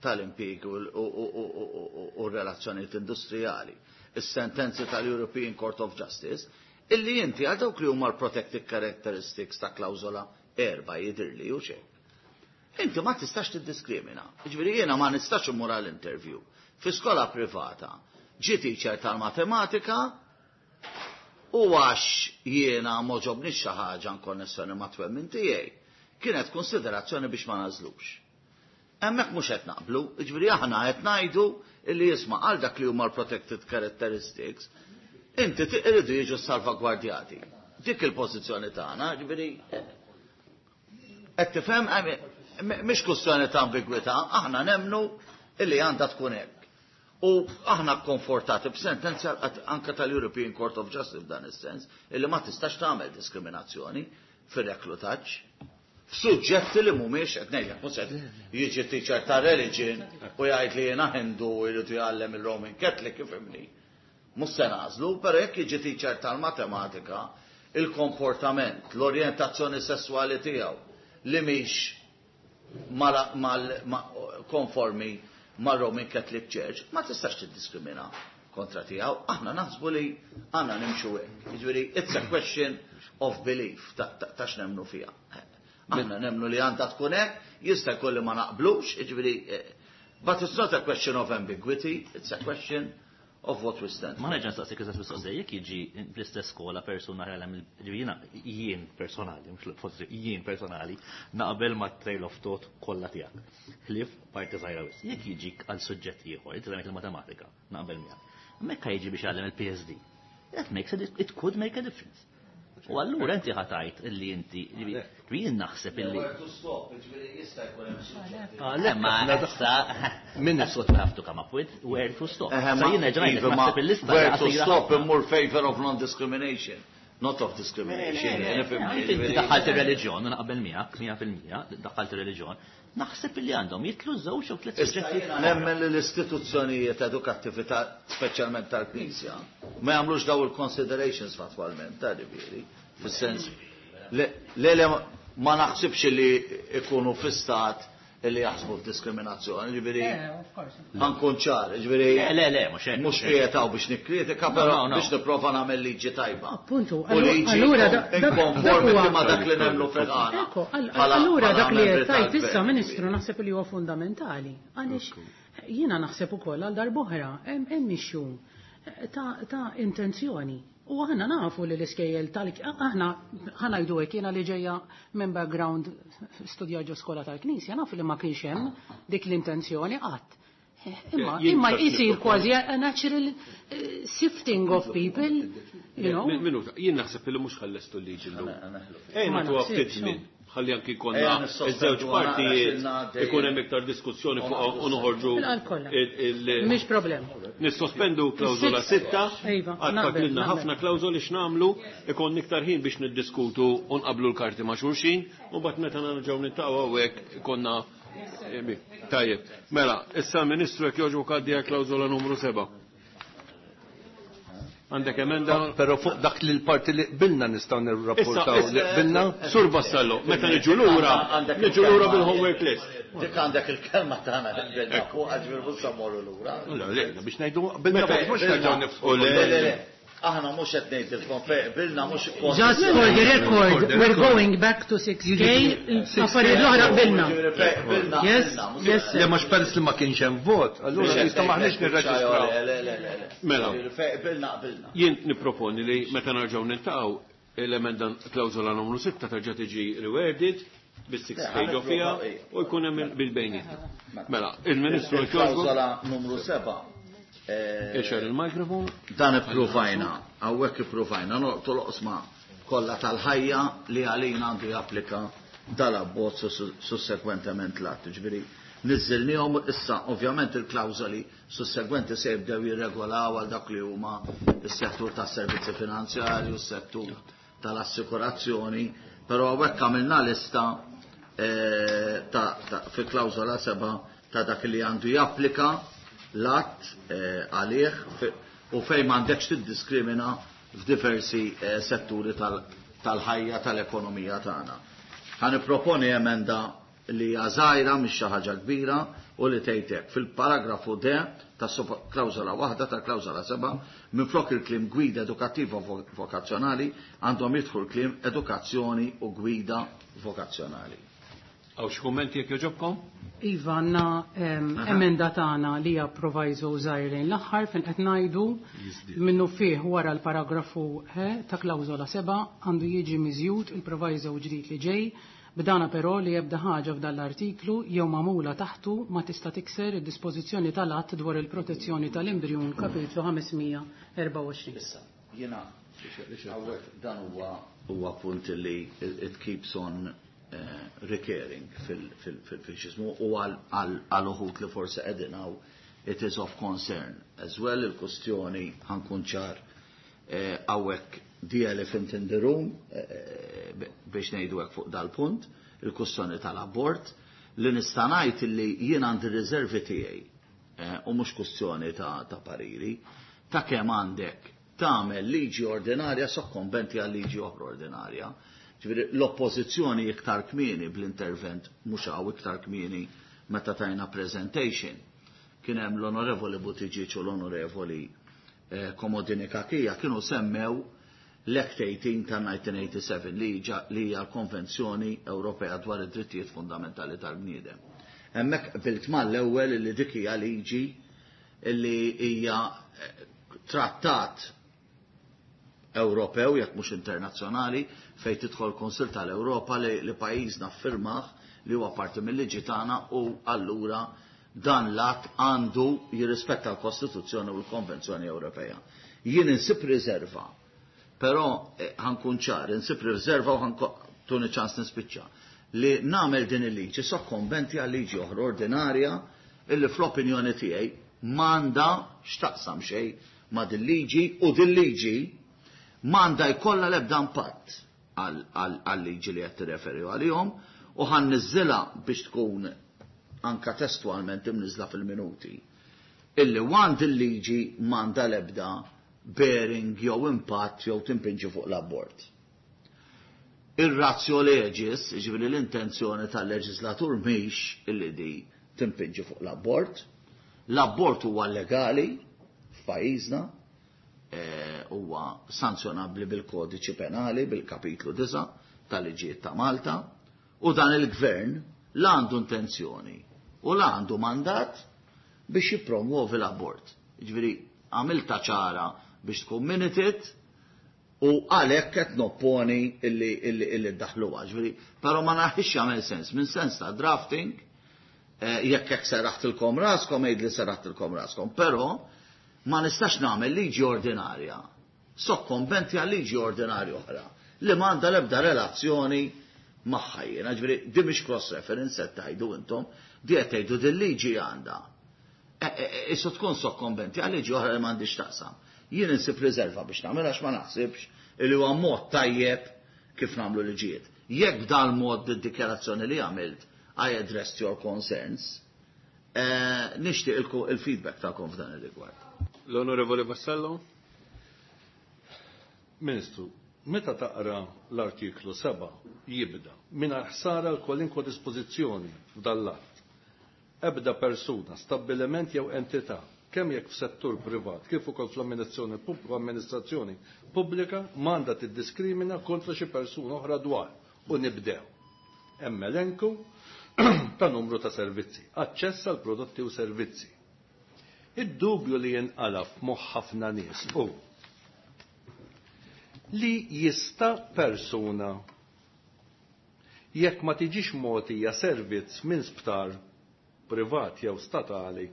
tal-impjiegi u r-relazzjonijiet industrijali, is-sentenzi tal-European Court of Justice, illi inti għal dawk li huma l-protected characteristics ta' klawżola 4 jidhirli u xejn. Inti ma tistax tiddiskrimina. Jiġifieri jiena ma nistax immur għal interview fi skola privata. Ġie teacher tal-matematika u għax jiena m'għoġobnix xi ħaġa nkonnessjoni ma' twemmin tiegħi, kienet konsiderazzjoni biex ma nażlux. Hemmhekk mhux qed naqblu, jiġifieri aħna qed ngħidu illi jisma' għal dak li huma l-protected characteristics, inti iridu jiġu salvagwardjati. Dik il-pożizzjoni tagħna, jiġifieri qed tifhem, mhix kwistjoni ta' ambigwità, aħna nemmnu illi għandha tkun hekk. U aħna konfortati b'sentenza anka tal-European Court of Justice f'dan is-sens, illi ma tistax tagħmel diskriminazzjoni fir-reklutaġġ f'suġġetti li mhumiex qed ngħidlek, mhux qed jiġi teacher ta' religion u jgħid li jiena Hindu u jrid jgħallem il-Roman Catholic, ifhimni. Mhux se nagħżlu, però jekk jiġi teacher tal-matematika, il-komportament, l-orjentazzjoni sesswali tiegħu li mhix konformi mar-Roman Catholic Church, ma tistax tiddiskrimina kontra tiegħu. Aħna naħsbu li għandna nimxu hekk. Jiġifieri it's a question of belief ta' x'nemmnu fiha. Aħna nemmnu li għandha tkun hekk, jista' jkun li ma naqblux, jiġifieri but it's not a question of ambiguity, it's a question of what we stand. Ma nerġa' nistaqsik eżatt mistoqsija, jekk jiġi fl-istess skola persuna jgħallem il-ġifieri jien personali, mhux forsi jien personali, naqbel ma' trail of thought kollha tiegħek. Ħlief parti żgħira wisq. Jekk jiġik għal suġġett ieħor, inti il-matematika, naqbel miegħek. Mekka jiġi biex jgħallem il-PSD. That makes a, it could make a difference. U allura inti ħa tgħid illi inti, jien naħseb illi. Where to stop, jiġifieri jista' jkun hemm suġġetti. Le, ma issa, that's what we have to come up with, where to stop. Sa jiena ġrajt Iva, naħseb il-lista where to qasira stop ħafna. immur favor of non-discrimination, not of discrimination. Inti daħħalt ir-reliġjon, naqbel miegħek, 100%, daħħalt ir-reliġjon, naħseb illi għandhom jitlu żewġ jew tliet Issa suġġetti. jiena nemmen li l-istituzzjonijiet edukattivi speċjalment tal-Knisja ma jagħmlux daw il-considerations fatwalment, ta' ġifieri, fis-sens le, le ma naħsibx li ikunu fi stat li jaħsbu f'diskriminazzjoni, ġifieri of course. ħa nkun ċar, ġifieri Le, le, le, mhux hekk, mhux mhux hekk. qiegħed hawn biex nikkritika, No, però no, no. biex nipprova nagħmel liġi tajba. Appuntu, U liġi allura inkonformi dak huwa- ma' dak li nemmnu fil-ħana. Ekko, Bħala- allura bħala dak li membri qed tgħid issa tal-gvern. Ministru naħseb li huwa fundamentali. Għaliex jiena naħseb ukoll għal darb'oħra hemm issue ta' intenzjoni. U aħna nafu li l-iskejjel tal aħna ħa ngħidu hekk jiena li ġejja minn background studja ġo skola tal-Knisja, nafu li ma kienx hemm dik l-intenzjoni qatt. Imma Jien imma xtaqt jisir nipproponi. kważi a natural sifting of people, you know. Minuta, jien naħseb li mhux ħallestu l-liġi llum. Ejja Ma nagħtuha ftit naħsibx, żmien. Ħalli anki jkollna Ejja nissospendu iż-żewġ għana, partijiet għax il-ngħaddi. ikun hemm iktar diskussjoni fuq u noħorġu Fil-qalb kollha. il- Mhix problem. Nissospendu klawżola Is-sitta. 6, Iva, għad naqbel, fadlilna naqbel. ħafna klawżoli x'nagħmlu, ikun iktar ħin biex niddiskutu u nqablu l-karti ma' xulxin, u mbagħad meta nerġgħu niltaqgħu hawnhekk ikonna tajjeb. Mela, issa l-Ministru jekk jogħġbok għaddi għal klawżola numru 7. Għandek emenda? Però fuq dak li l-parti li qbilna nistgħu nirrapportaw Issa, li qbilna. Sur Vassallo, meta niġu lura, Għandek niġu lura il-kelma. bil-homework list. Dik għandek il-kelma tagħna li qbilna fuq għax mhux se mmorru lura. Le, le, biex ngħidu qbilna fuq mhux nerġgħu nifsqu. Le, le, le. Aħna mhux qed ngħidilkom fejn qbilna mhux Just for the record, we're going back to 6K, affarijiet l-oħra qbilna. Yes, yes, Le mhux peress li ma kienx hemm vot, allura jista' maħniex nirreġistraw. Le, le, le, le. Mela. Fejn qbilna qbilna. Jien nipproponi li meta nerġgħu niltaqgħu l-emenda klawżola numru 6 terġa' tiġi reworded bis-6 K ġo fiha u jkun hemm bil-bejniet. Mela, il-Ministru jekk jogħġbok Il-klawżola numru 7. ixgħel il-mikrofon. Dan ippruvajna, hawnhekk ippruvajna noqtu l-oqsma kollha tal-ħajja li għalina għandu japplika dal-abbozz u sussekwentement l-att. Ġifieri niżżilnihom issa ovvjament il-klawżoli sussegwenti se jibdew jirregolaw għal dak li huma s-settur tas-servizzi finanzjarji u s-settur tal-assikurazzjoni, però hawnhekk għamilna lista fi klawżola 7 ta' dak li għandu japplika. l-att għalih u fejn m'għandekx tiddiskrimina f'diversi setturi tal-ħajja tal-ekonomija tagħna. Ħa nipproponi emenda li hija żgħira, mhix xi ħaġa kbira, u li tgħid hekk, fil-paragrafu D ta' klawżola waħda tal-klawżola 7, minflok il-kliem gwida edukattiva vokazzjonali għandhom jidħlu l-kliem edukazzjoni u gwida vokazzjonali. Hawn xi kummenti jekk jogħġobkom? Iva, għandna emenda tagħna li hija proviso żgħir lejn l-aħħar fejn qed ngħidu minnu fih wara l-paragrafu H ta' klawżola 7 għandu jiġi miżjud il-proviso ġdid li ġej, b'dana però li ebda ħaġa f'dan l-artiklu jew magħmula taħtu ma tista' tikser id-dispożizzjoni tal-Att dwar il-protezzjoni tal-embrjun kapitlu 524. Issa, jiena hawnhekk dan huwa huwa punt li it keeps on recurring fil-xismu u għal uħud li forsi qegħdin hawn it is of concern as well il-kustjoni, ħa nkun ċar hawnhekk, the elephant in the room biex ngħidu hekk fuq dal-punt, il-kustjoni tal-abort, li nista' ngħid li jien għandi riservi tiegħi u mhux kustjoni ta' pariri ta' kemm għandek tagħmel liġi ordinarja sokkombenti għal liġi oħra ordinarja. Ġifieri l-oppożizzjoni iktar kmieni bl-intervent mhux hawn iktar kmieni meta tajna presentation, kien hemm l-Onorevoli Buttigieg u l-Onorevoli Comodini Cachia kienu semmew l-Act 18 ta' 1987 li hija l-Konvenzjoni Ewropea dwar id-drittijiet fundamentali tal-bniedem. Hemmhekk qbilt mal-ewwel li dik hija liġi li hija trattat Ewropew, jekk mhux internazzjonali, fejn tidħol Kunsill tal-Ewropa li pajjiżna ffirmah, li huwa parti mill-liġi tagħna, u allura dan l-att għandu jirrispetta l-Kostituzzjoni u l-Konvenzjoni Ewropea. Jien insib riserva, però ħa nkun ċar, insib riserva u ħa tuni ċans nispiċċa, li nagħmel din il-liġi sokkombenti għal liġi oħra ordinarja illi fl-opinjoni tiegħi m'għandha x'taqsam xejn ma' din liġi u din liġi m'għandha jkollha l-ebda impatt għal-liġi li qed tirreferi għalihom u ħa nniżżilha biex tkun anka testualment imniżla fil-minuti. Illi għand il-liġi m'għandha l-ebda bearing jew impatt jew timpinġi fuq l-abort. Ir-ratio legis, ġifieri l-intenzjoni tal-leġislatur mhix illi di timpinġi fuq l-abort. L-abort huwa legali f'pajjiżna, huwa sanzjonabbli bil-kodiċi penali, bil-kapitlu 9 tal-liġijiet ta' Malta, u dan il-gvern la għandu intenzjoni u la għandu mandat biex jippromuovi l-abort. Ġifieri għamilta ċara biex tkun minuted u għalhekk qed nopponi illi ddaħluha. Ġifieri, però ma naħix jagħmel sens minn sens ta' drafting, jekk hekk serraħtilkom raskom, għid li serraħtilkom raskom, però ma nistax nagħmel liġi ordinarja sokkombenti għal liġi ordinarja oħra li m'għandha l-ebda relazzjoni magħha jiena. Ġifieri di mhix cross reference qed tgħidu intom, di qed tgħidu din liġi għandha. Issu tkun sokkombenti għal liġi oħra li m'għandix taqsam. Jien insib riserva biex nagħmel għax ma naħsibx li huwa mod tajjeb kif nagħmlu liġijiet. Jekk dal-mod id-dikjarazzjoni li għamilt I addressed your concerns, nixtieq il-feedback tagħkom f'dan ir-rigward. L-Onorevoli Vassallo. Ministru, meta taqra l-artiklu 7 jibda mingħajr ħsara l kwalinkwa dispożizzjoni f'dal-att. Ebda persuna, stabbiliment jew entità, kemm jekk f'settur privat kif ukoll fl-amministrazzjoni amministrazzjoni pubblika m'għandha tiddiskrimina kontra xi persuna oħra dwar u nibdew. Hemm elenku ta' numru ta' servizzi, aċċess għal prodotti u servizzi. Id-dubju li jinqala f'moħħ ħafna nies hu li jista' persuna jekk ma tiġix mogħtija servizz minn sptar privat jew statali,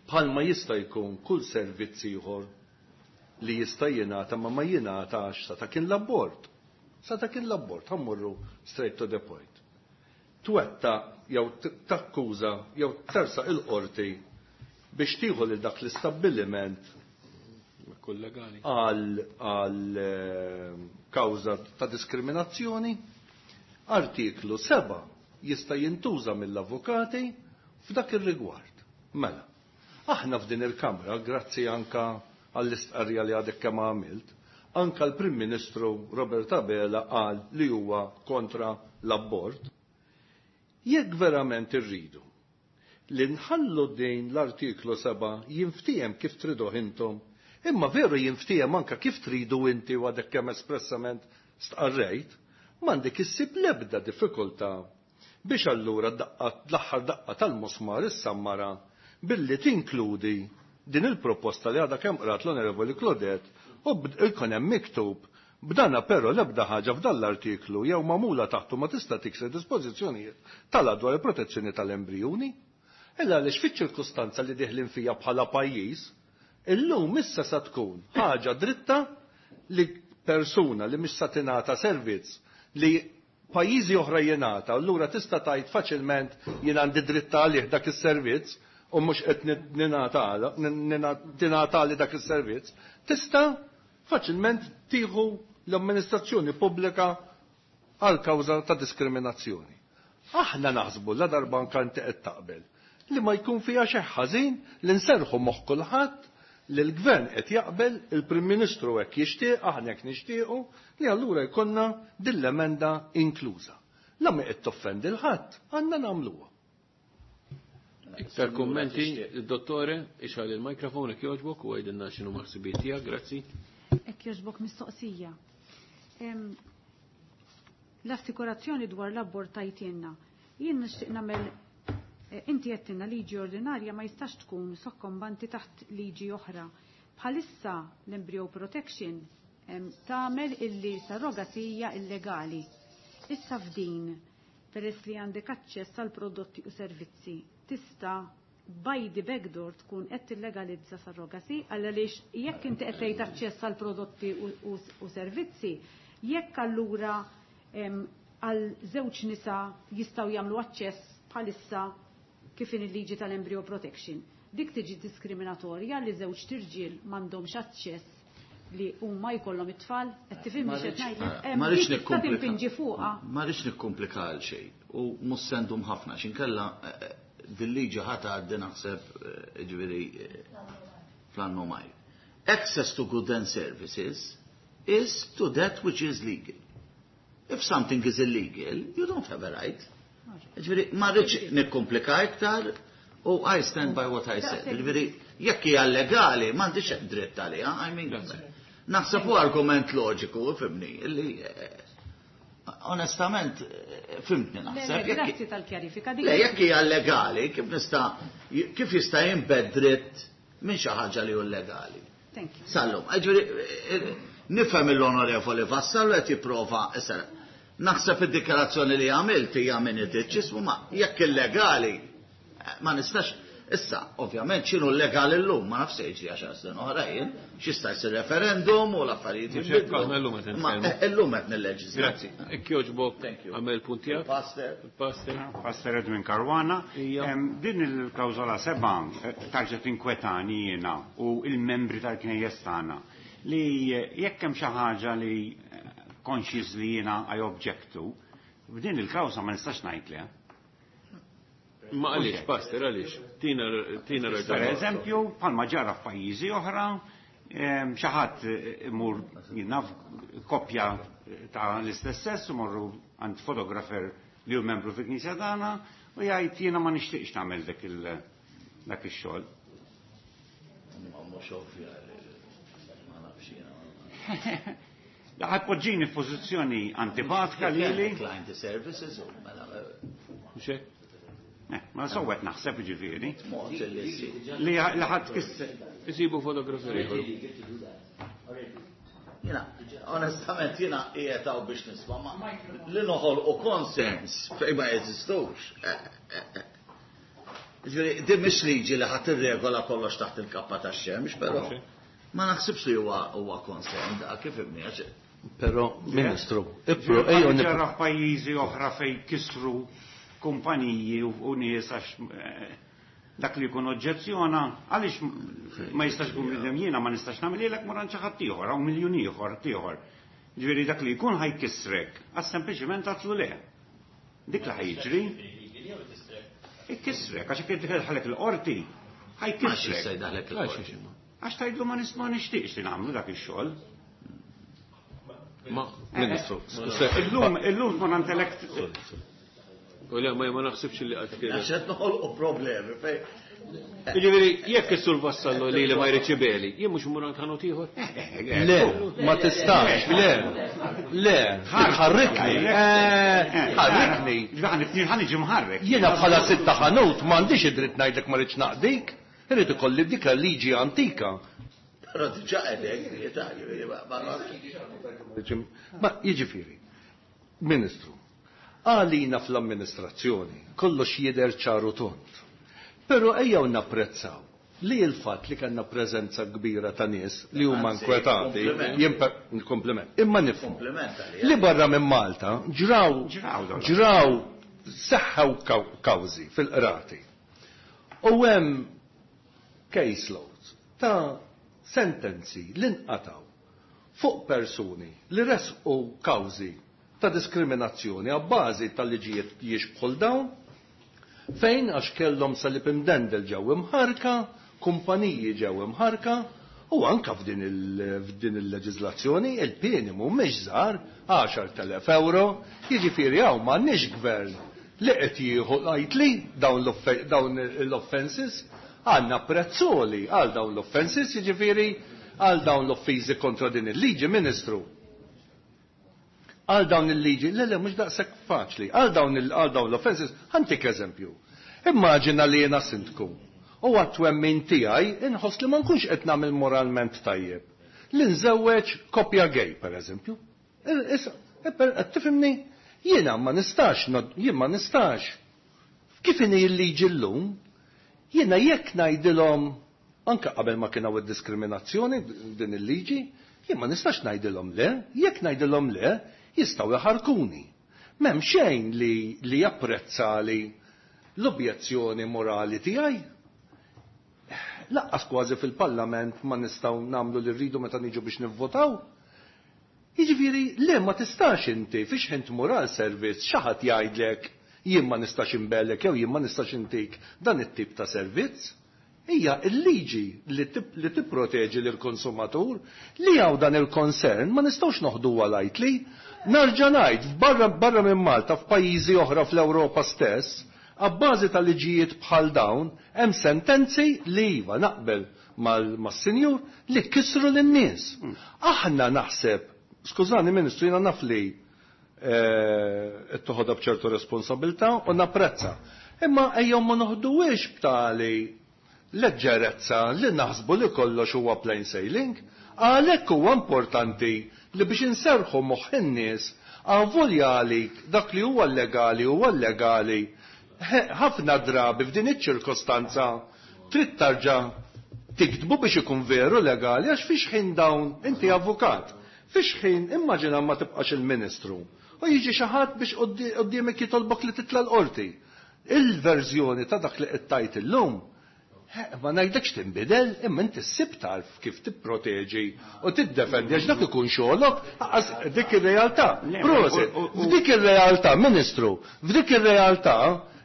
bħalma jista' jkun kull servizz ieħor li jista' jingħata ma ma jingħatax sa ta' kien l-abort. Sa ta' kien l-abort, ħa mmorru straight to the point. Twetta jew takkuża jew tersaq il-qorti biex tieħu lil dak l-istabbiliment Kull legali. Għal kawża ta' diskriminazzjoni, artiklu 7 jista' jintuża mill-avukati f'dak ir-rigward. Mela, Aħna f'din il-Kamra, grazzi anka għall-istqarrija li għadek kemm għamilt, anka l-Prim Ministru Robert Abela qal li huwa kontra l-abort. Jekk verament irridu li nħallu din l-artiklu 7 jinftiehem kif triduh intom, imma veru jinftiehem anka kif tridu inti u għadek kemm espressament stqarrejt, m'għandek issib l-ebda diffikultà biex allura l-aħħar daqqa tal-musmar issammara billi tinkludi din il-proposta li għadha kemm qrat l-Onorevoli Claudette u jkun hemm miktub b'dana però l-ebda ħaġa f'dan l-artiklu jew magħmula taħtu ma tista' tikser dispożizzjonijiet tal dwar il-protezzjoni tal-embrijuni. Illa għaliex fiċ-ċirkustanza li diħlin fija bħala pajjiż, illum issa sa tkun ħaġa dritta li persuna li mhix sa tingħata servizz li pajjiżi oħra jingħata, allura tista' tgħid faċilment jien għandi dritt għalih dak is-servizz u mhux qed tingħata li dak is-servizz, tista' faċilment tieħu l-amministrazzjoni pubblika għal kawża ta' diskriminazzjoni. Aħna naħsbu la darba anke inti qed taqbel li ma jkun fiha xi ħażin li nserħu moħħ kulħadd li l-gvern qed jaqbel, il-Prim Ministru hekk jixtieq, aħna hekk nixtiequ, li allura jkollna din l-emenda inkluża. La mi qed toffendi l-ħadd, għandna nagħmluha. Iktar kummenti, il-dottore, ixgħal il-mikrofon jekk jogħġbok u għidilna x'inhu maħsibiet tiegħek, grazzi. Hekk jogħġbok mistoqsija. L-assikurazzjoni dwar l-abort tajtienna. Jien nixtieq nagħmel inti għedtilna liġi ordinarja ma jistax tkun sokkombanti taħt liġi oħra. Bħalissa l-embryo protection tagħmel illi surrogacy hija illegali. Issa f'din, peress li għandek aċċess għal prodotti u servizzi, tista' by the backdoor tkun qed tillegalizza surrogacy għaliex jekk inti qed tgħid aċċess għal prodotti u servizzi, jekk allura għal żewġ nisa jistgħu jagħmlu aċċess bħalissa kif in il-liġi tal-embryo protection. Dik tiġi diskriminatorja li żewġ tirġiel m'għandhomx aċċess li huma jkollhom it-tfal, qed tifhimni x'qed ngħidlek? Ma rridx Dik tista' nikkomplika. timpinġi fuqha. Ma rridx nikkomplika għal xejn u mhux sendum ħafna x'inkella dil-liġi ħa tgħaddi naħseb ġifieri fl-annu maj. Access to goods and services is to that which is legal. If something is illegal, you don't have a right. Ġifieri, ma rridx nikkomplika iktar u I stand by what I said. Ġifieri, jekk hija legali, m'għandix dritt għaliha, I mean, naħseb hu argument loġiku, fimni, illi onestament fimtni naħseb. Le, grazzi tal-kjarifika. Le, jekk hija legali, kif jista' jinbed dritt minn xi ħaġa li hu legali? Thank you. Sallum, ġifieri, nifhem l-onorevoli Vassallo qed jipprova, issa, naħseb id-dikjarazzjoni li għamilt hija minn id-ġismu, ma jekk illegali, ma nistax, issa, ovvjament, x'inhu legali llum, ma nafx se jiġri għaxar snin oħra jien, x'jista' jsir referendum u l-affarijiet Mhux hekk, jinbidlu. aħna llum qed Ma, nitkellmu. illum qed nilleġislaw. Grazzi. Hekk jogħġbok, Thank you. għamel punt tiegħek. Il-Pastor. Il-Pastor. Pastor Edwin Caruana. Ija. Din il-klawżola 7 tarġa' tinkwetani jiena u il-membri tal-Knejjes tagħna li jekk hemm xi ħaġa li conscious li jiena I object to, f'din il-kawża ma nistax ngħid le. Ma għaliex, Pastor, għaliex? Tina Per raġuni. eżempju, bħalma ġara f'pajjiżi oħra, xi ħadd imur jinnaf koppja ta' l-istess sess imorru għand fotografer li hu membru fil-Knisja tagħna u jgħid jiena ma nixtieqx nagħmel dak ix-xogħol. Ma mhux ovvja li ma nafx jiena. Ħa tpoġġini f'pożizzjoni antipatika lili. Client services u mela. Mhux hekk? Ma sowet naħseb ġifieri. Mod li ssir. Li ħadd kisser. Isibu fotografer ieħor. Jiena, onestament, jiena qiegħed hawn biex nisma' ma li noħolqu konsens fejn ma jeżistux. Ġifieri, din mhix liġi li ħadd irregola kollox taħt il-kappa tax-xemx, però ma naħsibx li huwa konsens da kif ibni għax Però, Ministru, ipro, Ġifieri, ejjew ġara f'pajjiżi oħra fejn kisru kumpaniji u nies għax dak li jkun oġġezzjona, għaliex ma jistax ikun bniedem jiena ma nistax nagħmel mur għand xi ħadd ieħor, hawn miljun ieħor ieħor. Ġifieri dak li jkun ħajkissrek, għax sempliċement għatlu le. Dik li ħajġri. Ikissrek, għax jekk idħalek il-qorti. Ħa jkissrek. Għax tgħidlu ma nisma' nixtieqx li nagħmlu dak ix-xogħol. Ma, Ministru, illum illum tkun għand U le, ma naħsibx li qatt kien. Għax qed noħolqu problemi fej. Jiġifieri jekk is-sur Vassallo li li ma jridx ibeli, jien mhux immur għand ħanut ieħor. Le, ma tistax, le. Le, ħarrikni. Ħarrikni. Ħa niġi mħarrek. Jiena bħala sid ta' ħanut m'għandix id-dritt ngħidlek ma rridx naqdik. Irid ikolli dik liġi antika. Però diġà qegħdek, Ma jiġifieri, Ministru, għalina fl-amministrazzjoni kollox jidher ċar u tond. Però ejjew napprezzaw li l-fatt li kellna preżenza kbira ta' nies li huma inkwetati, kompliment, imma nifhmu li barra minn Malta ġraw ġraw seħħew kawżi fil-qrati. U hemm case loads ta' sentenzi li nqatgħu fuq persuni li resqu kawżi ta' diskriminazzjoni abbażi ta' liġijiet jixbħu 'l dawn, fejn għax kellhom salib imdendel ġew imħarrka, kumpaniji ġew imħarrka, u anke f'din f'din il-leġiżlazzjoni il-pieni mhumiex żgħar, 10,000 ewro, jiġifieri hawn m'għandniex gvern li qed jieħu lightly dawn l-offences, għandna prezz għoli għal dawn l-offences, jiġifieri għal dawn l-offiżi kontra din il-liġi, Ministru. Għal dawn il-liġi, le le mhux daqshekk faċli, għal dawn għal dawn l-offences, ħa ntik eżempju. Immaġina li jiena sindku u għat-twemmin tiegħi inħoss li ma nkunx qed nagħmel moralment tajjeb li nżewweġ koppja gay, pereżempju. Issa, qed tifhimni? Jiena ma nistax, jien ma nistax. Kif inhi l-liġi llum, jiena jekk ngħidilhom Anke qabel ma kien hawn id-diskriminazzjoni din il-liġi, jien ma nistax ngħidilhom le, jekk ngħidilhom le, jistgħu jħarrkuni. M'hemm xejn li li japprezzali l-objezzjoni morali tiegħi. Lanqas kważi fil-Parlament ma nistgħu nagħmlu li rridu meta niġu biex nivvotaw. Jiġifieri, le ma tistax inti fi xħin tmur għal servizz xi ħadd jgħidlek jien ma nistax inbegħlek jew jien ma nistax intik dan it-tip ta' servizz. Hija l-liġi li tipproteġi lill-konsumatur li hawn dan il-concern ma nistgħux noħduha lightly. Narġa' ngħid, f'barra barra minn Malta f'pajjiżi oħra fl-Ewropa stess, abbażi ta' liġijiet bħal dawn hemm sentenzi li iva naqbel mas-sinjur li kissru lin-nies. Aħna naħseb, skużani Ministru jiena naf li qed toħodha b'ċertu responsabilità u napprezza. Imma ejjew ma noħduhiex b'tali leġġerezza li naħsbu li kollox huwa plain sailing. Għalhekk huwa importanti li biex inserrħu moħħ in-nies avolja għalik dak li huwa llegali huwa llegali, ħafna drabi f'din iċ-ċirkostanza trid tarġa' tiktbu biex ikun veru legali għax fi xħin dawn inti avukat Fi x'ħin, immaġina ma tibqax il-Ministru u jiġi xi ħadd biex quddiemek jitolbok li titla' l-Qorti. Il-verżjoni ta' dak li qed tgħid illum, ma ngħidlekx tinbidel, imma inti ssib tarf kif tipproteġi u tiddefendi għax dak ikun xogħlok, aqqas dik ir-realtà. Prosit! F'dik ir-realtà, Ministru, f'dik ir-realtà,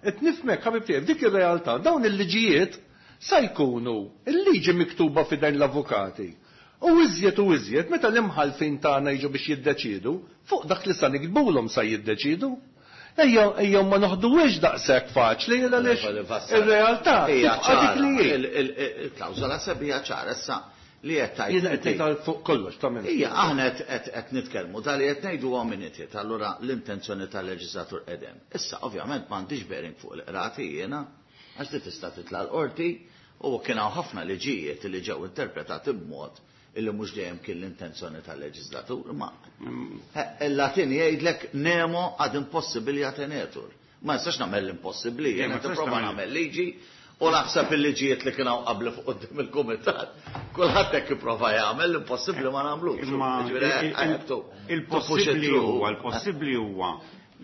qed nifhmek ħabib tiegħi, f'dik ir-realtà dawn il-liġijiet sa jkunu l-liġi miktuba f'idejn l-avukati. U iżjed u iżjed meta l-imħallfin tagħna jiġu biex jiddeċiedu, fuq dak li sa niktbulhom sa jiddeċiedu. Ejja, ejjew ma noħduhiex daqshekk faċli għaliex ir-realtà tibqa' dik li hi. Il-klawżola seb hija ċara issa li qed tgħid. Jiena qed ngħid għal fuq kollox ta' minn. Hija aħna qed nitkellmu ta' li qed ngħidu huwa minuted, allura l-intenzjoni tal-leġiżlatur qed hemm. Issa ovvjament m'għandix bearing fuq il-qrati jiena għax di tista' titla' l-qorti U kien hawn ħafna liġijiet li ġew interpretati b'mod illi mhux dejjem kien l-intenzjoni tal-leġiżlatur, imma il-Latin jgħidlek nemo ad impossibilia tenetur. Ma nistax nagħmel l-impossibbli, jien qed nipprova nagħmel liġi u naħseb il-liġijiet li kien hawn qabli fuq quddiem il-kumitat, kulħadd hekk ipprova jagħmel l-impossibbli ma nagħmlux. Il-possibbli huwa, l-possibbli huwa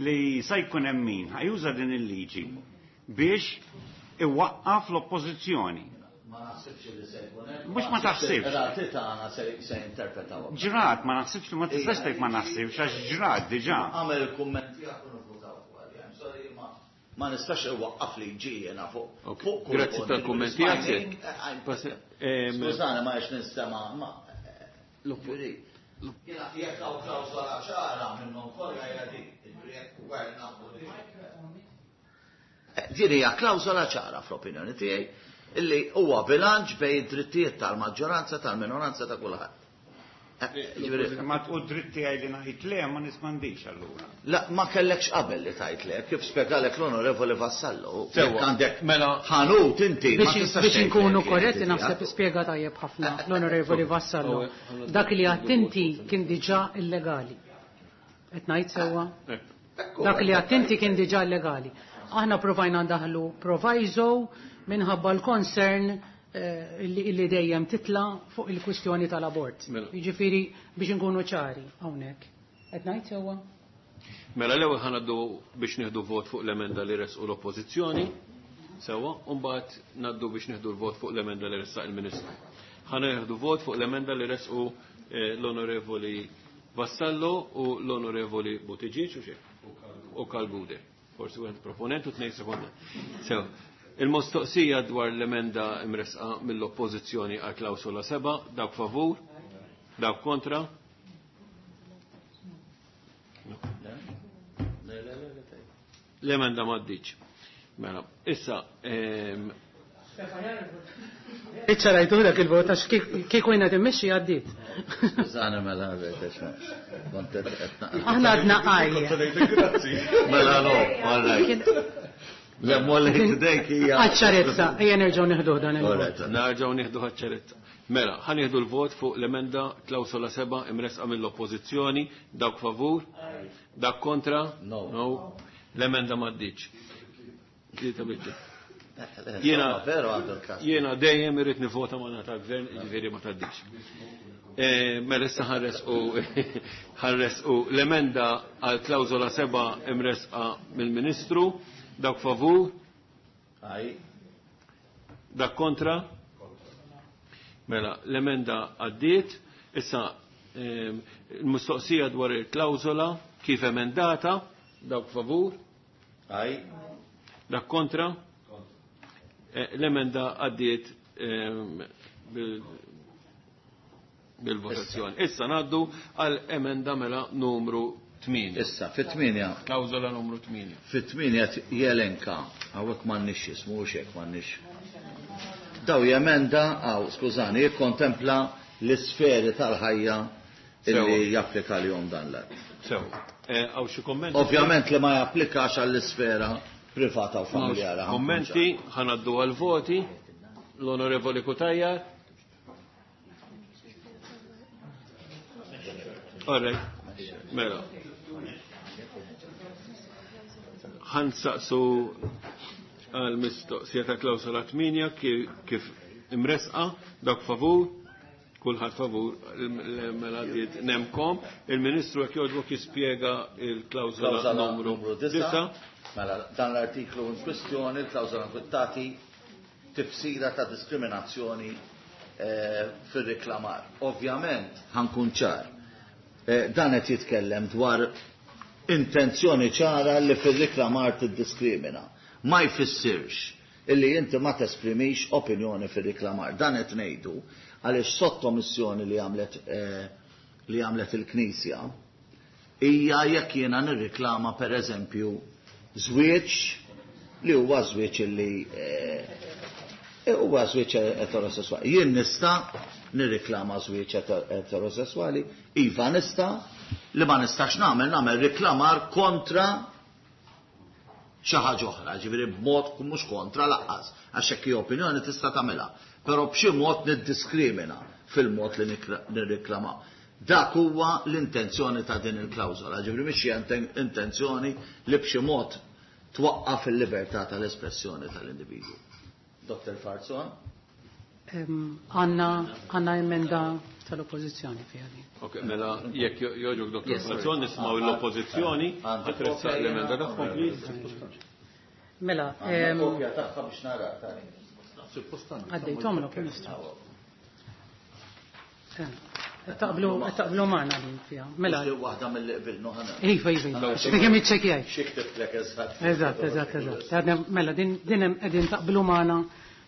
li sa jkun hemm min ħa juża din il-liġi biex iwaqqaf l-oppożizzjoni. Ma naħsibx li se jkun hekk. Mhux ma taħsibx. Il-qrati tagħna se jinterpretawha. Ġrat, ma naħsibx li ma tistax tgħid ma naħsibx għax ġrat diġà. Agħmel il-kumment tiegħek u nivvutaw fuqha. I'm sorry ma. Ma nistax iwaqqaf liġi jiena fuq fuq kull Grazzi punt. tal-kumment tiegħek. Skużani ma għax nistema' ma Jiena jekk hawn klawsola ċara minnhom kollha hija din, jiġifieri jekk gvern naħdu din. Din hija klawsola ċara fl-opinjoni tiegħi illi huwa bilanċ bejn id-drittijiet tal-maġġoranza tal-minoranza ta' kulħadd. Jiġifieri- Ma u dritt tiegħi li ngħid le ma nismandix allura. La, ma kellekx qabel li tajt le, kif spjegalek l-Onorevoli Vassallo. Sewwa. Jekk għandek Mela- ħanut inti ma Biex tistax biex tgħid inkunu le jekk korretti inti naħseb tiegħek. spjega tajjeb ħafna l-Onorevoli Vassallo. Dak li għattinti kien diġà illegali. Qed ngħid sewwa? Dak li għattinti kien diġà illegali. Aħna provajna ndaħlu proviso minħabba l-concern illi illi dejjem titla fuq il-kwistjoni tal-abort. Mela. Jiġifieri biex inkunu ċari hawnhekk. Qed ngħid sewwa? Mela l-ewwel ħa ngħaddu biex nieħdu vot fuq l-emenda li resqu l-Oppożizzjoni. Sewwa, u mbagħad ngħaddu biex nieħdu l-vot fuq l-emenda li ressaq il-Ministru. Ħa nieħdu vot fuq l-emenda li resqu l-Onorevoli Vassallo u l-Onorevoli Buttigieg u xejn. U Kalgude. Forsi wieħed proponent u tnejn sekonda. Sew, il-mistoqsija dwar l-emenda imresqa mill-Oppożizzjoni għal klawsola 7, dawk favur, dawk kontra. L-emenda m'għaddiċ. Mela, issa, Iċċarajtu dak il-vot għax kieku jiena timmexxi għaddiet. Skużani mela għax kont qed naqra. Aħna għadna għaj. Mela no, all right. Le molli ħdejk hija. Għaċ-ċarezza, ejja nerġgħu nieħduh dan il-vot. Nerġgħu nieħdu ċarezza. Mela, ħa nieħdu l-vot fuq l-emenda klawsola 7 imresqa mill-Oppożizzjoni, dawk favur, dawk kontra? No. No. L-emenda m'għaddiċ. Tlieta biċċa. Jiena veru għandu l-każ. Jiena dejjem irrid nivvota ma' ta' gvern, jiġifieri ma tgħaddix. Mela issa ħarres u l-emenda għal klawsola 7 imresqa mill-Ministru, dawk favur? Aj. Dak kontra? Mela, l-emenda għaddiet, issa il-mistoqsija dwar il-klawsola kif emendata, dawk favur? Aj. Dak kontra? L-emenda għaddiet bil-votazzjoni. Issa ngħaddu għal emenda mela numru 8. Issa, fit-8. Klawżola numru 8. Fit-8 jelenka, hawnhekk m'għandniex jismu, hux hekk m'għandniex. Daw jemenda, għaw, skużani, jikkontempla l-isferi tal-ħajja illi Sewa. japplika li-jom dan l-att. Sew. Għaw xi kommenti? Ovvjament li ma japplikax għall-isfera privata u familjari. Kommenti, ħanaddu għal-voti. L-Onorevoli Cutajar. All right. Mela. Ħansaqsu għal-mistoqsija ta' klawsola 8 kif imresqa, dak favur, kulħadd favur, mela għaddiet nemkom. Il-Ministru jekk jogħġbok jispjega il-klawsola Klawsola numru numru 9. 9. Mela, dan l-artiklu in kwestjoni, il-klawsola tagħti tifsira ta' diskriminazzjoni fir-reklamar. Ovvjament, ħankun ċar, dan qed jitkellem dwar intenzjoni ċara li fir-reklamar tiddiskrimina. Ma jfissirx illi inti ma tesprimix opinjoni fir-reklamar. Dan qed ngħidu għaliex sottomissjoni li għamlet il-Knisja hija jekk jiena nirriklama per eżempju żwieġ li huwa żwieġ illi huwa żwieġ eterosessuali. Jien nista' nirriklama żwieġ eterosessuali, iva nista', li ma nistax nagħmel riklamar kontra xi ħaġa oħra, ġifieri b'mod mhux kontra laqqas, għax hekk hi opinjoni tista' tagħmilha, però b'xi mod niddiskrimina fil-mod li nirriklama. Dak huwa l-intenzjoni ta' din il-klawżola, ġifieri mhix xi intenzjoni li b'xi mod twaqqaf il-libertà tal-espressjoni tal-individwu. Dr. Falzon? Għanna emenda tal-oppożizzjoni fiha din. Ok, mela jekk jogħġbok Dr. Yes, sorry. Falzon nisimgħu l-oppożizzjoni, ħatressaq l-emenda tagħhom, please. Mela, Għandna kopja tagħha biex nara tani. Għaddejthomlok, Ministru. Taqblu taqblu magħna din fiha. Mela. Waħda mill-li qbilnu ħana. Iva, iva. Kemm iċċekkjaj. Xi ktiblek eżatt. Eżatt, eżatt, eżatt. Mela din din hemm qegħdin taqblu magħna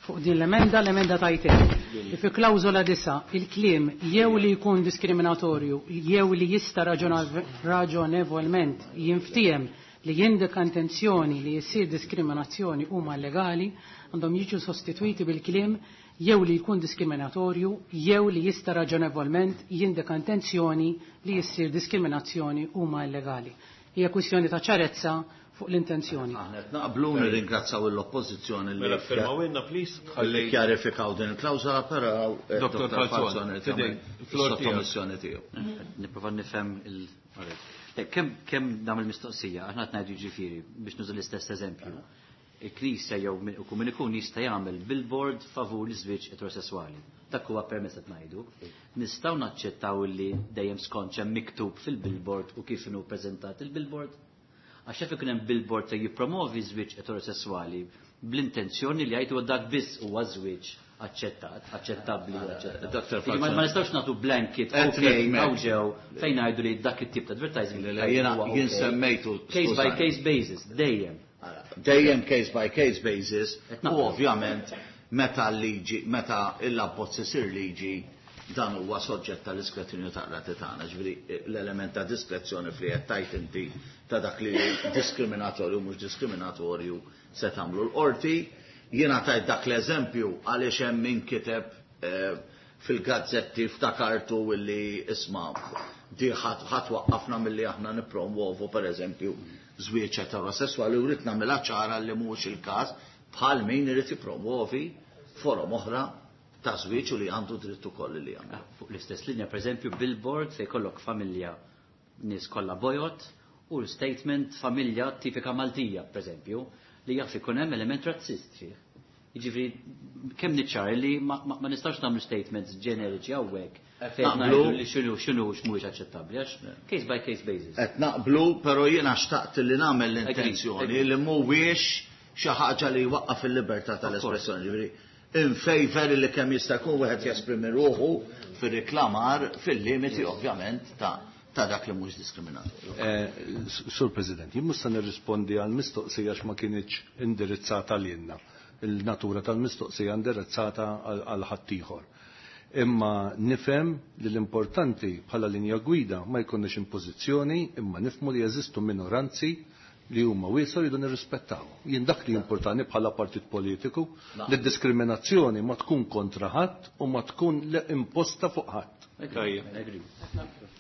fuq din l-emenda, l-emenda tajtek. Fi klawżola 9, il-kliem jew li jkun diskriminatorju jew li jista' raġonevolment jinftiehem li jindika intenzjoni li jsir diskriminazzjoni huma illegali għandhom jiġu sostitwiti bil-kliem jew li jkun diskriminatorju jew li jista' raġonevolment jindika intenzjoni li jsir diskriminazzjoni huma illegali. Hija kwistjoni ta' ċarezza fuq l-intenzjoni. Aħna qed naqblu nirringrazzaw l-Oppożizzjoni li Mela firmawilna please ħalli kjarifikaw din il-klawżola però eh, Dr. Falzon fidejk il-sottomissjoni tiegħu. Nipprova nifhem il Kemm kemm nagħmel mistoqsija, aħna qed ngħidu jiġifieri biex nuża l-istess eżempju. Il-Knisja jew min ikun jista' jagħmel billboard favur l-iżwieġ eterosesswali. Dak huwa permess qed ngħidu. Nistgħu naċċettaw li dejjem skont x'hemm miktub fil-billboard u kif inhu ppreżentat il-billboard? Għax jaf ikun hemm billboard se jippromovi żwieġ eterosesswali bl-intenzjoni li jgħid huwa dak biss huwa żwieġ aċċettat, aċċettabbli u aċċettat. Dr. Ma nistgħux nagħtu blanket ok hawn ġew fejn ngħidu li dak it-tip ta' advertising. Jiena jien semmejtu case by case basis, dejjem. Dejjem case by case basis u ovvjament meta l-liġi, meta l-abbozz isir liġi dan huwa soġġett tal-iskrutinju ta' qrati tagħna, ġifieri l-element ta' diskrezzjoni fli qed tgħid inti ta' dak li diskriminatorju mhux diskriminatorju se tagħmlu l-qorti. Jiena tajt dak l-eżempju għaliex hemm min kiteb eh, fil-gazzetti ftakartu illi isma' di ħadd waqqafna milli aħna nippromuovu pereżempju żwieġ eterosesswali u rrid nagħmilha ċara li mhuwiex il-każ bħal min irid jippromuovi forom oħra ta' żwieġ u li għandu dritt ukoll li jagħmel. Ah, fuq l-istess linja, pereżempju, billboard se jkollok familja nies kollha bojod u l-statement familja tipika Maltija, pereżempju, li jaf ikun hemm element razzist fih. Jiġifieri kemm niċċar li ma, ma, ma nistax nagħmlu statements ġeneriċi hawnhekk fejn ngħidu li x'inhu x'inhu x'mhuwiex aċċettabbli għax case by case basis. Qed naqblu, però jiena xtaqt li nagħmel l-intenzjoni li mhuwiex xi ħaġa li jwaqqaf il-libertà tal-espressjoni. Ġifieri in favor li kemm jista' jkun wieħed jesprimi ruħu fir-reklamar fil-limiti ovvjament ta' ta' dak li mhux diskriminatorju. Eh, Sur President, jien mhux se nirrispondi għal mistoqsija għax ma kinitx indirizzata lilna. Il-natura tal-mistoqsija indirizzata għal ħaddieħor. Imma nifhem li l-importanti bħala linja gwida ma jkunniex impożizzjoni imma nifhmu li jeżistu minoranzi li huma wiesa rridu nirrispettaw. Jien dak li importani bħala partit politiku li d-diskriminazzjoni ma tkun kontra ħadd u ma tkun imposta fuq ħadd. Tajjeb.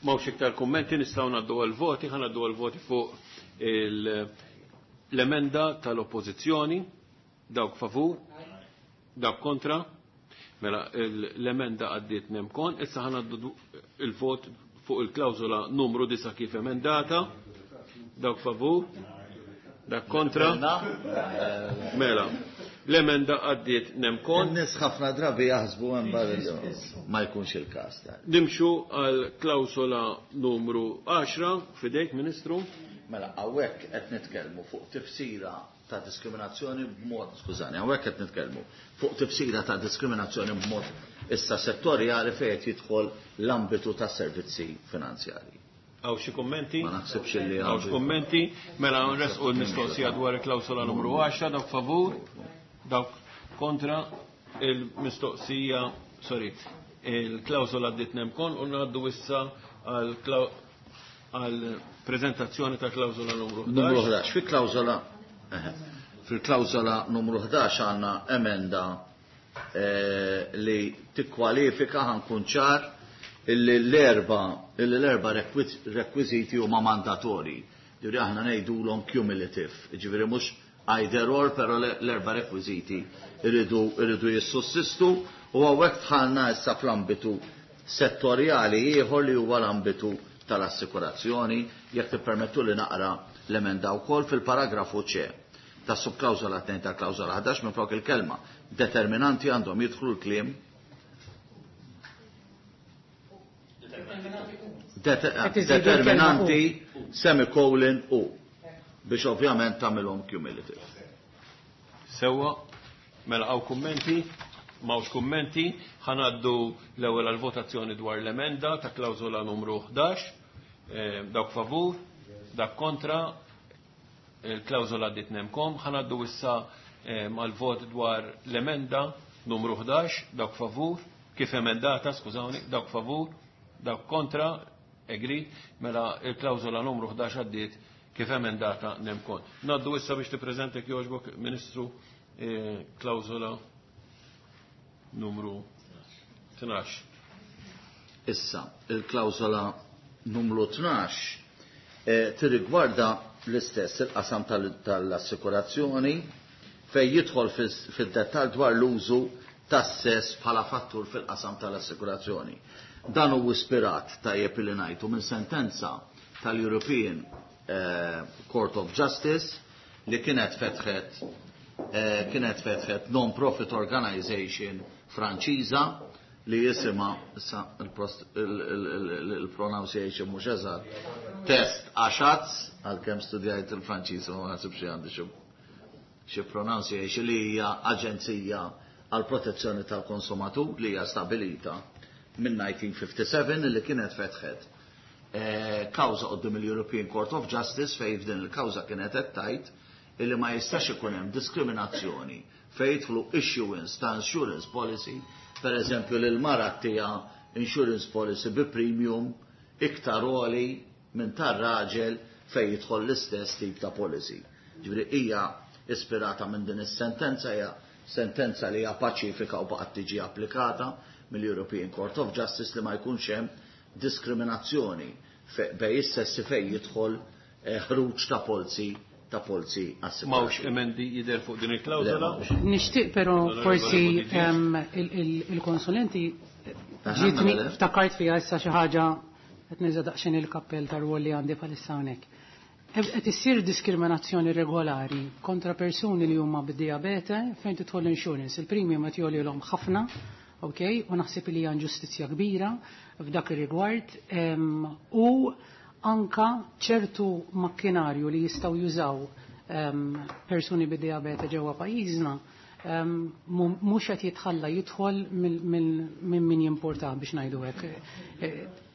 M'hawnx iktar kummenti nistgħu ngħaddu għall-voti, ħa ngħaddu għall-voti fuq l-emenda tal-oppożizzjoni. Dawk favur, dawk kontra. Mela l-emenda għaddiet nemkon, issa ħa ngħaddu il-vot fuq il-klawżola numru 9 kif emendata. Dawk favur, dak kontra. Mela, l-emenda għaddiet nemkon. In-nies ħafna drabi jaħsbu hemm ma jkunx il-każ. Nimxu għal klawsola numru 10 fidejk, Ministru. Mela, hawnhekk qed nitkellmu fuq tifsira ta' diskriminazzjoni b'mod, skużani, hawnhekk qed nitkellmu fuq tifsira ta' diskriminazzjoni b'mod issa settorjali fejn qed jidħol l-ambitu ta' servizzi finanzjarji. Hawn xi kummenti? Ma naħsibx li hawn. Hawn kummenti? Mela nresqu l-mistoqsija dwar il-klawsola numru 10, dawk favur, dawk kontra il-mistoqsija, sorry, il-klawsola għaddiet nemkon u ngħaddu issa għal prezentazzjoni ta' klawsola numru 11. Numru 11. Fil-klawsola fil-klawsola numru 11 għandna emenda eh, li tikkwalifika ħankun ċar illi l-erba illi l-erba rekwiżiti huma mandatorji. Ġifieri aħna ngħidulhom cumulative, ġifieri mhux either or, però l-erba rekwiżiti irridu irridu jissussistu u hawnhekk dħalna issa fl-ambitu settorjali ieħor li huwa l-ambitu tal-assikurazzjoni, jekk tippermettu li naqra l-emenda wkoll fil-paragrafu C ta' subklawżola 2 ta' klawżola 11 minflok il-kelma determinanti għandhom jidħlu l-kliem determinanti semicolon u biex ovvjament tagħmilhom cumulative. Sewwa, mela hawn kummenti? M'hawnx kummenti, ħa ngħaddu l-ewwel għall-votazzjoni dwar l-emenda ta' klawżola numru 11. Dawk favur, dak kontra, il-klawżola għaddiet nemkom. Ħa ngħaddu issa għall-vot dwar l-emenda numru 11, dawk favur, kif emendata, skużawni, dawk favur, dawk kontra, agreed, mela il-klawżola numru 11 għaddiet kif emendata nemkon. Ngħaddu issa biex tippreżenta jogħġbok, Ministru, klawżola numru 12. Issa, il-klawżola numru 12 tirrigwarda l-istess il-qasam tal-assikurazzjoni fejn jidħol fid-dettall dwar l-użu tas-sess bħala fattur fil-qasam tal-assikurazzjoni. Dan hu ispirat tajjeb li ngħidu minn sentenza tal-European Court of Justice li kienet fetħet non-profit organization Franċiża li jisimha, issa il-pronunciation mhux eżatt, Test Achats, għalkemm studjajt il-Franċiż ma naħsibx li għandi xi pronunciation, li hija aġenzija għal protezzjoni tal-konsumatur li hija stabilita minn 1957, li kienet fetħet kawża quddiem il-European Court of Justice fejn f'din il-kawża kienet qed tgħid illi ma jistax ikun hemm diskriminazzjoni fejn jidħlu issuance ta' insurance policy, per eżempju lil mara tija insurance policy bi premium iktar għoli minn tar-raġel fejn jidħol l-istess tip ta' policy. Ġifieri hija ispirata minn din is-sentenza, hija sentenza li hija paċifika u baqgħet tiġi applikata mill-European Court of Justice li ma jkunx hemm diskriminazzjoni bejn is-sessi fejn jidħol ħruġ ta' polzi assigurati. M'hawnx emendi jidher fuq din il-klawżola? Nixtieq però Onorevoli forsi Buttigieg. il-konsulenti ġietni mela. ftakart fija issa xi ħaġa, qed niża daqsxejn il-kappell tar-rwol li għandi bħalissa hawnhekk. Qed issir diskriminazzjoni regolari kontra persuni li huma bid-diabete fejn tidħol insurance. Il-premium qed jogħlilhom ħafna, ok, u naħseb li hija inġustizzja kbira f'dak ir-rigward u anka ċertu makkinarju li jistgħu jużaw persuni bid-diabete ġewwa pajjiżna mhux qed jitħalla jidħol minn min jimporta, biex ngħidu hekk.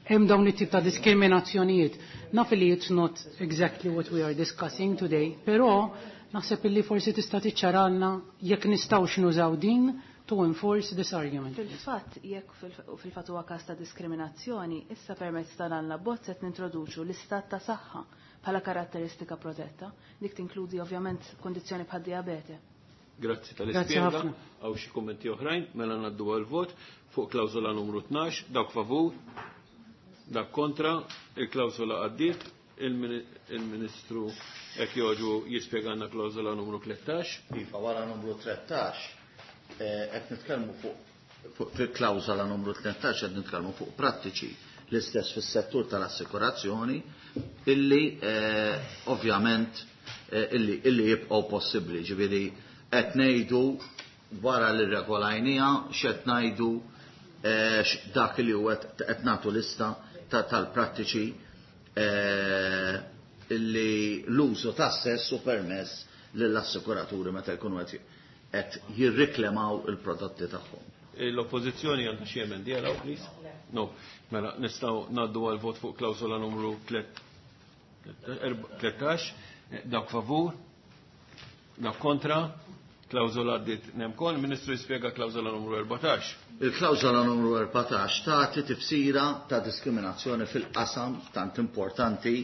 Hemm dawn it-tip ta' diskriminazzjonijiet. Naf li it's not exactly what we are discussing today, però naħseb illi forsi tista' tiċċaralna jekk nistgħux nużaw din to enforce this argument. Fil-fatt, jekk fil-fatt huwa każ ta' diskriminazzjoni, issa permezz ta' dan l-abbozz qed nintroduċu l-istat ta' saħħa bħala karatteristika protetta, dik tinkludi ovvjament kondizzjoni bħad diabete. Grazzi Grazzi tal-ispjega. ħafna. Hawn xi kummenti oħrajn? Mela ngħaddu għal-vot fuq klawżola numru 12, dawk favur, dak kontra, il-klawżola għaddiet, il-Ministru jekk jogħġbu jispjegana klawżola numru 13. Iva, wara numru 13, qed nitkellmu fuq fil-klawżola numru 13 qed nitkellmu fuq prattiċi l-istess fis-settur tal-assikurazzjoni illi ovvjament illi jibqgħu possibbli, ġifieri qed ngħidu wara li regolajnija x'qed ngħidu, dak li huwa qed nagħtu lista tal-prattiċi illi l-użu tas-sess u permess lill-assikuraturi meta jkunu qed jirriklemaw il-prodotti tagħhom. L-oppożizzjoni għandha xi emendi għalaw, please? No. Mela nistgħu ngħaddu għal vot fuq klawżola numru 13, dawk favur, dawk kontra, klawżola għaddiet nemkon, Ministru jispjega klawżola numru 14. Il-klawżola numru 14 tagħti tifsira ta' diskriminazzjoni fil-qasam tant importanti,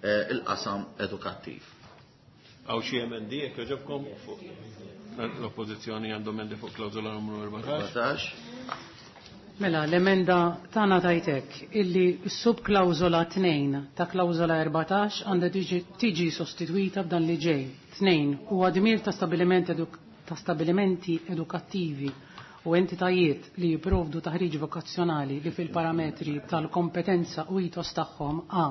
il-qasam edukattiv. Hawn xi emendi jekk jogħġobkom fuq l-oppożizzjoni għandhom emendi fuq klawżola numru 14? 14. Mela, l-emenda tagħna tajtek illi s-subklawżola 2 ta' klawżola 14 għandha tiġi sostituita b'dan li ġej. 2 huwa dmir ta' stabilimenti edukattivi u entitajiet li jipprovdu taħriġ vokazzjonali li fil-parametri tal-kompetenza u ethos tagħhom: A.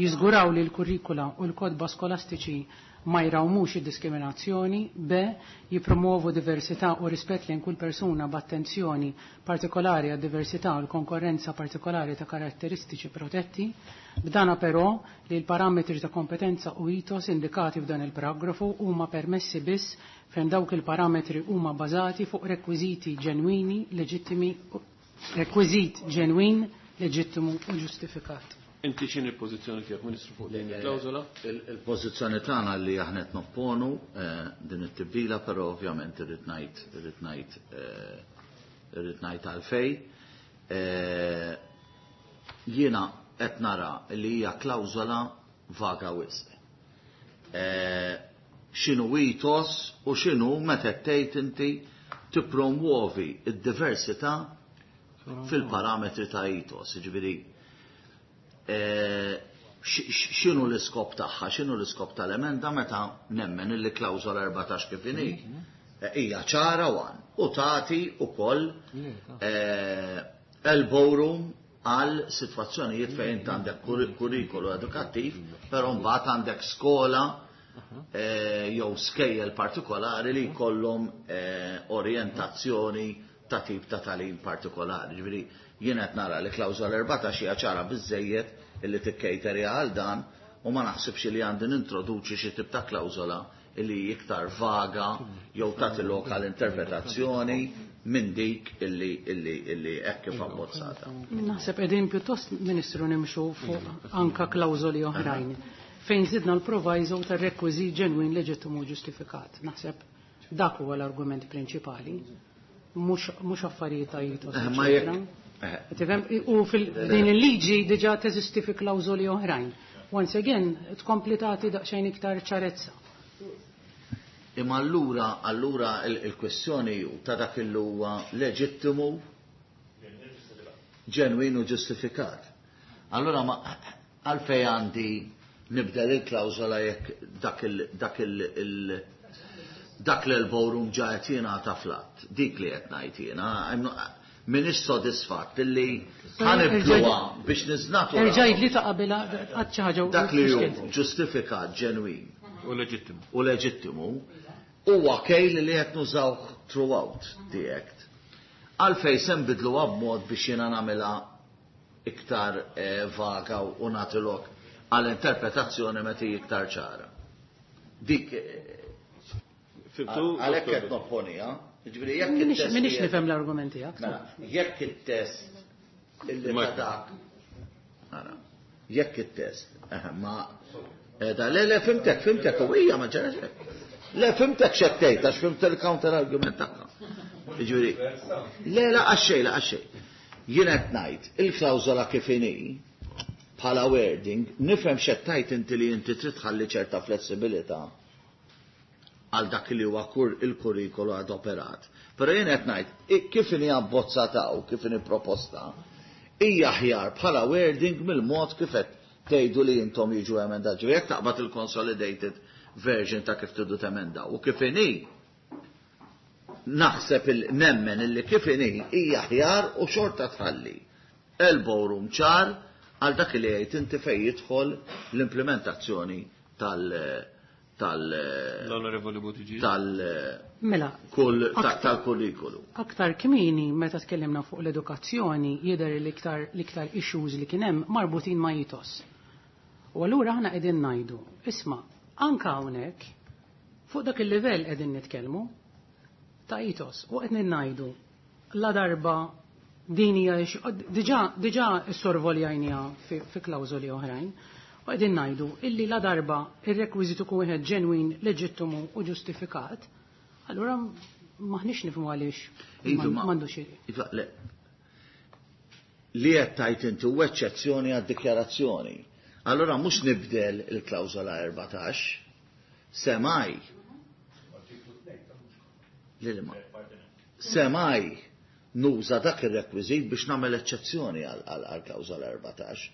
Jiżguraw li l-kurrikula u l-kodba skolastiċi ma jrawmux id-diskriminazzjoni, B, jipromuovu diversità u rispett lejn kull persuna b'attenzjoni partikolari għad diversità u l-konkorrenza partikolari ta' karatteristiċi protetti, b'dana però li l-parametri ta' kompetenza u ethos indikati f'dan il-paragrafu huma permessi biss fejn dawk il-parametri huma bażati fuq rekwiżiti ġenwini, leġittimi, rekwiżit ġenwin, leġittimu u ġustifikat. Inti x'inhi l-pożizzjoni tiegħek, Ministru, fuq din il-klawżola? Il-pożizzjoni tagħna li aħna qed nopponu din it-tibdila, però ovvjament irrid ngħid irrid ngħid irrid ngħid għalfejn. Jiena qed nara li hija klawżola vaga wisq. X'inhu ethos u x'inhu meta tgħid inti tippromwovi d-diversità fil-parametri ta' ethos, jiġifieri x'inhu l-iskop tagħha, x'inhu l-iskop tal-emenda meta nemmen illi klawżola 14 kif inhi hija ċara wan u tagħti wkoll elbow room għal sitwazzjonijiet fejn int għandek kurrikolu edukattiv, però mbagħad għandek skola jew skejjel partikolari li jkollhom orjentazzjoni ta' tip ta' tagħlim partikolari. Ġifieri jien qed nara li klawżola 14 hija ċara biżejjed illi tikkejteri għal dan u ma naħsibx li għandi nintroduċi xi tip ta' klawżola illi iktar vaga jew tagħti lok għal interpretazzjoni minn dik illi illi illi hekk kif abbozzata. Naħseb qegħdin pjuttost, Ministru, nimxu fuq anka klawżoli oħrajn fejn żidna l-proviso tar-rekwiżit ġenwin, leġittimu u ġustifikat. Naħseb dak huwa l-argument prinċipali. Mhux affarijiet ta' ethos, Ma eċetera. jekk Tifhem? U fil-din il-liġi diġà teżisti fi klawżoli oħrajn. Once again, tkompli tagħti daqsxejn iktar ċarezza. Imma allura il-kwestjoni hu ta' dak il huwa leġittimu, ġenwin u ġustifikat. Allura ma għalfej għandi nibdel il-klawżola jekk dak il dak il il dak l-elbow room ġa qed jingħata flat. Dik li qed ngħid jiena, m'iniex sodisfatt illi ħa nibdluha biex niżnaturaw. Erġajt li ta' qabilha għad xi ħaġa u Dak li hu fixkilt. ġustifikat, ġenwin. U leġittimu. U leġittimu huwa kejl li qed nużawh throughout the act. Għalfej se nbidluha b'mod biex jiena nagħmilha iktar vaga u nagħti lok għal interpretazzjoni meta hi iktar ċara. Dik Fimtu? għalhekk qed nopponiha. Jiġifieri jekk it-test Minix qiegħed- nifhem l-argument tiegħek. Mela, jekk it-test illi ta' dak. Ara, jekk it-test, ma da, le, le, fimtek, fimtek, u hija ma ġarax hekk. Le, fimtek x'qed tgħid, għax fimt il-counter argument tagħha. Jiġifieri, le, la għax-xejn, la għax-xejn. Jien qed ngħid, il-klawżola kif inhi bħala wording, nifhem x'qed tgħid inti li inti trid tħalli ċerta flessibilità għal dak li huwa il-kurrikolu għad operat. Però jien qed ngħid, kif inhi abbozzata u kif inhi proposta, hija aħjar bħala wording mill-mod kif qed tgħidu li intom jiġu emendat. Ġifieri jekk taqbad il-consolidated version ta' kif tridu temendaw u kif inhi naħseb il-nemmen illi kif inhi hija aħjar u xorta tħalli elbow room ċar għal dak li jgħid inti fejn jidħol l-implementazzjoni tal tal L-Onorevoli Buttigieg. tal Mela, kull tal-kurrikulu. Aktar kmieni meta tkellimna fuq l-edukazzjoni jidher l-iktar issues li kien hemm marbutin ma' ethos. U allura aħna qegħdin ngħidu, isma', anka hawnhekk fuq dak il-livell qegħdin nitkellmu ta' ethos u qed ngħidu la darba din hija diġà sorvoljajnija fi klawżoli oħrajn. U qegħdin ngħidu illi la darba ir-rekwiżitu kun wieħed ġenwin, leġittimu u ġustifikat, allura maħniex nifhmu għaliex Iva, m'għandux Iva, le. Li qed tgħid inti huwa eċċezzjoni għad-dikjarazzjoni. Allura mhux nibdel il-klawżola 14, semaj. Li ma. Semaj nuża dak ir-rekwiżit biex nagħmel eċċezzjoni għal klawżola 14.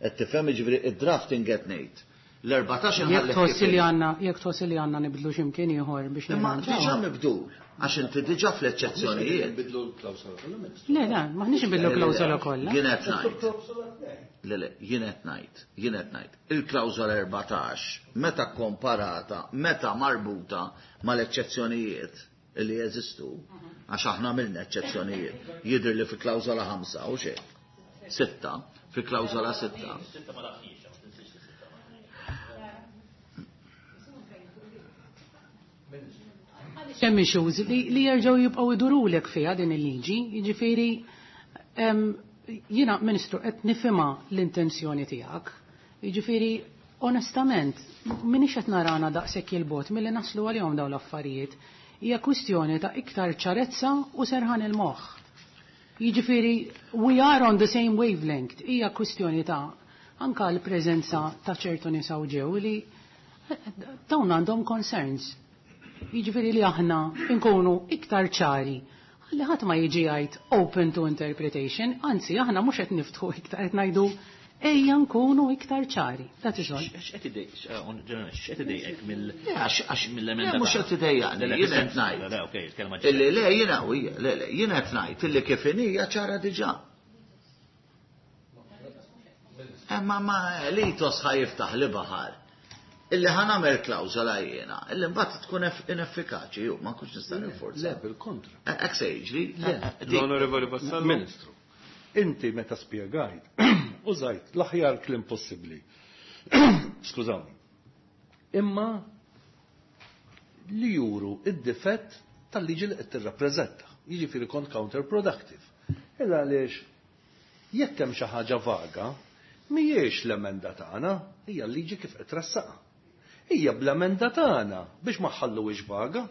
Qed tifhem, jiġifieri id-drafting qed ngħid. L-14 Jekk tħoss li għandna jekk tħoss li għandna nibdlu x'imkien ieħor biex Imma diġà mibdul, għax inti diġà fl-eċċezzjonijiet. Nbidlu l-klawsola kollha, Ministru. Le, le, m'aħniex nbidlu klawsola kollha. Jien qed ngħid. Le, le, jien qed ngħid, jien qed ngħid. Il-klawsola 14 meta komparata, meta marbuta mal-eċċezzjonijiet li jeżistu, għax aħna għamilna eċċezzjonijiet, jidher li fi klawsola 5 u xejn. Sitta, fi klawsola 6. Hemm issues li jerġgħu jibqgħu idurulek fiha din il-liġi, jiġifieri jiena Ministru qed nifhimha l-intenzjoni tiegħek. Jiġifieri onestament m'iniex qed narana daqshekk il-bogħod milli naslu għalihom dawn l-affarijiet. Hija kwistjoni ta' iktar ċarezza u serħan il-moħħ. Jiġifieri we are on the same wavelength. Hija kwistjoni ta' anka l-preżenza ta' ċertu nies hawn ġew li dawn għandhom concerns. Jiġifieri li aħna nkunu iktar ċari. Li ħadd ma jiġi jgħid open to interpretation, anzi aħna mhux qed niftħu iktar qed ngħidu ejja nkunu iktar ċari. That is all. X'qed idejqek mill-emenda? Mhux qed idejjaqni, jien qed ngħid. Le, okej, il-kelma Illi le jiena u hija, le le, jien qed ngħid illi kif inhi ċara diġà. Imma ma l-ethos ħa jiftaħ li baħar. Illi ħa nagħmel klawżola jiena, illi mbagħad tkun ineffikaċi, ju, ma nkunx nista' ninforza. Le, bil-kontra. Hekk se jiġri. Le. L-Onorevoli Vassallo. Ministru, inti meta spjegajt, użajt l-aħjar kliem possibbli. Skużawni. Imma li juru id-difett tal-liġi li qed tirrappreżenta. Jiġifieri kont counterproductive. Illa għaliex jekk hemm xi ħaġa vaga, mhijiex l-emenda tagħna, hija l-liġi kif qed tressaqha. Hija bl-emenda tagħna biex ma ħalluhiex vaga.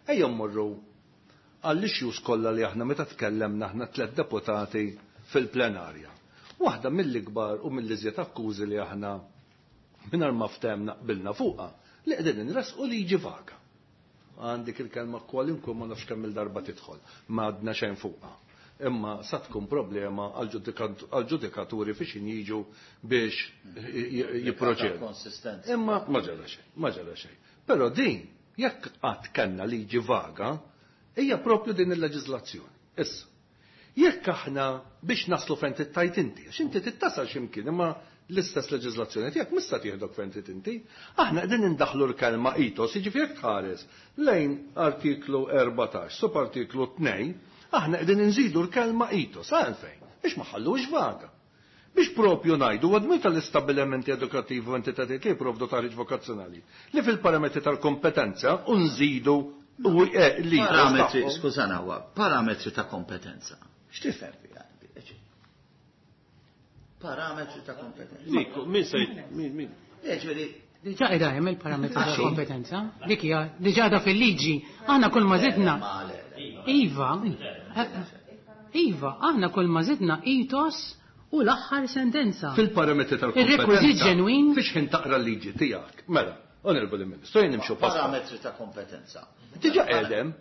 Ejja mmorru għall-issues kollha li aħna meta tkellemna aħna tliet deputati fil-plenarja. Waħda mill-ikbar u mill-iżjed akkużi li aħna mingħajr ma ftehmna qbilna fuqha li qegħdin inressqu liġi vaga. Għandik il-kelma kwalunkwe ma nafx kemm il-darba tidħol, ma għadna xejn fuqha. Imma sa tkun problema għal-ġudikaturi fiex jiġu biex jipproċedu. Konsistenza. Imma ma ġara xejn, ma ġara xejn. Però din, jekk qatt kellna liġi vaga, hija propju din il-leġiżlazzjoni. Issa, jekk aħna biex naslu fejn tittajt inti, għax inti tittasal x'imkien, imma l-istess leġiżlazzjoni tiegħek mista tieħdok fejn trid inti. Aħna qegħdin indaħħlu l-kelma ethos, jiġifieri jekk tħares lejn artiklu 14, subartiklu 2, aħna qegħdin inżidu l-kelma ethos, għalfejn, biex ma ħallux vaga. Biex propju ngħidu għadmi tal-istabbilimenti edukattivi u entitajiet li jipprovdu taħriġ vokazzjonali li fil-parametri tal-kompetenza u nżidu u li Parametri, tagħhom. skużana, huwa parametri ta' kompetenza. X'tifhem fiha? Parametri ta' kompetenza. Dik, min se min min? Jiġifieri Diġà qiegħda hemm il-parametri ta' Għaxi. kompetenza. Dik hija diġà qiegħda fil-liġi. Aħna kull ma żidna. Iva, iva, aħna kull ma żidna ethos u l-aħħar sentenza. Fil-parametri Ir-rekwiżit tal-kompetenza. ġenwin. Fiex ħin taqra l-liġi tiegħek. Mela, Onorevoli Ministru, jien nimxu pass. Parametri ta' kompetenza. Diġà qegħdem.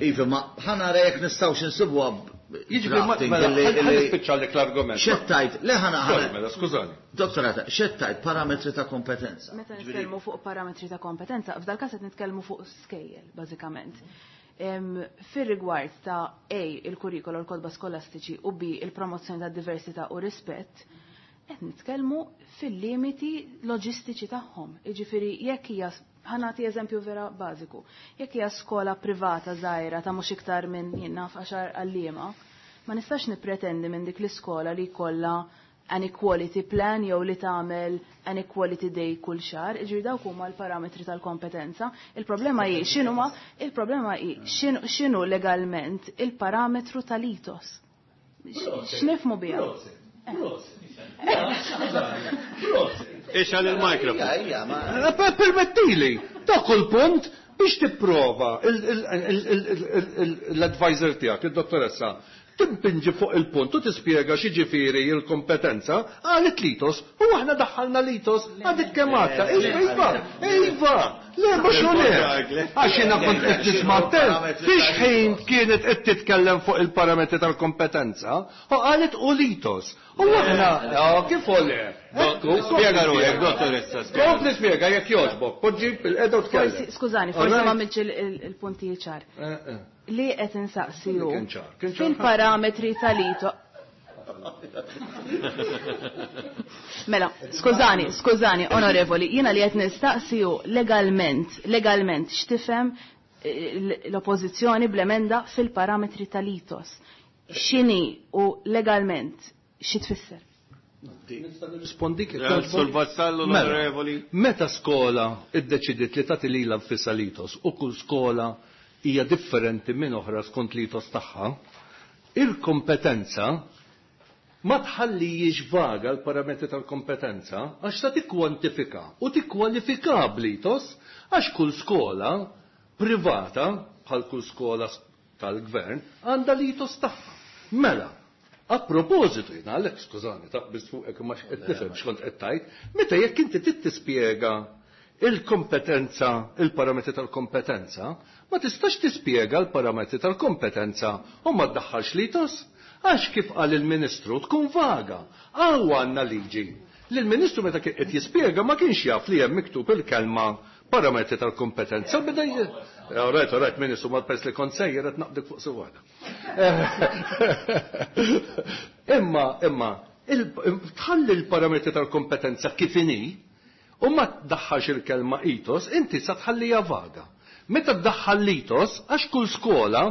Iva, ma ħanara jekk nistgħux insibuha Jiġifieri ma drafting mela, illi- nispiċċalek l-argument. Xettajt, le ħana Sorry, ħana. mela, skużani. Dottorata, xettajt parametri ta' kompetenza. Meta nitkellmu fuq parametri ta' kompetenza, f'dal każ qed nitkellmu fuq skejjel, bażikament. Fir-rigward ta' A, il-kurrikolo, l-kodba skolastiċi u B, il-promozzjoni ta' diversità u rispett, qed nitkellmu fil-limiti loġistiċi tagħhom. Jiġifieri jekk hija ħanati eżempju vera bażiku. Jekk hija skola privata żgħira ta' mhux iktar minn jien naf għaxar għalliema, ma nistax nippretendi minn dik l-iskola li jkollha an equality plan jew li tagħmel an equality day kull xahar, jiġifieri dawk huma l-parametri tal-kompetenza. Il-problema hi x'inhuma il-problema hi x'inhu legalment il-parametru tal-ethos. X'nifhmu biha? Ix għal il-mikrofon. Ija, ma. Permettili, dak il-punt biex tipprova l-advisor tiegħek, il-dottoressa, timpinġi fuq il-punt u tispjega x'jiġifieri l-kompetenza għalet l-ethos u aħna daħħalna l-ethos għadik kemm għadta. Iva, iva, iva, le mhux hu le. Għax jiena kont qed nisma' attent, fiex ħin kienet qed titkellem fuq il-parametri tal-kompetenza u qalet u l-ethos. U aħna, kif u le? Spjega ruħek, dottoressa. Kompli spjega jekk jogħġbok, poġġi bil-qeda u tkellem. Forsi, skużani, forsi ma għamiltx il-punti ċar. Li qed insaqsi hu Kien ċar, kien ċar. fil-parametri tal-ito. Mela, skużani, skużani, onorevoli, jiena li qed nistaqsi hu legalment, legalment x'tifhem l-oppożizzjoni bl-emenda fil-parametri tal-itos. X'inhi u legalment xi tfisser? Nirrispondik jekk Eh, jogħġbok? Sur Vassallo, Mela, l-onorevoli. Meta skola iddeċidiet li tagħti lilha nfisha l-itos u kull skola hija differenti minn oħra skont l-itos tagħha, il-kompetenza ma tħallijiex vaga l-parametri tal-kompetenza għax ta' tikkwantifika u tikkwalifika bl-itos għax kull skola privata bħal kull skola tal-gvern għandha l-itos tagħha. Mela, a propositu jiena għalhekk skużani taqbiż fuqek imma qed nifhem x'kont qed tgħid, meta jekk inti trid tispjega il-kompetenza, il-parametri tal-kompetenza, ma tistax tispjega l-parametri tal-kompetenza u ma ddaħħalx l-itos, għax kif qal il-Ministru tkun vaga. Hawn għandna liġi. Li l-Ministru meta kien qed jispjega ma kienx jaf li hemm miktub il-kelma parametri tal-kompetenza. Beda All right, all right, Ministru, ma pers li kont sejjer qed naqdik fuq su waħda. Imma, imma, tħalli l-parametri tal-kompetenza kif inhi, u ma tdaħħalx il-kelma itos, inti sa tħallija vaga. Meta tdaħħal l-itos, għax kull skola,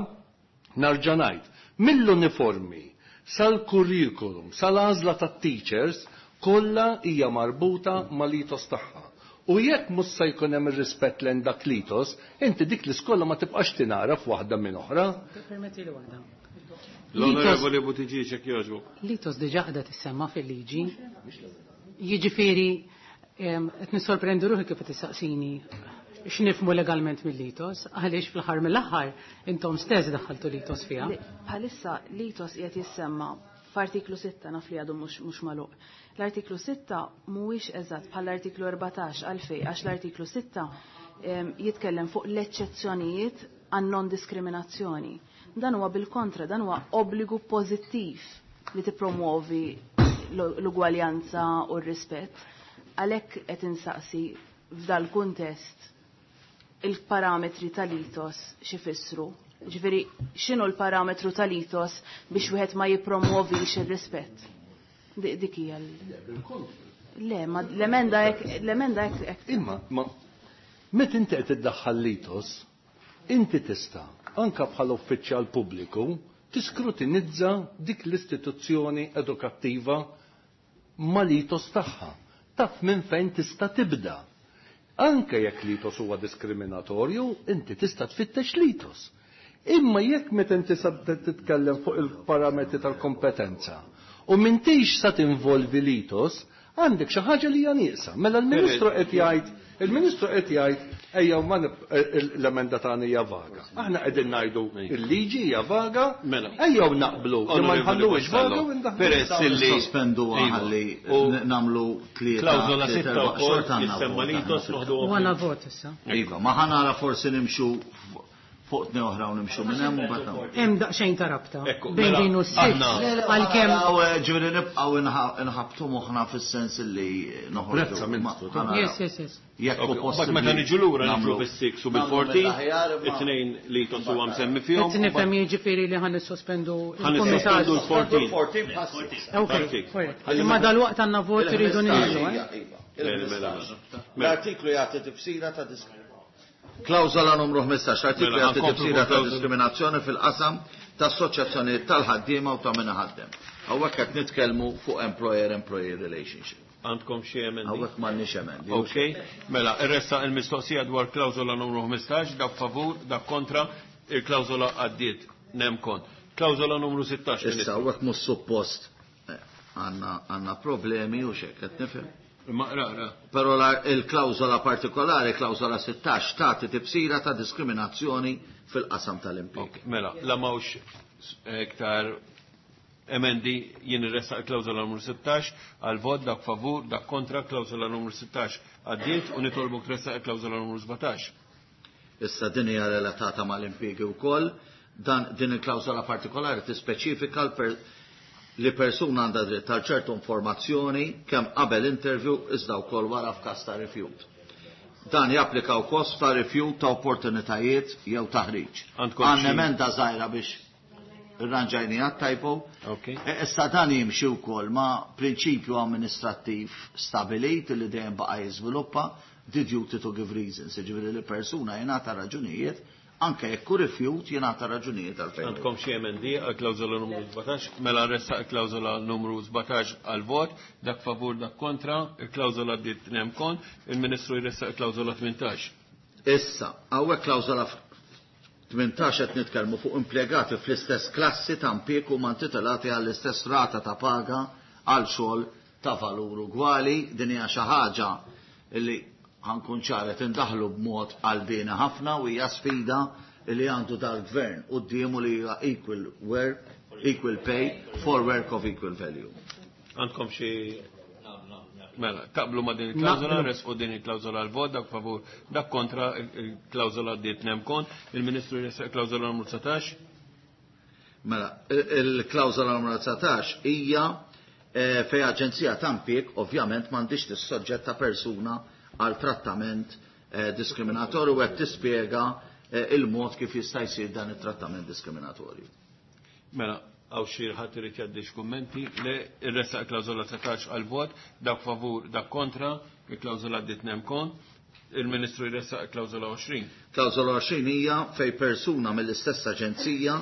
narġa' ngħid, mill-uniformi sal-kurrikulum, sal-għażla tat-teachers, kollha hija marbuta mal-itos tagħha. U jekk mhux se jkun hemm ir-rispett lejn dak l-itos, inti dik l-iskola ma tibqax tingħaraf waħda minn oħra. Permetti li waħda. L-onorevoli Buttigieg jekk jogħġbok. L-itos diġà qiegħda tissemma fil-liġi. Jiġifieri qed nissorprendu ruħi kif qed tistaqsini x'nifhmu legalment mill-itos, għaliex fl-aħħar mill-aħħar intom stess daħħaltu l-itos fiha. Bħalissa l-itos qiegħed jissemma f'artiklu 6 naf li għadu mhux magħluq. L-artiklu 6 mhuwiex eżatt bħall-artiklu 14 għalfejn għax l-artiklu 6 jitkellem fuq l-eċċezzjonijiet għan non-diskriminazzjoni. Dan huwa bil-kontra, dan huwa obbligu pożittiv li tippromuovi l-ugwaljanza u r-rispett. Għalhekk qed insaqsi f'dal kuntest il-parametri tal-itos x'ifissru. Ġifieri x'inhu l-parametru tal-itos biex wieħed ma jippromuovix ir-rispett? Dik hija Le, ma l-emenda hekk, l-emenda hekk hekk. Imma, ma meta inti qed iddaħħal l-itos, inti tista' anka bħala uffiċjal pubbliku tiskrutinizza dik l-istituzzjoni edukattiva mal-itos tagħha. Taf minn fejn tista' tibda. Anke jekk l-itos huwa diskriminatorju, inti tista' tfittex l-itos. Imma jekk meta inti sa titkellem fuq il-parametri tal-kompetenza u m'intix sa tinvolvi l-itos, għandek xi ħaġa li hija nieqsa. Mela l-Ministru qed jgħid, il-Ministru qed jgħid ejja ma l-emenda tagħna hija vaga. Aħna qegħdin ngħidu il-liġi hija vaga, Mela. ejjew naqblu li ma Onorevoli nħalluhiex vaga Vassallo, u ndaħlu. Peress illi Sospendu Iva. ħalli U nagħmlu tlieta. Klawżola tlieta, 6 erba' wkoll xorta għandna jissemma vot, l-itos aħna. noħdu U għandna vot issa. Iva, ma ħanara forsi nimxu fuq tnej oħra u nimxu minn hemm u mbagħad nagħmlu. Hemm daqsxejn ta' rabta Ekku, bejn mela, din u s-sitt aħna- għalkemm Ġifieri nibqgħu inħabtu moħħna fis-sens li noħorġu. Prezza, Ministru, Ma- ħanaraw. Yes, yes, yes. Jekk hu Ok, Mbagħad possibbli. meta niġu lura niġu nagħmlu- bis-6 u nagħmlu bil-14, mill-aħjar, imma- it-tnejn li itos huwa msemmi fihom. Qed nifhem jiġifieri li ħan nissospendu Ħa il-kumitat. nissospendu l-14. 14 bħas-six. Ok, Perfect. correct. Ħalli Imma meta- dal-waqt għandna vot iridu ninżlu, eh? Iva, iva, Mela, mela, mela. L-artiklu jagħti tifsira ta' diskriminazzjoni. Klawżola numru 15, l-artiklu Mela, jagħti ħankomplu tifsira ta' klawżola. diskriminazzjoni fil-qasam ta' assoċjazzjonijiet tal-ħaddiema u ta' min iħaddem. Hawnhekk qed nitkellmu fuq employer-employee relationship. Għandkom xi emendi? Hawnhekk m'għandniex emendi. Ok, mela, irressa il-mistoqsija dwar klawżola numru 15, dak favur, dak kontra, il-klawżola għaddiet, nem kont. Klawżola numru 16, Issa Ministru. hawnhekk mhux suppost għandna problemi u x'hekk qed nifhem. Ma ra, ra. Però il-klawżola partikolari, klawżola 16, tagħti tifsira ta' diskriminazzjoni fil-qasam tal-impjieg. Ok, mela, la mawx iktar emendi jien irressa il-klawżola numru 16 għal vot dak favur, dak kontra, klawżola numru 16 għaddiet u nitolbok tressa il-klawżola numru 17. Issa din hija relatata mal-impjiegi wkoll, dan din il-klawżola partikolari tispeċifika li persuna għandha dritt għal ċertu informazzjoni kemm qabel interview iżda wkoll wara f'każ ta' rifjut. Dan japplika wkoll ta' rifjut ta' opportunitajiet jew taħriġ. Għandna emenda żgħira biex irranġajniha typo. Issa dan jimxi wkoll ma' prinċipju amministrattiv stabilit li dejjem baqa' jiżviluppa, the duty to give reasons, jiġifieri li persuna jingħata raġunijiet anke jekk hu rifjut jingħata raġunijiet għalfejn. Għandkom xi emendi għal klawżola numru 17, mela nressaq il-klawżola numru 17 għal vot, dak favur dak kontra, il-klawżola għaddiet nemkon, il-Ministru jressaq il-klawżola 18. Issa, hawnhekk klawżola 18 qed nitkellmu fuq impjegati fl-istess klassi ta' impjieg huma intitolati għall-istess rata ta' paga għal xogħol ta' valur ugwali, din hija xi ħaġa li ħankun ċaret indaħlu b'mod qalbieni ħafna u hija sfida li għandu dal-gvern quddiemu li hija equal work, equal pay for work of equal value. Għandkom xi Mela, taqblu ma din il-klawżola, resqu din il-klawżola għal-vot, dak favur, dak kontra, il-klawżola għaddiet nemkon, il-Ministru jressaq il-klawżola numru 19. Mela, il-klawżola numru 19 hija fej aġenzija ta' impjieg ovvjament m'għandix tissoġġetta persuna għal trattament diskriminatorju u qed tispjega il-mod kif jista' jsir dan it-trattament diskriminatorju. Mela, għaw xi ħadd irid jgħaddi kummenti, le irressaq il-klawżola 19 għal-vot, dak favur, dak kontra, il-klawżola għaddiet nemkon, il-Ministru jressaq il-klawżola 20. Klawżola 20 hija fej persuna mill-istess aġenzija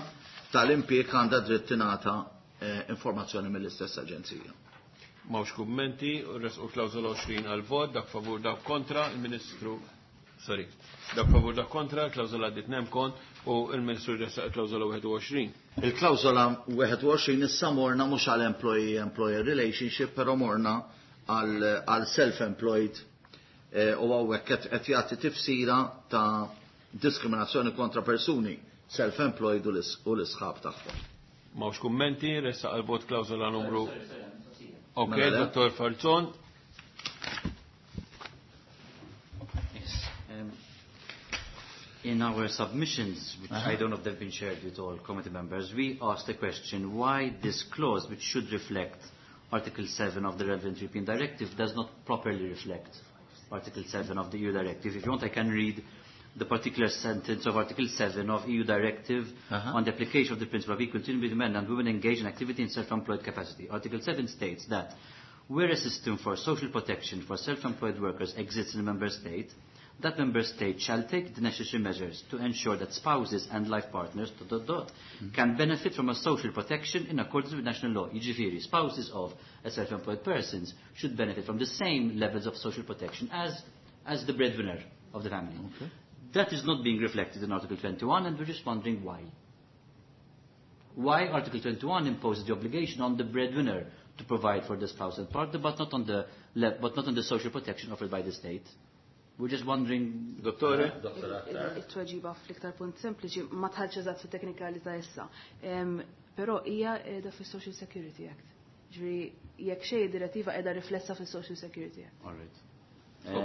tal-impjieg għandha dritt tingħata informazzjoni mill-istess aġenzija. M'hawnx kummenti, resqu klawżola 20 għal-vot, dak favur, dak kontra, il-Ministru, sorry, dak favur, dak kontra, klawżola għaddiet nemkon u il-Ministru jressaq il-klawżola 21. Il-klawżola 21 issa morna mhux għal employee-employer relationship, però morna għal self-employed u hawnhekk qed jagħti tifsira ta' diskriminazzjoni kontra persuni self-employed u l-isħab tagħhom. M'hawnx kummenti, ressaq għal-vot klawżola numru. Ok, Dottor Falzon. Yes. In our submissions, which I don't know if they've been shared with all committee members, we asked the question why this clause, which should reflect Article 7 of the relevant European Directive, does not properly reflect Article 7 of the EU Directive. If you want, I can read the particular sentence of Article 7 of EU Directive on the application of the principle of equal treatment between men and women engaged in activity in self-employed capacity. Article 7 states that where a system for social protection for self-employed workers exists in a member state, that member state shall take the necessary measures to ensure that spouses and life partners dot, dot, dot, can benefit from a social protection in accordance with national law. Jiġifieri, spouses of a self-employed persons should benefit from the same levels of social protection as the breadwinner of the family. That is not being reflected in Article 21, and we're just wondering why. Why Article 21 imposes the obligation on the breadwinner to provide for the spouse and partner, but not on the social protection offered by the state. We're just wondering. Dottore? It-tweġiba fl-iktar punt sempliċi ma dħaltx eżatt fit-teknikalità issa. Però hija qiegħda fis-Social Security Act. Ġifieri jekk xejn direttiva qiegħda riflessa fis-Social Security Act. All right.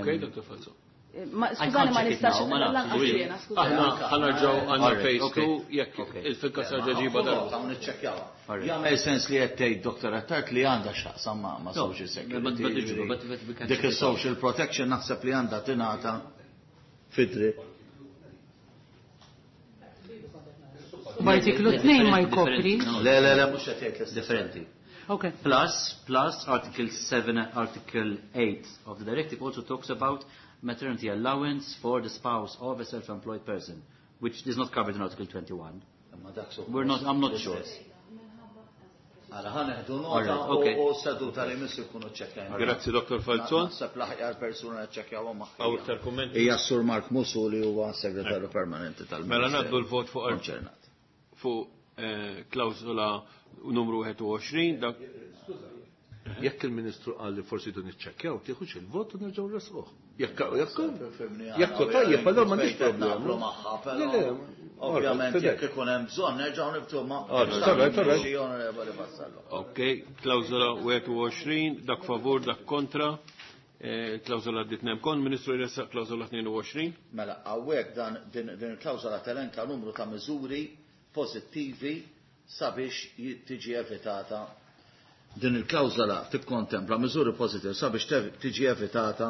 Okay, Dr. Falzon. Ma skużani ma nistax lanqas jiena, skużani. Aħna ħa nerġgħu għandna phase 2 jekk il-fil-każ ġeġiba darba. Hawn niċċekkjawha. Jagħmel sens li qed tgħid Dr. Attard li għandha x'taqsam ma' social security. Dik is-social protection naħseb li għandha tingħata fidri. B'artiklu 2 ma jkopri. Le, le, le, mhux qed jgħid l-istess. Differenti. Okay. Plus Article 7, Article 8 of the directive also talks about maternity allowance for the spouse of a self-employed person, which is not covered in Article 21. We're not, I'm not sure. Għala ħa nieħdu nota u seduta li missu jkunu ċekkjajna. Grazzi, Dr. Falzon. Naħseb l-aħjar persuna ċekkjaw magħha. Hawn iktar kummenti? Hija Sur Mark Musu li huwa segretarju permanenti tal-Ministeru. Mela ngħaddu l-vot fuq fuq klawżola numru 21. Dak Jekk il-Ministru qal li forsi dun iċċekkjaw, tieħux il-vot u nerġgħu nresquh. Jekk tajjeb, allora m'għandix problema. Le, le, ovvjament jekk ikun hemm bżonn nerġgħu nibtu ma' xi onorevoli Vassallo. Ok, klawżola 21, dak favur, dak kontra. Klawżola għaddiet nemkon, Ministru jressaq klawżola 22. Mela, hawnhekk dan din il-klawżola telenka numru ta' miżuri pożittivi sabiex tiġi evitata Din il-klawżola tikkontempla miżuri pożittivi sabiex tiġi evitata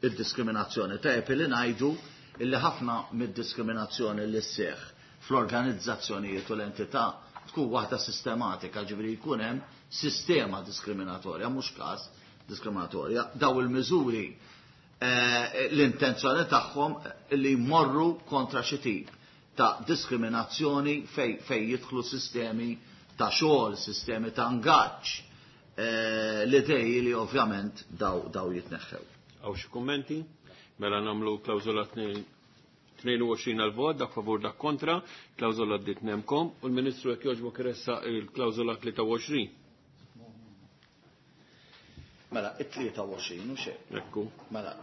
id-diskriminazzjoni. Tajjeb li ngħidu illi ħafna mid-diskriminazzjoni li sseħħ fl-organizzazzjonijiet u l-entità tkun waħda sistematika, ġifieri jkun hemm sistema diskriminatorja, mhux każ diskriminatorja. Daw il-miżuri l-intenzjoni tagħhom li jmorru kontra xi tip ta' diskriminazzjoni fej jidħlu sistemi ta' xogħol, sistemi ta' ngaġġ, l-idej li ovvjament daw jitneħħew. Hawn xi kummenti? Mela nagħmlu klawżola 22 għal-vot, dak favur dak kontra, klawżola għaddiet nemkom, u l-Ministru jekk jogħġbok iressaq il-klawżola 23. Mela, it-23 u xejn. Ekku. Mela,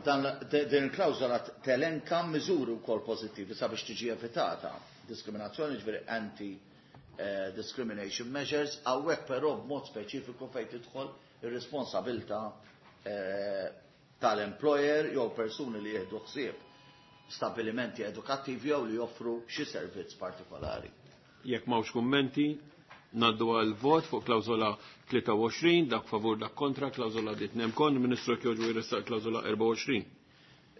din il-klawżola telenka miżuri wkoll pożittivi sabiex tiġi evitata diskriminazzjoni, ġifieri anti discrimination measures, hawnhekk però b'mod speċifiku fejn tidħol ir-responsabilità tal-employer jew persuni li jieħdu ħsieb stabilimenti edukattivi jew li joffru xi servizz partikolari. Jekk m'hawnx kummenti, ngħaddu għal vot fuq klawżola 23, dak favur dak kontra, klawżola għaddiet nemkon, Ministru jekk jogħġbu jressaq klawżola 24.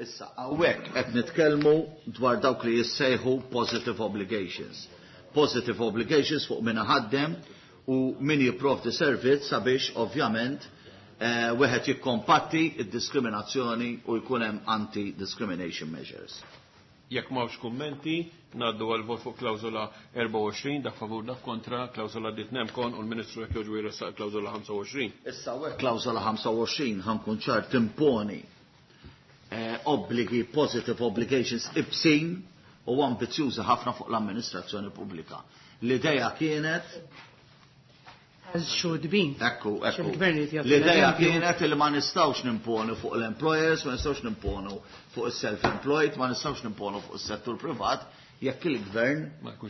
Issa, hawnhekk qed nitkellmu dwar dawk li jissejħu positive obligations. Positive obligations fuq min ħaddem u min jipprovdi servizz sabiex ovvjament wieħed jikkombatti id-diskriminazzjoni u jkun hemm anti-discrimination measures. Jekk m'hawnx kummenti, ngħaddu għal vot fuq klawżola 24, dak favur dak kontra, klawżola għaddiet nemkon u l-Ministru jekk jogħġbu jressaq klawżola 25. Issa hawnhekk klawżola 25 ħankun ċar timponi obbligi, positive obligations ibsin u ambizzjużi ħafna fuq l-amministrazzjoni pubblika. L-idea kienet As should be. Ekku, ekku. Il-gvern irid jagħti L-idea l-eżempju. kienet li ma nistgħux nimponu fuq l-employers, ma nistgħux nimponu fuq is-self-employed, ma nistgħux nimponu fuq is-settur privat, jekk il-gvern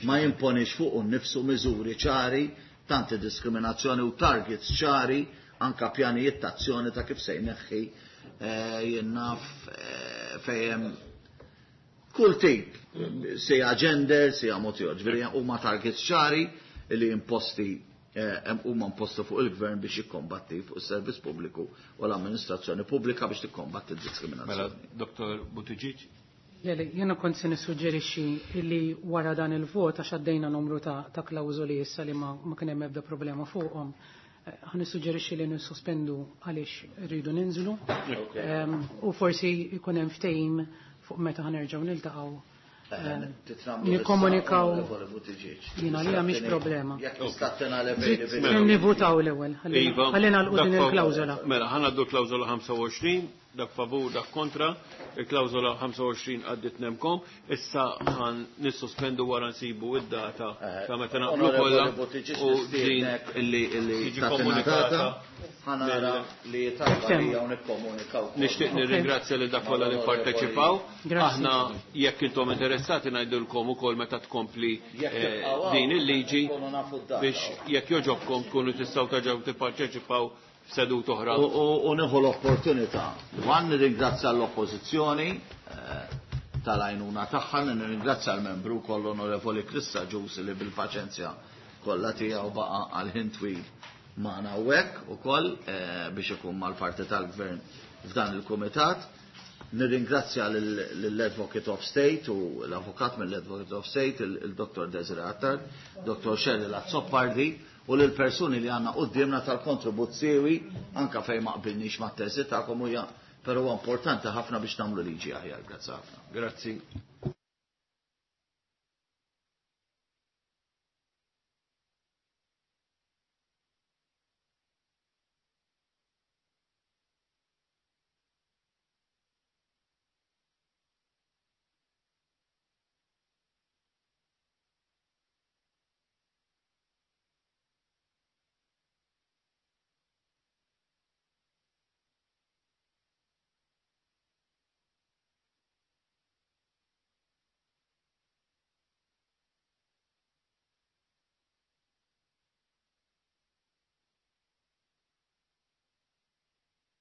ma jimponix fuq nnifsu miżuri ċari, tanti diskriminazzjoni u targets ċari, anka pjanijiet ta' azzjoni ta' kif se jneħħi jien naf fejn kull tip, sija gender, sija mod ieħor. Ġifieri huma targets ċari li imposti huma imposti fuq il-gvern biex jikkombatti fuq is-servizz pubbliku u l-amministrazzjoni pubblika biex tikkombatti d-diskriminazzjoni. Mela, Dr. Buttigieg? Lele, jena kont se nissuġġerixxi li wara dan il-vot għax għaddejna numru ta' klawżoli issa li ma kien hemm ebda problema fuqhom. Ħa nissuġġerixxi li nissospendu għaliex rridu ninżlu. U forsi jkun hemm ftehim fuq meta ħanerġgħu niltaqgħu. Nikkomunikaw jiena li mhix problema. Jekk tista' tingħaleb bejn Nivutaw l-ewwel. Iva. Ħalli nagħlqu din il-klawżola. Mela, ħa ngħaddu klawżola 25, dak favur, dak kontra, il-klawżola 25 għaddit nemkom, issa ħan nissospendu wara nsibu id-data ta' meta naqblu kollha u din illi tiġi tagħtina komunikata data, ħa nara li talba li hawn nikkomunikaw. Nixtieq nirringrazzja lil dak kollha li pparteċipaw. Aħna jekk intom interessati ngħidulkom ukoll meta tkompli Jekk tibqgħu hawn, din il-liġi nkunu nafu d-data. biex jekk joġobkom tkunu tistgħu terġgħu tipparteċipaw f'sedut oħra. U nieħu l-opportunità. Wan nirringrazzja l-oppożizzjoni tal-għajnuna tagħha, nirringrazzja l-membru wkoll Onorevoli Chris Agius li bil-paċenzja kollha tiegħu baqa' għal ħin twil magħna hawnhekk ukoll biex ikun mal-parti tal-gvern f'dan il-kumitat. Nirringrazzja lill-Advocate of State u l-Avukat mill-Advocate of State, il-Dr. Desiree Attard, Dr. Cheryl Azzopardi, u lill-persuni li għandna quddiemna tal-kontribut siewi anka fejn ma qbilniex mat-teżi tagħkom huja, però huwa importanti ħafna biex nagħmlu liġi aħjar. Grazzi ħafna. Grazzi.